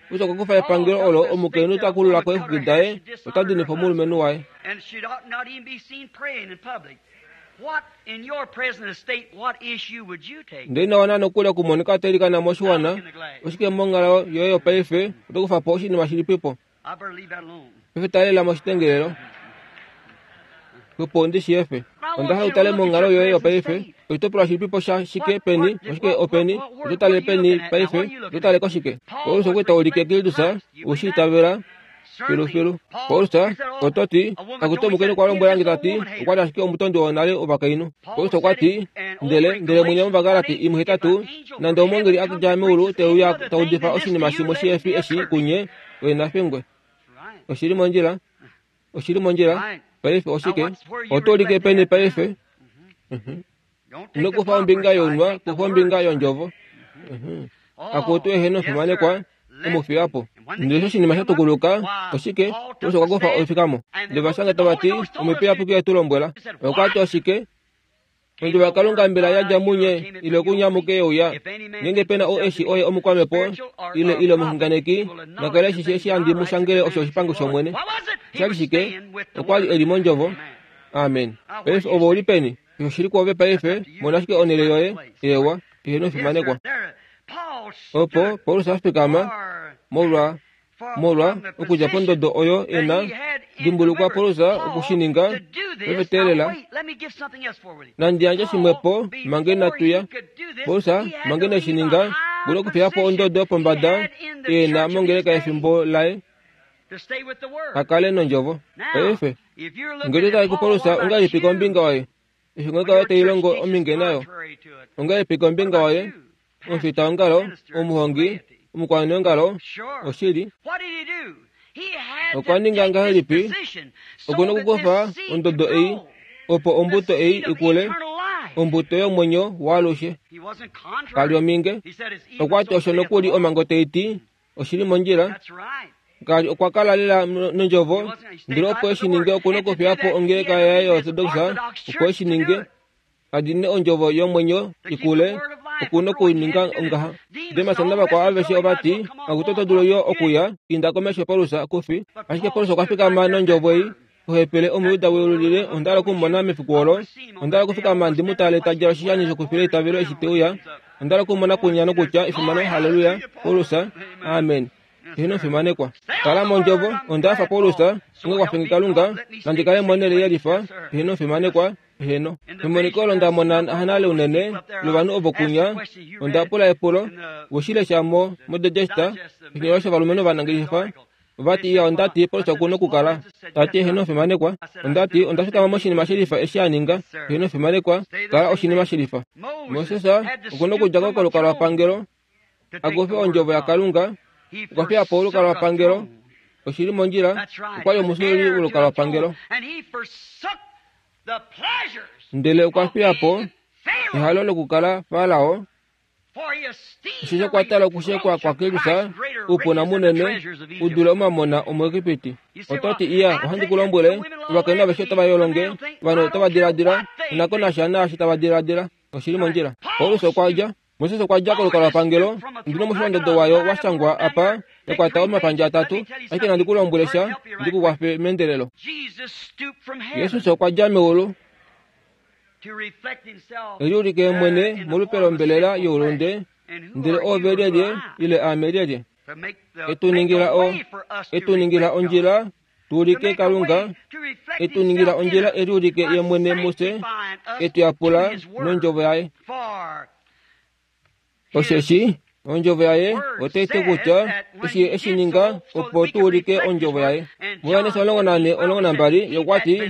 Paulus okwa kufa epangelo olo omukainhu ta kulula ko eexwiki daye, ota dinifa omulumenhu waye. Ndele ina wana nokuli okumonika ta ilikana moshiwana, oshike monghalo yoye yopaife oto kufa po oshinima shilipipo? Paife talela moshitengelelo. Opo ndi shi efe. Onda hala u tale monghalo yoye yopaife, oshitopolwa shilipipo sha shike peni, oshike openi, oto tale peni paife, oto tale koshike? Paulus okwe ta ulike Kristus, u shi itavela? Filufilu. Paulus oto ti, Akutu omukainhu okwa lombwela nge ta ti, okwa li ashike omutondi wonale wovakainhu. Paulus okwa ti, Ndele, ndele mwinya mOvagalati imuhetatu, nande omweengeli a dja meulu te uya ta udifa oshinima shimwe shihe fi eshi kunye, oye na fingwe. Oshi li mondjila. Oshi li mondjila. Paife oshike? Oto ulike peni paife? Ino kufa ombinga younwa, kufa ombinga yondjovo. Akutu eheno fimanekwa, e mu fiya po. Ndele eshi oshinima sha tukuluka, oshike? Paulus okwa kufa oifikamo. Ndele ova shanga tava ti, Omhepo Iyapuki oye tu lombwela. Okwa ti oshike? Ondjovo yaKalunga mbela ya dja munye ile okunye amuke ye uya? Ngeenge pe na ou e shi oye omukwamhepo ile ile omuxunganeki, na kale eshi shi eshi handi mu shangele osho oshipango shOmwene. Osha li shike? Okwa li e li mondjovo. Amen. Paife ove u li peni? Oshoshili kwoove paife, mona ashike onhele yoye. Eewa, eheno fimanekwa. Opo Paulus a fikama molwa molwa okudja pondodo oyo e na, dimbulukwa Paulus oku shi ninga, paife teelela. Nandi yandje shimwepo manga inatu ya. Paulus manga ine shi ninga, okuna okufiya po ondodo yopombada e na mongeleka yefimbo laye. A kale nondjovo. Paife, ngee to tale kuPaulus, ongahelipi kombinga waye? Eshi ongeleka yoye tai longo ominge nayo, ongahelipi kombinga waye? Omufitaongalo, omuhongi, omukwaneongalo, oshili. Okwa ninga ngahelipi? Oku na okukufa ondodo ei, opo ombuto ei i kule, ombuto yomwenyo waalushe. Ka li ominge. Okwa ti osho nokuli omhango tai ti, Oshi li mondjila. Ngaashi okwa kala lela nondjovo, ndele opo e shi ninge oku na okufiya po ongeleka yaye yoOrtodoxa opo e shi ninge. A dine ondjovo yomwenyo i kule, oku na okuninga ngaha. Demas navakwao aveshe ova ti, Akutu oto dulu yo okuya, inda komesho Paulus, ku fi. Ashike Paulus okwa fikama nondjovo ei, Ohepele Omujuda weululile, onda hala oku mu mona mefiku olo. Onda hala okufikama ndi mu tale ta djala oshishani shokufila eitavelo eshi te uya. Onda hala oku mu mona kunya nokutya, Efimano, halleluya, Paulus! Amen. Eheno fimanekwa. Kala mondjovo, onda hafa Paulus, onge kwafe nge Kalunga, nandi kale monhele yelifa. Eheno fimanekwa. Heno. Memoniko olo nda mona hanale unene lovanhu ovo kunya, onda pula epulo, woshilesha mo moDigest, oshinyolwa shovalumenhu ovanangeshefa, Ovati iya onda ti Paulus oku nokukala. Ta ti eheno fimanekwa. Onda ti onda fikama moshinima shelifa eshi a ninga. Eheno fimanekwa, kala oshinima shelifa. Moses oku nokudja ko kolukalwapangelo a kufe ondjovo yaKalunga. Okwa fiya po olukalwapangelo. Oshi li mondjila. Okwa li omusululi wolukalwapangelo. Ndele okwa fiya po ehalo lokukala Farao. Osho sha kwatela okushekwa kwaKristus, oupuna munene u dule omamona omuEgipiti. Oto ti, Iya, ohandi ku lombwele, ovakainhu aveshe otava yolonge, ovanhu otava diladila, na ko nasha naashi tava diladila. Oshi li mondjila. Paulus okwa dja, Moses okwa dja kolukalwapangelo, ondi na omusholondodo wayo wa shangwa apa, ya kwata omapandja atatu, ashike nandi ku lombwele sha ndi ku kwafe meendelelo. Jesus okwa dja meulu. E liulike mwene molupe lombelela youlunde, ndele ove lyelye ile aame lyelye? E tu ningila o, e tu ningila ondjila tu ulike Kalunga, e tu ningila ondjila e liulike ye mwene mufye, e tu yapula nondjovo yaye. Osheshi ondjovo yaye otai ti kutya eshi ye e shi ninga opo tu ulike ondjovo yaye. MuJohannes 14:12 ye okwa ti,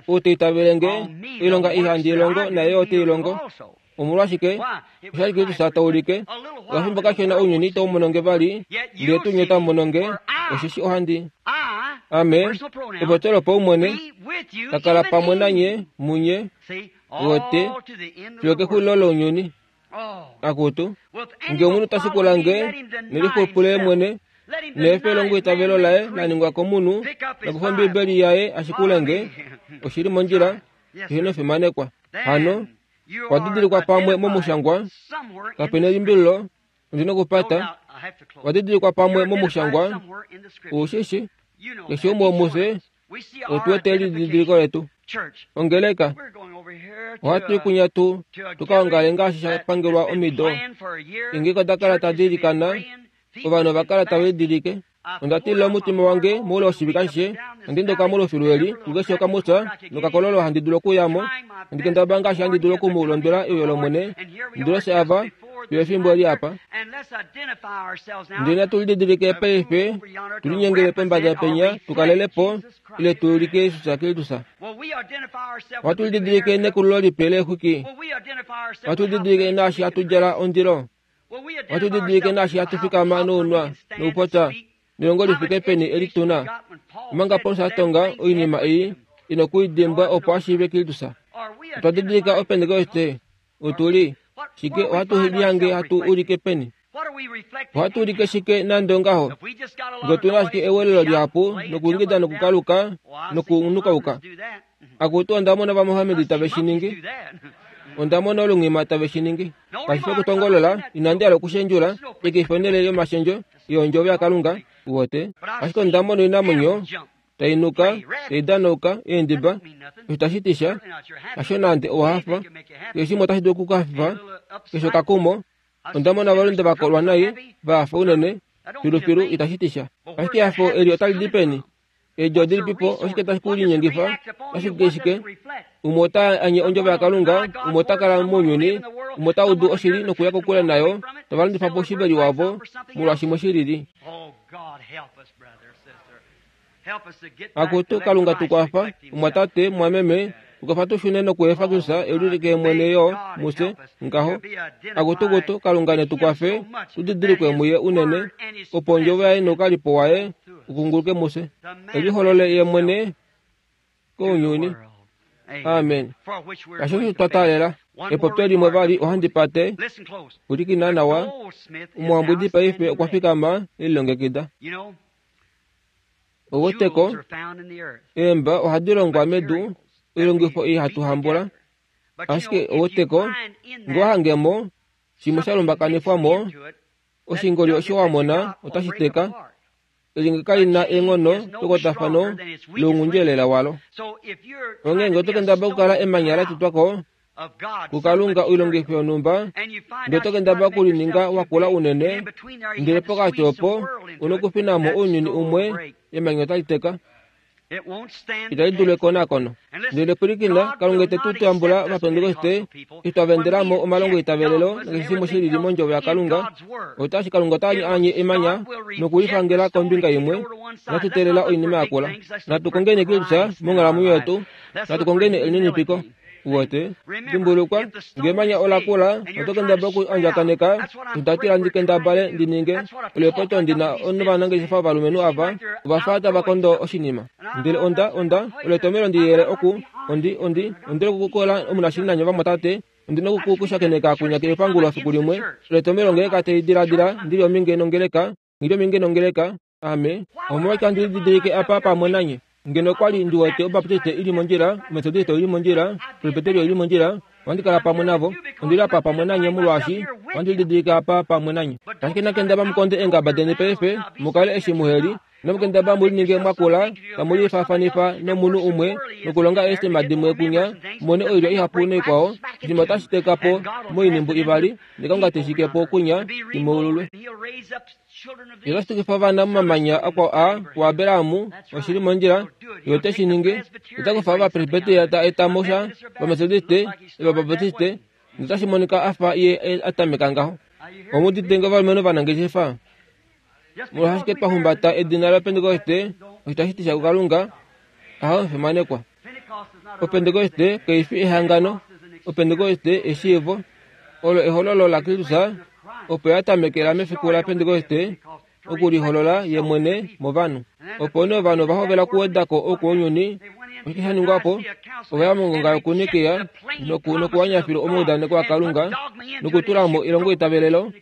Ou ta itavele nge, oilonga ei handi i longo naye yo ote i longo. Omolwashike? Osha li Kristus ta ulike. Okafimbo kashona ounyuni itau mono nge vali, ndele tuu nye otamu mono nge, osheshi ohandi Ame, epopyo lopaumwene, ta kala pamwe nanye munye, wote, fiyo kexulilo lounyuni. Akutu, nge omunhu ta shikula nge, nelixupule mwene, neefe longo eitavelo laye la ningwa komunhu, nokufa Ombibeli yaye a shikule nge, oshi li mondjila, eheno fimanekwa. Hano, okwa didilikwa pamwe momushangwa, kape nelimbililo, ondi nokupata, okwa didilikwa pamwe momushangwa, ou shi shi, keshe umwe womufye otu wete elididiliko letu. Ongeleka, ohatu i kunya tu tu ka ongale ngaashi sha pangelwa omido. Eengeko oda kala tadi ilikana, ovanhu ova kala tava idilike. Onda tilila omutima wange moule woshivike ashishe, handi ndoka molufilu eli, kukeshe okamutya nokakololo handi dulu okuya mo, handi kendabala ngaashi handi dulu oku mu londwela euyo lOmwene, ndi loshe ava, fiyo efimbo eli apa. Ndele natu lididilike paife, tu linyengele pombada penya, tu kalele po, ile tu ulike Jesus Kristus. Ohatu lididilike nekululo lipe leexwiki. Ohatu lididilike naashi hatu djala ondilo. Ohatu lididilike naashi hatu fikama nounwa noupopya nelongo li fike peni eli tu na. Omanga Paulus a tonga oinima ei, ino ku i dimbwa opo a shiive Kristus. Otwa didilika Opentekoste Otu li shike? Ohatu lihange hatu ulike peni? Ohatu ulike shike nande ongaho? Nge otu na ashike ewelelo lihapu nokuingida nokukaluka nokunukauka. Akutu, onda mona Ovamohamedi tave shi ningi. Onda mona olunghima tave shi ningi. Kashi fi okutongolola, inandi hala okushendjula, ekefi onhele yomashendjo yOndjovo yaKalunga, uwete. Ashike onda mona oinamwenyo tai nuka, tai danauka, eendiba, osho tashi ti sha, hasho nande owa hafa, keshe shimwe otashi dulu oku ku hafifa, keshe okakumo. Onda mona ovalunde va kolwa nai, va hafa unene, filufilu itashi ti sha. Ashike ehafo eli otali di peni? Eedjo odilipi po? Oshike tashi ku linyengifa? Otashi ulike shike? Umwe ota anye ondjovo yaKalunga, umwe ota kala mounyuni, umwe ota udu oshili nokuya kokule nayo, tava landifa po oshiveli wavo molwashimwe shi lili. Akutu, Kalunga tu kwafa, omwatate, mwameme, tu kwafa tu shune nokuefa Kristus e liulike mwene yo mufye, ngaho. Akutu, kutu, Kalunga ne tu kwafe tu didilikwe muye unene, opo ondjovo yaye noukalipo waye u kunguluke mufye, e liholole ye mwene kounyuni. Amen. Kasho osho twa taalela. Epopyo limwe vali ohandi pate. Pwilikina nawa. Omuhambwidi paife okwa fikama e lilongekida. Oweteko, eemba ohadi longwa medu, oilongifo ei hatu hambula. Ashike oweteko, nge owa hange mo shimwe sha lumbakanifwa mo, oshingoli osho wa mona otashi teka. Elyenge kali na eenghono pekwatafano lounghundi-elela walo. Onghee ngee oto kendabala okukala emanya la tutwa ko kuKalunga oilongifo yonhumba, ndele oto kendabala okulininga wa kula unene, ndele pokati opo u na okufina mo ounyuni umwe, emanya otali teka. Itali dulu ekonakono. Ndele pwilikina, Kalunga ite tu tambula Ovapentekoste eshi twa vendela mo omalongo eitavelelo nakeshe shimwe shi lili mondjovo yaKalunga. Otashi Kalunga ota anye emanya nokulifangela kombinga imwe. Natu teelela oinima yakula. Natu kongeni Kristus monghalamwenyo yetu. Natu kongeni elininipiko. Uwete? Dimbulukwa, nge emanya ola kula, oto kendabala oku andjakaneka. Onda tila ndi kendabale ndi ninge. Olepoto ndi na novanangeshefa ovalumenhu ava, ova fa tava kondo oshinima. Ndele onda, onda, oletomelo ndi yele oku, ondi, ondi, ondi lokukola omunashili nanye vamwatate, ondi noku ku shakeneka kunya kepangulo efiku limwe. Oletomelo ngee kate diladila ndi li ominge nongeleka, nghi li ominge nongeleka, Ame omolwashike handi lididilike apa pamwe nanye? Ngeno okwa li ndi wete Obaptiste i li mondjila, Ometodiste oi li mondjila, Presbiteria oi li mondjila, ohandi kala pamwe navo. Ondi li apa pamwe nanye molwaashi ohandi lididilike apa pamwe nanye. Ashike nakendaba mu konde eengaba deni paife, mu kale eshi muhe li. Inamu kendaba mu lininge mwa kula, tamu lifaafanifa nomunhu umwe nokulonga eesema dimwe kunya, mu mone oilya ihapu noikwao. Oshinima otashi teka po moinhimbu ivali, nekonga te shike po kunya, i moululwe. Ye ota shitukifa ovana momamanya akwao aa kuAbraham, oshi li mondjila, ye ote shi ningi. Ota kufa Ovapresbiteria ta eta mo sha, Ovametodiste, Ovabaptiste, notashi monika a fa ye a tameka ngaho. Omu udite nge ovalumenhu ovanangeshefa? Molwashike twa humbata edina laPentekoste, osho tashi ti sha kuKalunga? Aho, fimanekwa. Opentekoste kai fi ehangano. Opentekoste eshiivo. Olo ehololo laKristus opo ya tamekela mefiku laPentekoste okuliholola ye mwene movanhu. Opo nee ovanhu ova hovela okuweda ko oukounyuni. Oshike sha ningwa po? Ova ya mongonga yokuNikea nokuwanya filu omaudaneko aKalunga nokutula mo elongoitavelelo,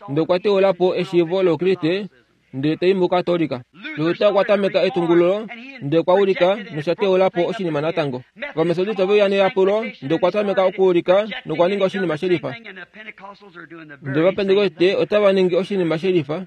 ndele okwa teula po eshiivo lOukriste ndele ta i muKatolika. Luther okwa tameka etungululo, ndele okwa ulika nosha teula po oshinima natango. Ovametodiste ove uya neyapulo, ndele okwa tameka okuulika nokwa ninga oshinima shelifa. Ndele Ovapentekoste otava ningi oshinima shelifa.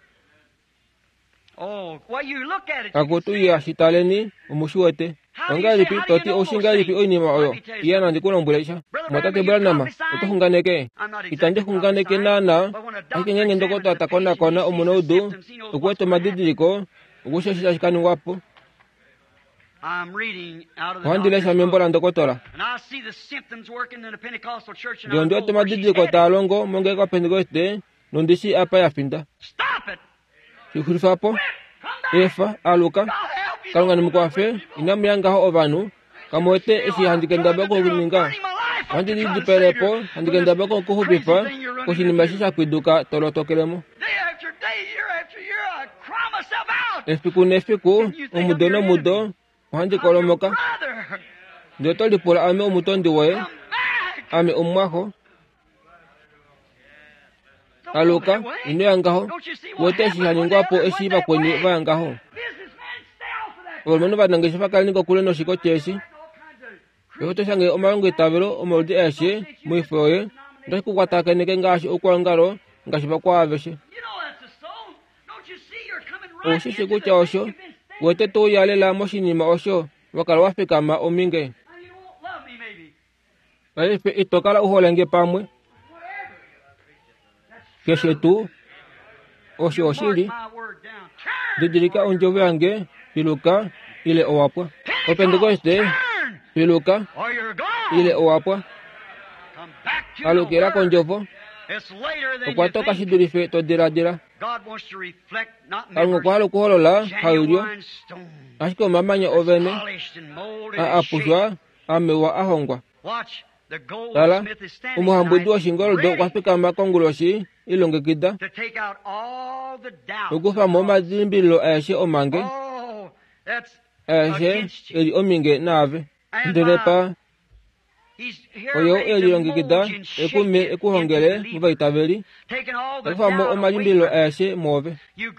Akutu iya shi taleni, omu shi wete. Ongahelipi to ti oushi ngahelipi oinima oyo? Iya nandi ku lombwele sha. Mwatate Branham, oto xunganeke? Itandi xunganeke naanaa, ashike ngeenge ndokotola ta konakona omunaudu, oku wete omadidiliko, oku shi osho tashi ka ningwa po. Ohandi lesha membo landokotola. Ndele ondi wete omadidiliko taa longo mongeleka yoPentekoste, nondi shii apa ya finda. Shi xulifa po. Efa, aluka. Kalunga ne mu kwafe, inamu ya ngaho ovanhu. Kamu wete eshi handi kendabala okuninga? Ohandi lidipele po, handi kendabala okuxupifa koshinima eshi sha pwiduka to lotokele mo. Efiku nefiku, omudo nomudo, ohandi kolomoka. Ndele oto lipula ame omutondi woye, ame omumwaxo. Aluka, ino ya ngaho. Wete eshi sha ningwa po eshi vakweni va ya ngaho? Ovalumenhu ovanangeshefa kaleni kokule noshikoti eshi. Eshi oto shange omalongo eitavelo omaludi aeshe moifo yoye, otashi ku kwatakaneke ngaashi oukwaongalo ngaashi vakwao aveshe. Ou shi shi kutya osho wete to uya lela moshinima osho wa kala wa fikama ominge. Paife ito kala u hole nge pamwe. Keshe tuu, osho oshili. Didilika ondjovo yange, piluka, ile owa pwa. Opentekoste, piluka, ile owa pwa. Alukila kondjovo. Okwa toka shi dulife to diladila. Kalunga okwa hala okuholola hailyo, ashike omamanya ovene a apushwa amewa a hongwa. Tala, omuhambwidi woshingoldo okwa fikama konguloshi ilongekida okukufa mo omalimbililo aeshe omange aeshe e li ominge naave. Ndele pa oye ou e lilongekida ekume e ku hongele movaitaveli, ta kufa mo omalimbililo aeshe mwoove.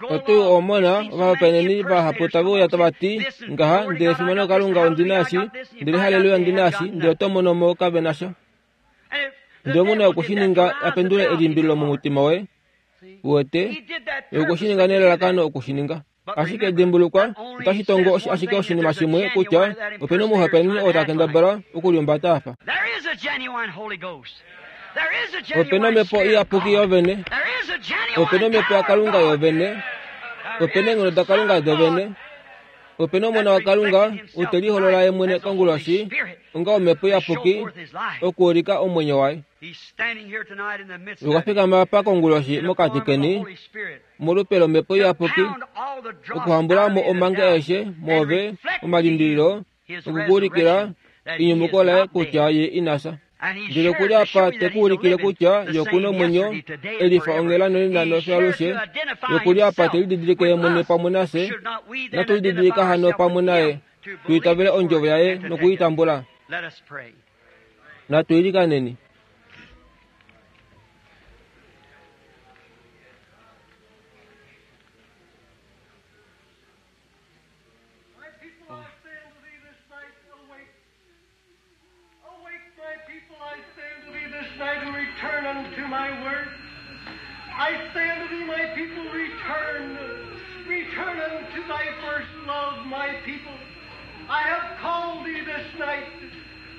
Oto u mona ovahopaeneni vahapu tave uya tava ti ngaha, ndele fimano Kalunga ondi na eshi, ndele haleluya ondi na eshi, ndele oto mono mo kave na sha. Ndele omu na oku shi ninga a pendule elimbililo momutima woye. Uwete? Ye okwe shi ninga nelalakano oku shi ninga. Ashike dimbulukwa, otashi tongo ashike oshinima shimwe kutya ope na omuhopaeneni oo ta kendabala okuliumbata a fa. Ope na Omhepo Iyapuki yovene. Ope na Omhepo yaKalunga yovene. Ope na eenghono daKalunga dovene. Ope na Omona waKalunga ou te liholola ye mwene konguloshi onga Omhepo Iyapuki okuulika omwenyo waye. Okwa fikama apa konguloshi mokati keni molupe lOmhepo Iyapuki okuhambula mo omange aeshe mwoove omalimbililo nokukuulikila enyumuko laye kutya ye ina fya. Ndele okuli apa te ku ulikile kutya ye oku na omwenyo, e lifa onghela nonena nofyo alushe. Ye okuli apa te lididilike ye mwene pamwe nafye. Natu lididilika hano pamwe naye, tu itavele ondjovo yaye noku i tambula. Natu ilikaneni. My people, I say unto thee this night, awake. Awake, my people, I say unto thee this night, and return unto my word. I say unto thee, my people, return. Return unto thy first love, my people. I have called thee this night.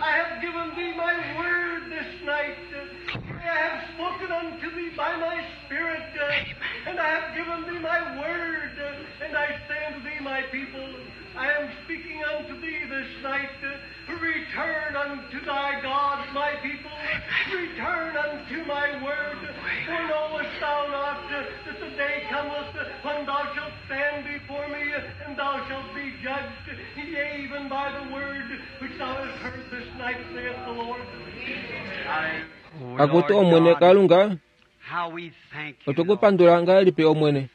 I have given thee my word this night. I have spoken unto thee by my Spirit, and I have given thee my word. And I say unto thee, my people, I am speaking unto thee this night. Return unto thy God, my people. Return unto my word. For knowest thou not that the day cometh when thou shalt stand before me, and thou shalt be judged, yea, even by the word which thou hast heard this night, saith the Lord. Akutu Omwene Kalunga, otwe ku pandula ngahelipi Omwene.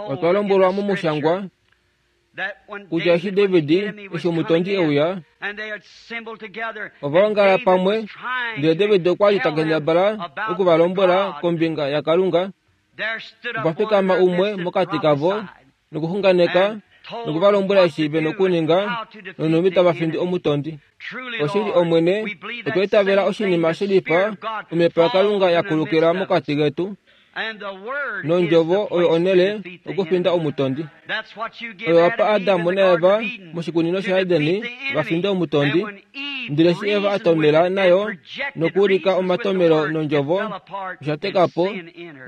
Otwa lombwelwa momushangwa kutya eshi David eshi omutondi e uya, ova ongala pamwe, ndele David okwa li ta kendabala oku va lombwela kombinga yaKalunga. Okwa fikama umwe mokati kavo nokuxunganeka noku va lombwela eshi ve nokuninga nonhumbi tava findi omutondi. Oshili Omwene, otwa itavela oshinima shelifa Omhepo yaKalunga ya kulukila mokati ketu, nondjovo oyo onhele okufinda omutondi. Oyo wa pa Adam naEva moshikunino shaEden va finde omutondi, ndele eshi Eva a tomela nayo nokuulika omatomelo nondjovo, osha teka po,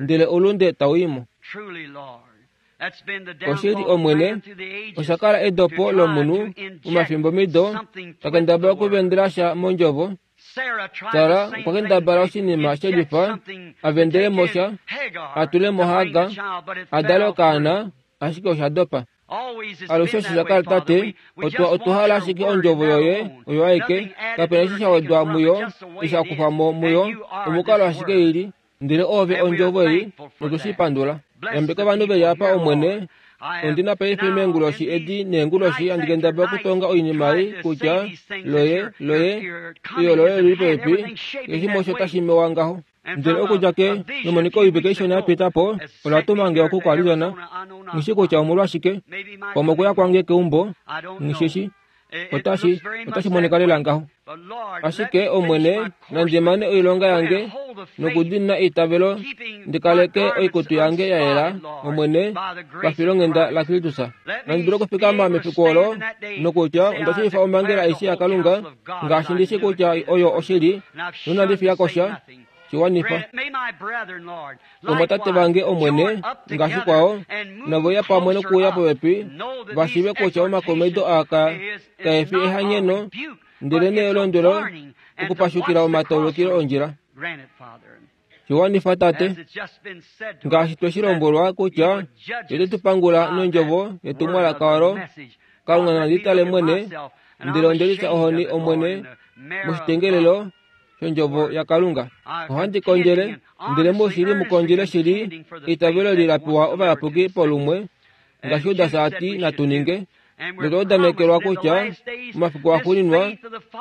ndele oulunde tau i mo. Oshili Omwene, osha kala edopo lomunhu momafimbomido ta kendabala okuvendela sha mondjovo. Sara okwa kendabala oshinima shelifa, a vendele mo sha, a tule mo Hagar, a dale okaana, ashike osha dopa. Alushe osho sha kala, Tate, otwa, otwa hala ashike Ondjovo Yoye oyo aike, kapena eshi sha wedwa muyo, eshi sha kufwa mo muyo, omukalo ashike i li. Ndele Oove Ondjovo ei, notu shi pandula. Yambeka ovanhu ve li apa, Omwene. Ondi na paife meenguloshi edi neenguloshi handi kendabala okutonga oinima ei kutya loye, loye, eyo loye oli li popepi, keshe osho tashi mewa ngaho. Ndele okudja ke memoniko oivike ishona ya pita po, ola tuma nge oku koArizona. Nghi shii kutya omolwashike. Pamwe okuya kwange keumbo, nghi shi shii. Otashi, otashi monika lela ngaho. Ashike, Omwene, nandi mane oilonga yange nokudiinina eitavelo, ndi kaleke oikutu yange ya yela, Omwene, pafilonghenda laKristus. Nandi dule okufikama mefiku olo nokutya onda shiifa omhangela aishe yaKalunga, ngaashi ndi shii kutya oyo oshili, nonandi fiya ko sha, shi wanifa. Ovamwatate vange, Omwene, ngaashi kwao, nave uya pamwe nokuuya popepi, va shiive kutya omakomaido aa ka, kae fi ehanyeno, ndelenee elondwelo okupashukila omataulukilo ondjila. Shi wanifa, Tate, ngaashi twe shi lombwelwa kutya Ye ote tu pangula nondjovo yetumwalaka olo. Kalunga nandi tale mwene, ndele onde lifya ohoni, Omwene, moshitengelelo shondjovo yaKalunga. Ohandi kondjele, ndele moshili mu kondjele shili eitavelo eli la pewa ovayapuki polumwe, ngaashi Judas a ti natu ninge. Notwa udanekelwa kutya momafiku axuuninwa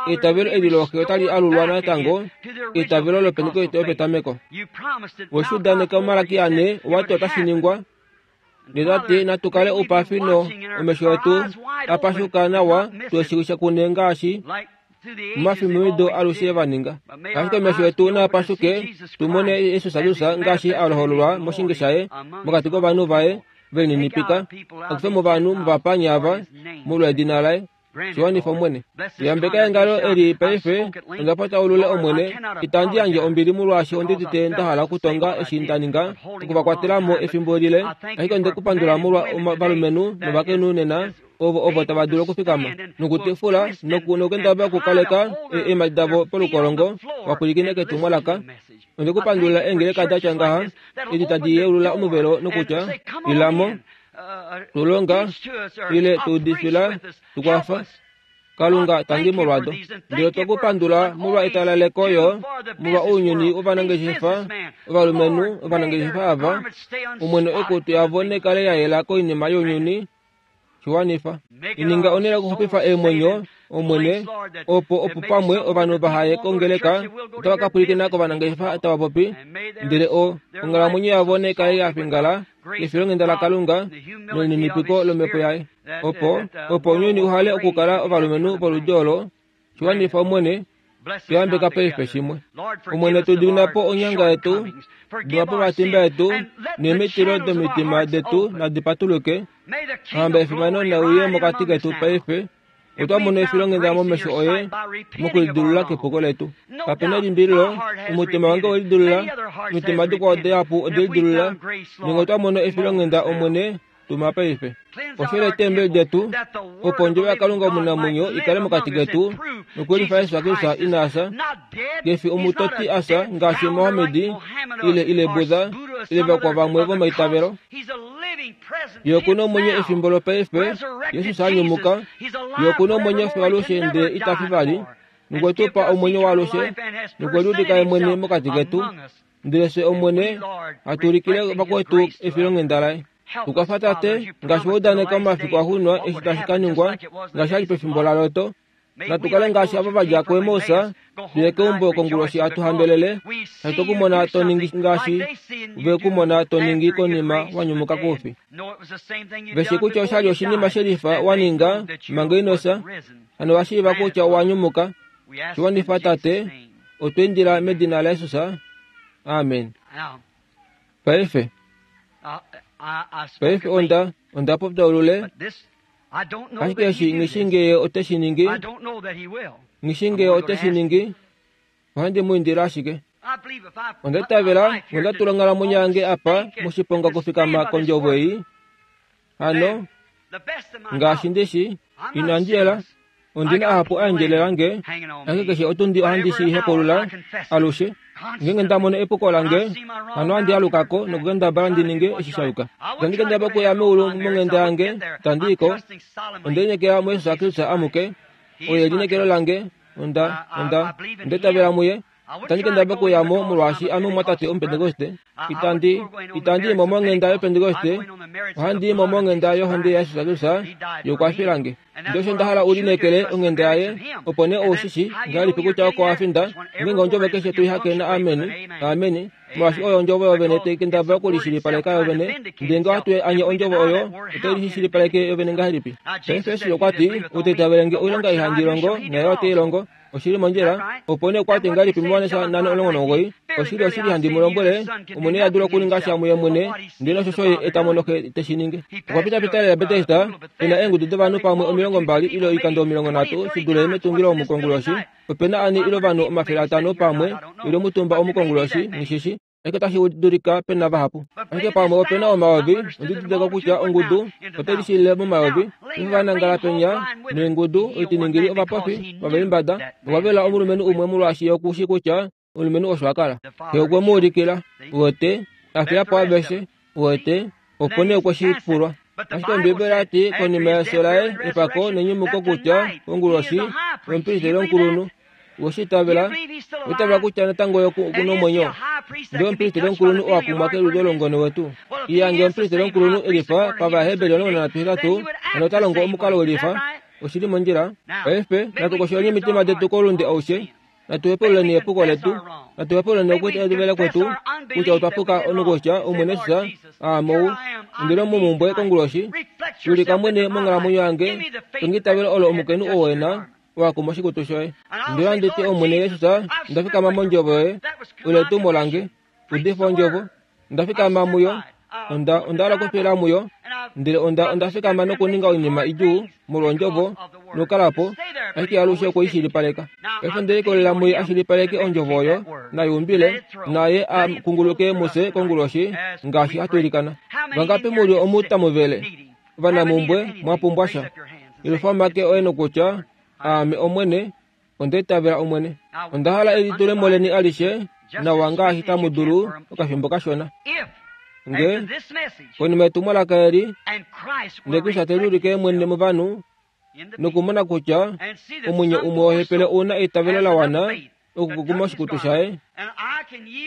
eitavelo eli looxe otali alulwa natango, eitavelo lopentekoste yopetameko. We shi udaneka muMalaki ane, owa ti otashi ningwa. Ndele ta ti natu kale oupafi no omesho etu a pashuka nawa tu eshiwisha kune ngaashi momafimbomido alushe va ninga. Ashike omesho etu naa pashuke tu mone Jesus Jesus ngaashi a hololwa moshinge shaye mokati kovanhu vaye ve lininipika, a kufe movanhu movapanya ava molwa edina laye. Shiwanifa Omwene. Yambeka engalo eli paife, onda pataulule Omwene, itandi yandje ombili molwaashi ondidite nda hala okutonga eshi nda ninga, okuvakwatela mo efimbo lile, ashike onde kupandula molwa ovalumenhu novakainhu nena, ovo tava dulu okufikama nokutifula nokukendabala okukaleka eemhadi davo polukolongo vapwilikine ketumwalaka. Onde kupandulila eengeleka da tya ngaha edi tadi yeulula omuvelo nokutya ilamo, tulonga, ile tuudifila, tukwafa. Kalunga tangi molwado. Ndele otwe kupandula molwa etalaleko yo, molwa ounyuni wovanangeshefa, ovalumenhu ovanangeshefa ava, Omwene oikutu yavo nekale ya yela koinima younyuni. Shiwanifa. Ininga onhele yokuxupifa eemwenyo, Omwene, opo opo pamwe ovanhu vahaye kongeleka otava ka pwilikina kovanangeshefa tava popi, ndele onghalamwenyo yavo nekale ya fingala kefilonghenda laKalunga nelininipiko lomhepo yaye, opo opo ounyuni uhale okukala ovalumenhu voludi olo. Shiwanifa, Omwene, tuyambeka paife shimwe. Omwene, tu dimina po onyanga yetu, dima po omatimba etu, neemitilo domitima detu nadi patuluke. Ohamba yefimano nai uye mokati ketu paife. Otwa mona efilonghenda momesho oye mokulidilulula kepuko letu. Kape na elimbililo, omutima wange owe lidilulula, omitima dikwao dihapu ode lidilulula. Nenge otwa mona efilonghenda, Omwene, tuma paife. Oshele eetembeli detu, opo ondjovo yaKalunga omunamwenyo i kale mokati ketu, nokuyelifa Jesus Kristus ina fya, ke fi omutoti a fya ngaashi Mohammed ile ile Buddha ile vakwao vamwe vomaitavelo. Ye oku na omwenyo efimbo lopaife, Jesus a nyumuka. Ye oku na omwenyo fiyo alushe ndele ita fi vali, nokwe tu pa omwenyo waalushe, nokwe liulika ye mwene mokati ketu. Ndele fye Omwene, hatu ulikile vakwetu efilonghenda laye. Tukwafa Tate, ngaashi wa udaneka momafiku axuuninwa eshi tashi ka ningwa, ngaashi a li pefimbo laLot. Natu kale ngaashi ava va dja kuEmaus, tu ye keumbo konguloshi hatu hambelele, hatu ku mona to ningi ngaashi ve ku mona to ningi konima wa nyumuka koufi. Ve shi kutya osha li oshinima shelifa wa ninga manga ino fya, hano va shiiva kutya owa nyumuka. Shi wanifa Tate, otwa indila medina laJesus. Amen. Paife, paife onda, onda popya olule, ashike eshi nghi ngee ote shi ningi, nghi ngee ote shi ningi, ohandi mu indile ashike. Onda itavela onda tula onghalamwenyo yange apa moshiponga okufikama kondjovo ei. Hano, ngaashi ndi shi, inandi yela. Ondi na ahapu a endjelela nge, ashike keshe otundi ohandi shi hepaulula alushe. Ngeenge nda mono epuko lange, hano ohandi aluka ko nokukendabala ndi ninge eshi sha yuka. Itandi kendabala okuya meulu monghenda yange, itandi i ko. Onde lineekela muJesus Kristus amuke. Oye elineekelo lange. Onda, onda, onda itavela muye. Itandi kendabala okuya mo molwaashi ame omumwatate Omupentekoste. Itandi, itandi i mo monghenda yOpentekoste. Ohandi i mo monghenda yohonde yaJesus Kristus yokwafila nge. Ndele osho nda hala u lineekele onghenda yaye, opo nee ou shi shii ngahelipi kutya oko wa finda, ngeenge ondjovo keshe to i hake na ameni, ameni, molwaashi oyo ondjovo yovene tai kendabala okulishilipaleka yovene, ndele nge ohatu anye ondjovo oyo, otai lishilipaleke yovene ngahelipi? Paife Jesus okwa ti, Ou ta itavele nge oilonga ei handi longo, naye ote i longo. Oshili mondjila. Opo nee okwa ti ngahelipi muJohannes 5:19, Oshili, oshili handi mu lombwele, Omwene iha dulu okuninga sha muye mwene, ndele oshosho ye e ta mono Xe te shi ningi. Okwa pitapita lela Betesda, e na eengudu dovanhu pamwe 20 ile oikando 30 shi dule metungilo omu konguloshi. Ope na ani ile ovanhu 500 pamwe, ile omutumba omu konguloshi, nghi shi shii. Ashike otashi dulika pe na vahapu. Ashike pamwe ope na omayovi, ondi didilika kutya ongudu otai lishilile momayovi. Eshi va nangala penya neengudu, oitiningili, ovapofi, ovaimbada, okwa vela omulumenhu umwe molwaashi ye oku shii kutya omulumenhu osho a kala. Xe okwe mu ulikila, uwete, a fiya po aveshe, uwete, opo nee okwe shi pulwa. Ashike Ombiibeli oya ti, konima yefyo laye, epako nenyumuko kutya, konguloshi, omupristeli omukulunhu, We shi itavela? Owa itavela kutya natango ye oku na omwenyo? Ndele omupristeli omukulunhu oo a kumwa keludo lomungone wetu. Iya, ngee omupristeli omukulunhu e lifa pavaHeberi 13, hano ota longo omukalo we lifa. Oshi li mondjila. Paife, natu kosholeni omitima detu koulunde aushe. Natu hepaululeni epuko letu. Natu hepaululeni okwiitavela kwetu kutya otwa puka nokutya Omwene Jesus, aame ou. Ndele momhumbwe konguloshi, ulika mwene monghalamwenyo yange, tonga eitavelo olo omukainhu oo e na. wa kuma oshikutu shoye. Ndele ohandi ti, Omwene Jesus, onda fikama mondjovo yoye, olo etumo lange. Udifa ondjovo. Onda fikama muyo. Onda, onda hala okufila muyo. Ndele onda, onda fikama nokuninga oinima idjuu molwondjovo. Nokukala po, ashike alushe okwe i shilipaleka. Paife onde likolelela muye a shilipaleke ondjovo oyo, nayuumbile, naye a kunguluke mufye konguloshi ngaashi hatu ilikana. Vangapi mu li omu tamu vele, ovanamumbwe, mwa pumbwa sha? Yelufa omake oye nokutya, Aame Omwene, onda itavela Omwene. Onda hala elitulemo leni alishe nawa ngaashi tamu dulu okafimbo kashona. Nge, konima yetumwalaka eli, ndele Kristus te liulike mwene movanhu, nokumona kutya omwenyo umwe wohepele u na eitavelo la wana okukukuma oshikutu shaye,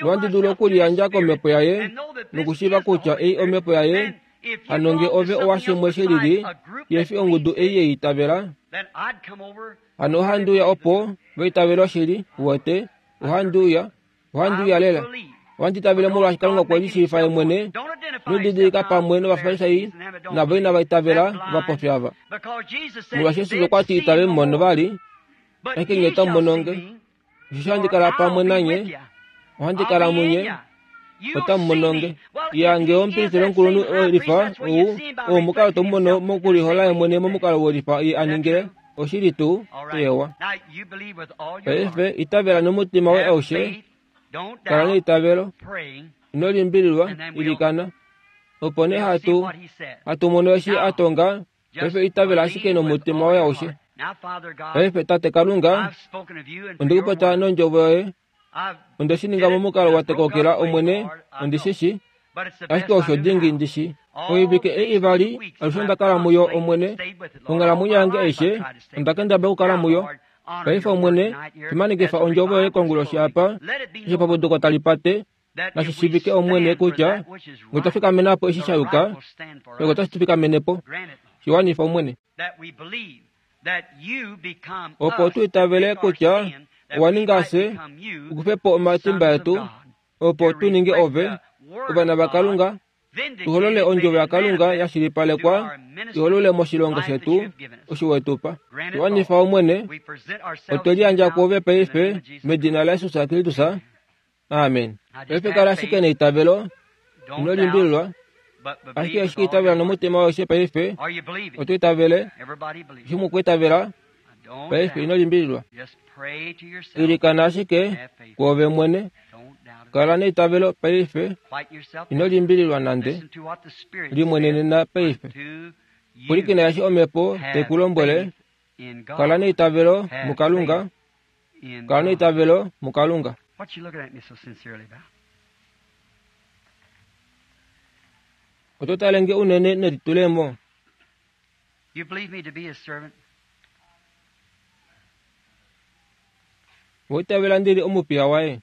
nohandi dulu okuliyandja komhepo yaye nokushiiva kutya ei omhepo yaye, hano nge ove owa shimwe she lili, yefi ongudu ei ye itavela, hano ohandi uya opo va itavele oshili, uwete, ohandi uya, ohandi uya lela. Ohandi itavele molwaashi Kalunga okwe lishiifa ye mwene, nodidilika pamwe nOvafarisai navo inava itavela ovapofi ava. Molwaashi Jesus okwa ti itave mu mono vali, ashike nye otamu mono nge. Osheshi ohandi kala pamwe nanye, ohandi kala munye, otamu mono nge. Ya nge omupristeli omukulunhu welifa ou, ou omukalo to mu mono mokulihola ye mwene momukalo welifa ye a ningile, oshili tuu, eewa. Paife itavela nomutima woye aushe, kala neitavelo, ino limbililwa, ilikana. Opo nee hatu, hatu mono eshi a tonga, paife itavela ashike nomutima woye aushe. Paife Tate Kalunga, onde ku popya nondjovo yoye, Onde shi ninga momukalo wa tekokela Omwene, ondi shi shi, ashike osho dingi ndi shi. Oivike ei ivali alushe onda kala muyo, Omwene, monghalamwenyo yange aishe onda kendabala okukala muyo. Paife, Omwene, fimanekifa ondjovo yoye konguloshi apa, eshi epapuduko tali pate, nashi shiivike, Omwene, kutya nge otwa fikamena po eshi sha yuka, ove otashi tu fikamene po. Shi wanifa, Omwene. Opo tu itavele kutya owa ninga fye u kufe po omatimba etu, opo tu ninge ove, ovana vaKalunga, tu holole ondjovo yaKalunga ya shilipalekwa i holole moshilongo shetu osho we tu pa. Tu wanifa, Omwene, otwe liyandja kwoove paife medina laJesus Kristus. Amen. Paife kala ashike neitavelo, ino limbililwa, ashike ashike itavela nomutima aushe paife, oto itavele, eshi mukwiitavela, paife ino limbililwa. Ilikana ashike kwoove mwene, kala neitavelo paife, ino limbililwa nande, limwenenena paife. Pwilikina eshi Omhepo tai ku lombwele, kala neitavelo muKalunga, Kala neitavelo muKalunga. Oto tale nge unene nelitulemo? Owa itavela ndi li omupiya waye?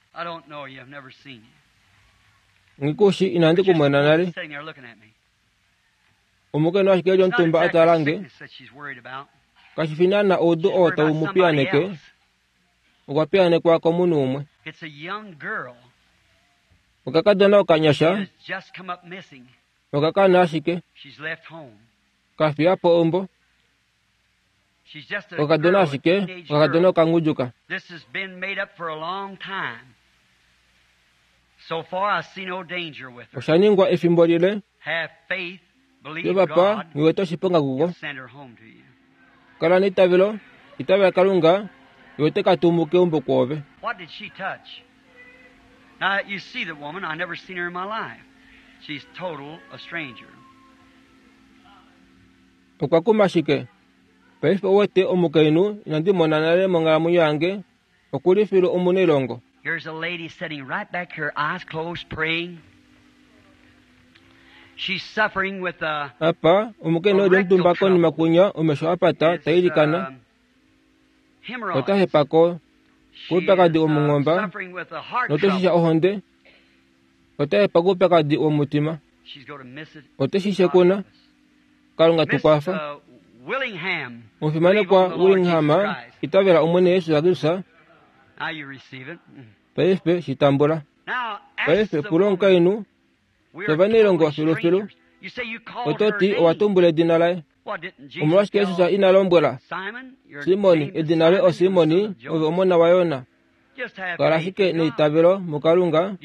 Nghi ku shi, inandi ku mona nale. Omukainhu ashike e li omutumba a tala nge. Kashi fi naana oudu oo tau mu piyaneke, okwa piyanekwa komunhu umwe. Okakadona okanyasha oka kana ashike, ka fiya po eumbo. Okakadona ashike, okakadona okangudjuka. Osha ningwa efimbo lile. Jovapa nghi wete oshiponga kuko. Kala neitavelo, itavela Kalunga, ye ote ka tumu keumbo kwoove. Okwa kuma shike? Paife ou wete omukainhu inandi mona nale monghalamwenyo yange, oku li filu omunailongo. Here's a lady sitting right back here, eyes closed, praying. She's suffering with a Apa, omukainhu e li omutumba konima kwinya, omesho a pata, ta ilikana. Ota hepa ko, koupyakadi womunghomba, note shisha ohonde. Ota hepa koupyakadi womutima. Ote shi shekuna. Kalunga tu kwafa. Omufimanekwa Willingham, itavela Omwene Jesus Kristus. Paife shi tambula. Paife pula omukainhu, Ovanailongo filufilu. Oto ti owa tumbula edina laye. Omolwashike Jesus ina lombwela Simoni edina loye oSimoni, ove omona waYona? Kala ashike neitavelo muKalunga.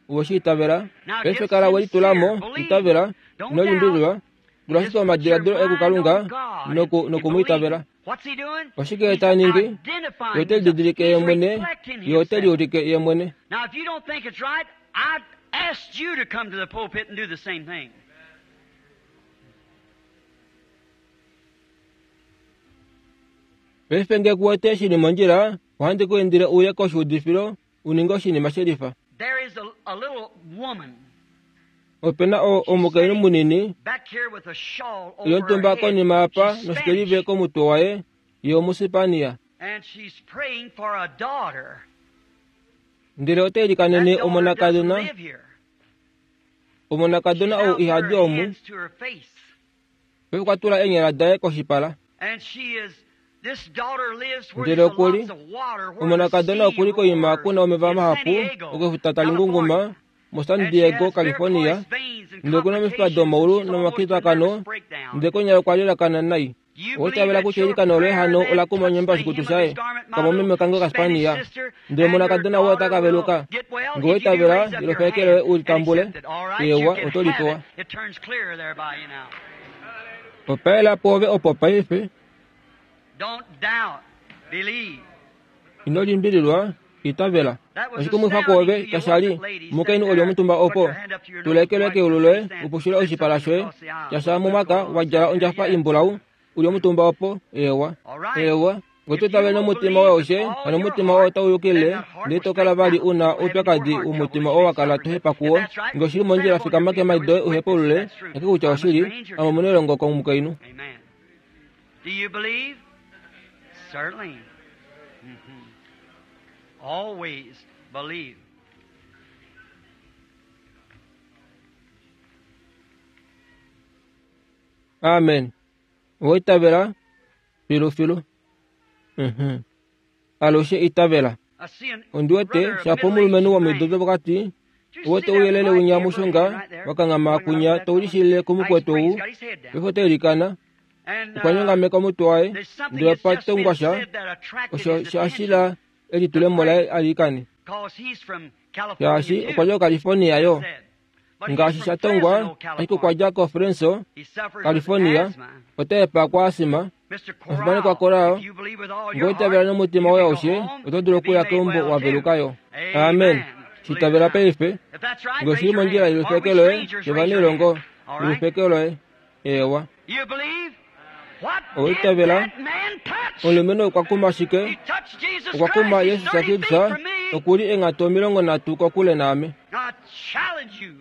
Owe shi itavela? Paife kala we litula mo, itavela, ino limbililwa. Tula ashike omadiladilo oye kuKalunga noku, noku mu itavela. Oshike ta ningi? Ye ote lididilike ye mwene, ye ote liulike ye mwene. Now, if you don't think it's right, I asked you to come to the pulpit and do the same thing. Paife nge ku wete shi li mondjila, ohandi ku indile uye koshuudifilo u ninge oshinima shelifa. There is a little woman Ope na o, omukainhu munini back here with a shawl over her yontumba head. konima apa She's noshikelive Spanish, komutwe waye, ye Omusipania. and she's praying for a daughter. Ndele ote That ilikanene daughter doesn't omonakadona, live here. She's omonakadona now ou put ihadi her omu, hands to her face. paife okwa tula eenyala daye koshipala. And she is, this daughter lives where Ndele there's okuli, lots of water, where the omonakadona sea okuli koima roars kuna omeva in San mahapu Diego, okefuta tali California. ngunguma moSan And she Diego, has California. varicose veins and Ndele okuna omifipa complications. domaulu She's almost a nomakitakano, nervous breakdown. ndele konyala okwa lilakana nai. You believe Oitavela that kutya your eilikano loye prayer hano then ola kuma touched onyemba the oshikutu hem of shaye his garment, my kamomeme little kange Spanish kaSpania. sister, Ndele and your omonakadona woye daughter ota ka will veluka. get well. Ngee If you do, oitavela, raise up your ilofeke hand loye u and litambule. accept it. All right, you Ewa, can oto have lipewa. it. It turns clear there by you now. Opaela pwoove opo paife, Don't doubt. Believe. ino limbililwa, itavela. That was Oshikumwifa astounding kwoove to you, kasha li, wasn't it, lady, omukainhu sitting oli there? omutumba Put opo. your hand up to your Tula nose eke loye white keulu and loye, stand. upushule There's oshipala something shoye, across the aisle. kasha mumwaka wa djala ondjafa imbulau, uli omutumba opo, ewa. All right. Ewa, ngee If oto you itavele will nomutima believe woye with aushe, all hano your omutima woye heart, otau then yukile, that heart ndele will to kala straighten vali out. una You won't have any more oupyakadi heart trouble womutima that oo you've wa been kala suffering tohepa with. If kuwo. that's right, Ngee oshili stand mondjila up on your fikama feet. There keemhadi is doye a witness that uhepaulule, that's true. eke kutya I'm a oshili, stranger ame to it. omunailongo komukainhu. Amen. Do you believe? Certainly. Always believe. Amen. Owa itavela filufilu. Alushe itavela. I see an Ondi wete brother of shapo middle-aged omulumenhu womido man. dopokati Did you see uwete that ouyelele light winya Abraham mushunga right there? wakanghama Going right kunya up that to ulishilile Now he's kumukwetu praying. ou He's got his head down. pefo teilikana And okwa nyongameka omutwe waye there's something ndele that's pa just been tongwa sha said that attracted osho his shashila attention elitulemo laye alikane because he's from California shaashi too, okwa dja koCalifornia yo said. But he's ngaashi from sha tongwa Fresno, ashike okwa California. dja koFresno He suffers with California asthma. ota hepa kwa asima Mr. omufimanekwa Corral, Corral, if you believe with all ngee your oitavela heart, nomutima you woye can go aushe home oto dulu and be okuya made keumbo well wa too. veluka yo. Amen. Amen. Believe it Shitavela now. paife If that's right, ngee raise oshili your mondjila hand. Are we yelufeke loye strangers? Raise your yovanailongo hand. All right? yelufeke loye ewa. You believe? What did Oitavela that man touch? omulumenhu okwa kuma shike He touched Jesus okwa kuma Christ. He's Yesus 30 feet Kristus from me. okuli eenghatu 30 kokule naame. I challenge you.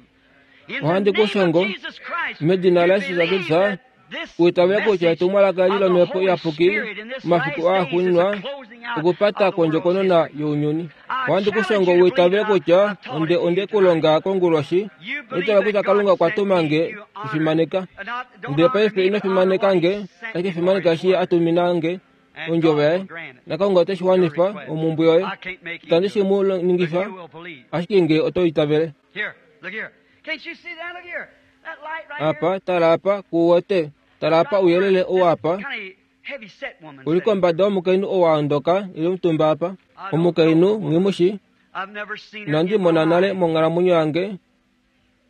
In the Ohandi name of kushongo Jesus Christ, medina you la Yesus believe Kristus that this uitavela kutya message etumwalaka eli of the lomhepo Holy iyapuki Spirit in this omafiku last aa days is the xuuninwa closing out okupata of the world's kwondjokonona history. younyuni. I Ohandi challenge kushongo you to believe uitavele that I've kutya taught onde it to onde you tonight. kulonga konguloshi You believe noitavela that kutya God Kalunga okwa sent tuma me, nge you honor. kufimaneka. Not, don't Ndele honor paife me, ino but honor fimaneka what nge He sent ashike me for, fimaneka His eshi ye word. a tumina nge And ondjovo God yaye will grant it, naKalunga ote shi your wanifa request. omumbwe yoye. I can't make Him Itandi do shi it, mu but ningifa you will believe. ashike nge oto itavele. Here, look here. Can't you see that? Look here. That light right here. Apa tala apa kuwete tala apa Right where ouyelele ou this apa kind of heavy set woman uli sitting. kombada womukainhu ou a ondoka ile omutumba apa. I don't know the Omukainhu woman. nghimushi I've never seen her inandi in my mona nale life. monghalamwenyo yange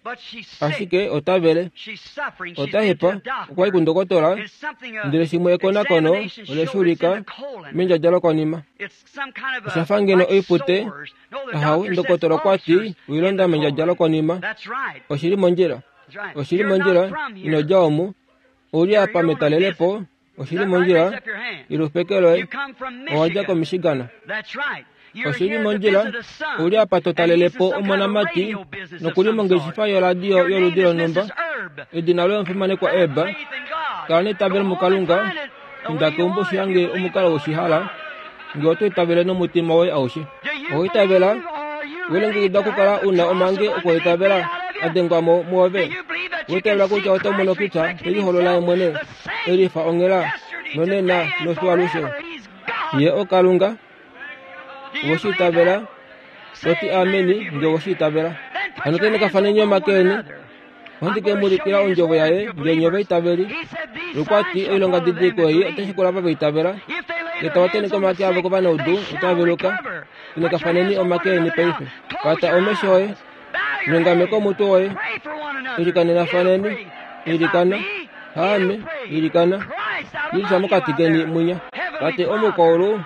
But she's sick. ashike ota vele She's suffering. She's ota been to hepa a okwa yi doctor. kundokotola It's something, ndele shimwe ekonakono examination ole showed shi it's in ulika the colon. mendjadja lokonima. It's some kind of Osha a, fa ngeno like oipute sores. No, the ahawe doctor says ndokotola okwa ti ulcers in the oilonda mendjadja colon. lokonima. That's right. Oshili mondjila That's right. oshili You're not mondjila from ino here. dja omu ouli You're apa here on a visit. metalelepo Is oshili that right? Raise mondjila up your hand. ilufeke loye You come from owa dja Michigan. koMichigan. That's right. You're Oshili here to mondjila visit a son, ouli apa to and he's in talelepo some kind of omonamati radio business of nokuli some mongeshifa sort. yoradio Your name yoludi is lonhumba. Mrs. Erb. Edina loye omufimanekwa Have Eba. faith in God. Kala Go neitavelo home and muKalunga find it the inda way you keumbo want if you shihange believe with omukalo all your woshihala heart. ngee oto itavele nomutima woye aushe. Do you Owaitavela believe or are you ready welongekida to okukala have the una cross omange of unbelief beat okwaitavela out of you? adengwamo Do muove. you believe that you Owaitavela can see kutya oto mono Christ kutya reflecting teliholola Himself yemwene the same elifa onghela yesterday, nonena today, and nofiwalushe. forever? He's God. Ye oKalunga Do you believe woshiitavela that? Say toti amen ameni if you nge believe it. woshiitavela. Then put Hano your tene hands kafaneni upon one omakeni another. I'm ohandi ke going mu to show ulikila you His ondjovo word if yaye you're ngee nye believers. vaitaveli. He said, These Okwa signs ti shall oilonga follow them didiliko that ei believe. otashi kula vaitavela. If they lay Ngee their tava hands teneke on the omake avo sick, kovanaudu they shall otava veluka. recover. Tene Put your kafaneni hands on one omake eni another now. paife. Close Pata your omesho oye eyes. Bow your nyongameka head. omutwe woye Pray for one another. ilikanena You faneni pray. It's not ilikana me. You haame pray. ilikana Christ Jesus mokati keni mwinya. Tate omukwaulu,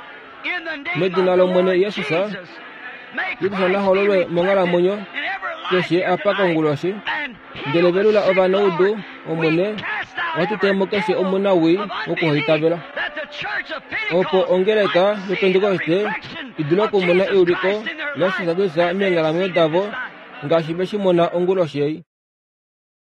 medina lOmwene Jesus, Jesus na hololwe monghalamwenyo keshe apa konguloshi, ndele velula ovanaudu, Omwene, ohatu te mo keshe omunawii wokuhaitavela, opo ongeleka yoPentekoste i dule okumona euliko laJesus Kristus meenghalamwenyo davo ngaashi ve shi mona onguloshi ei.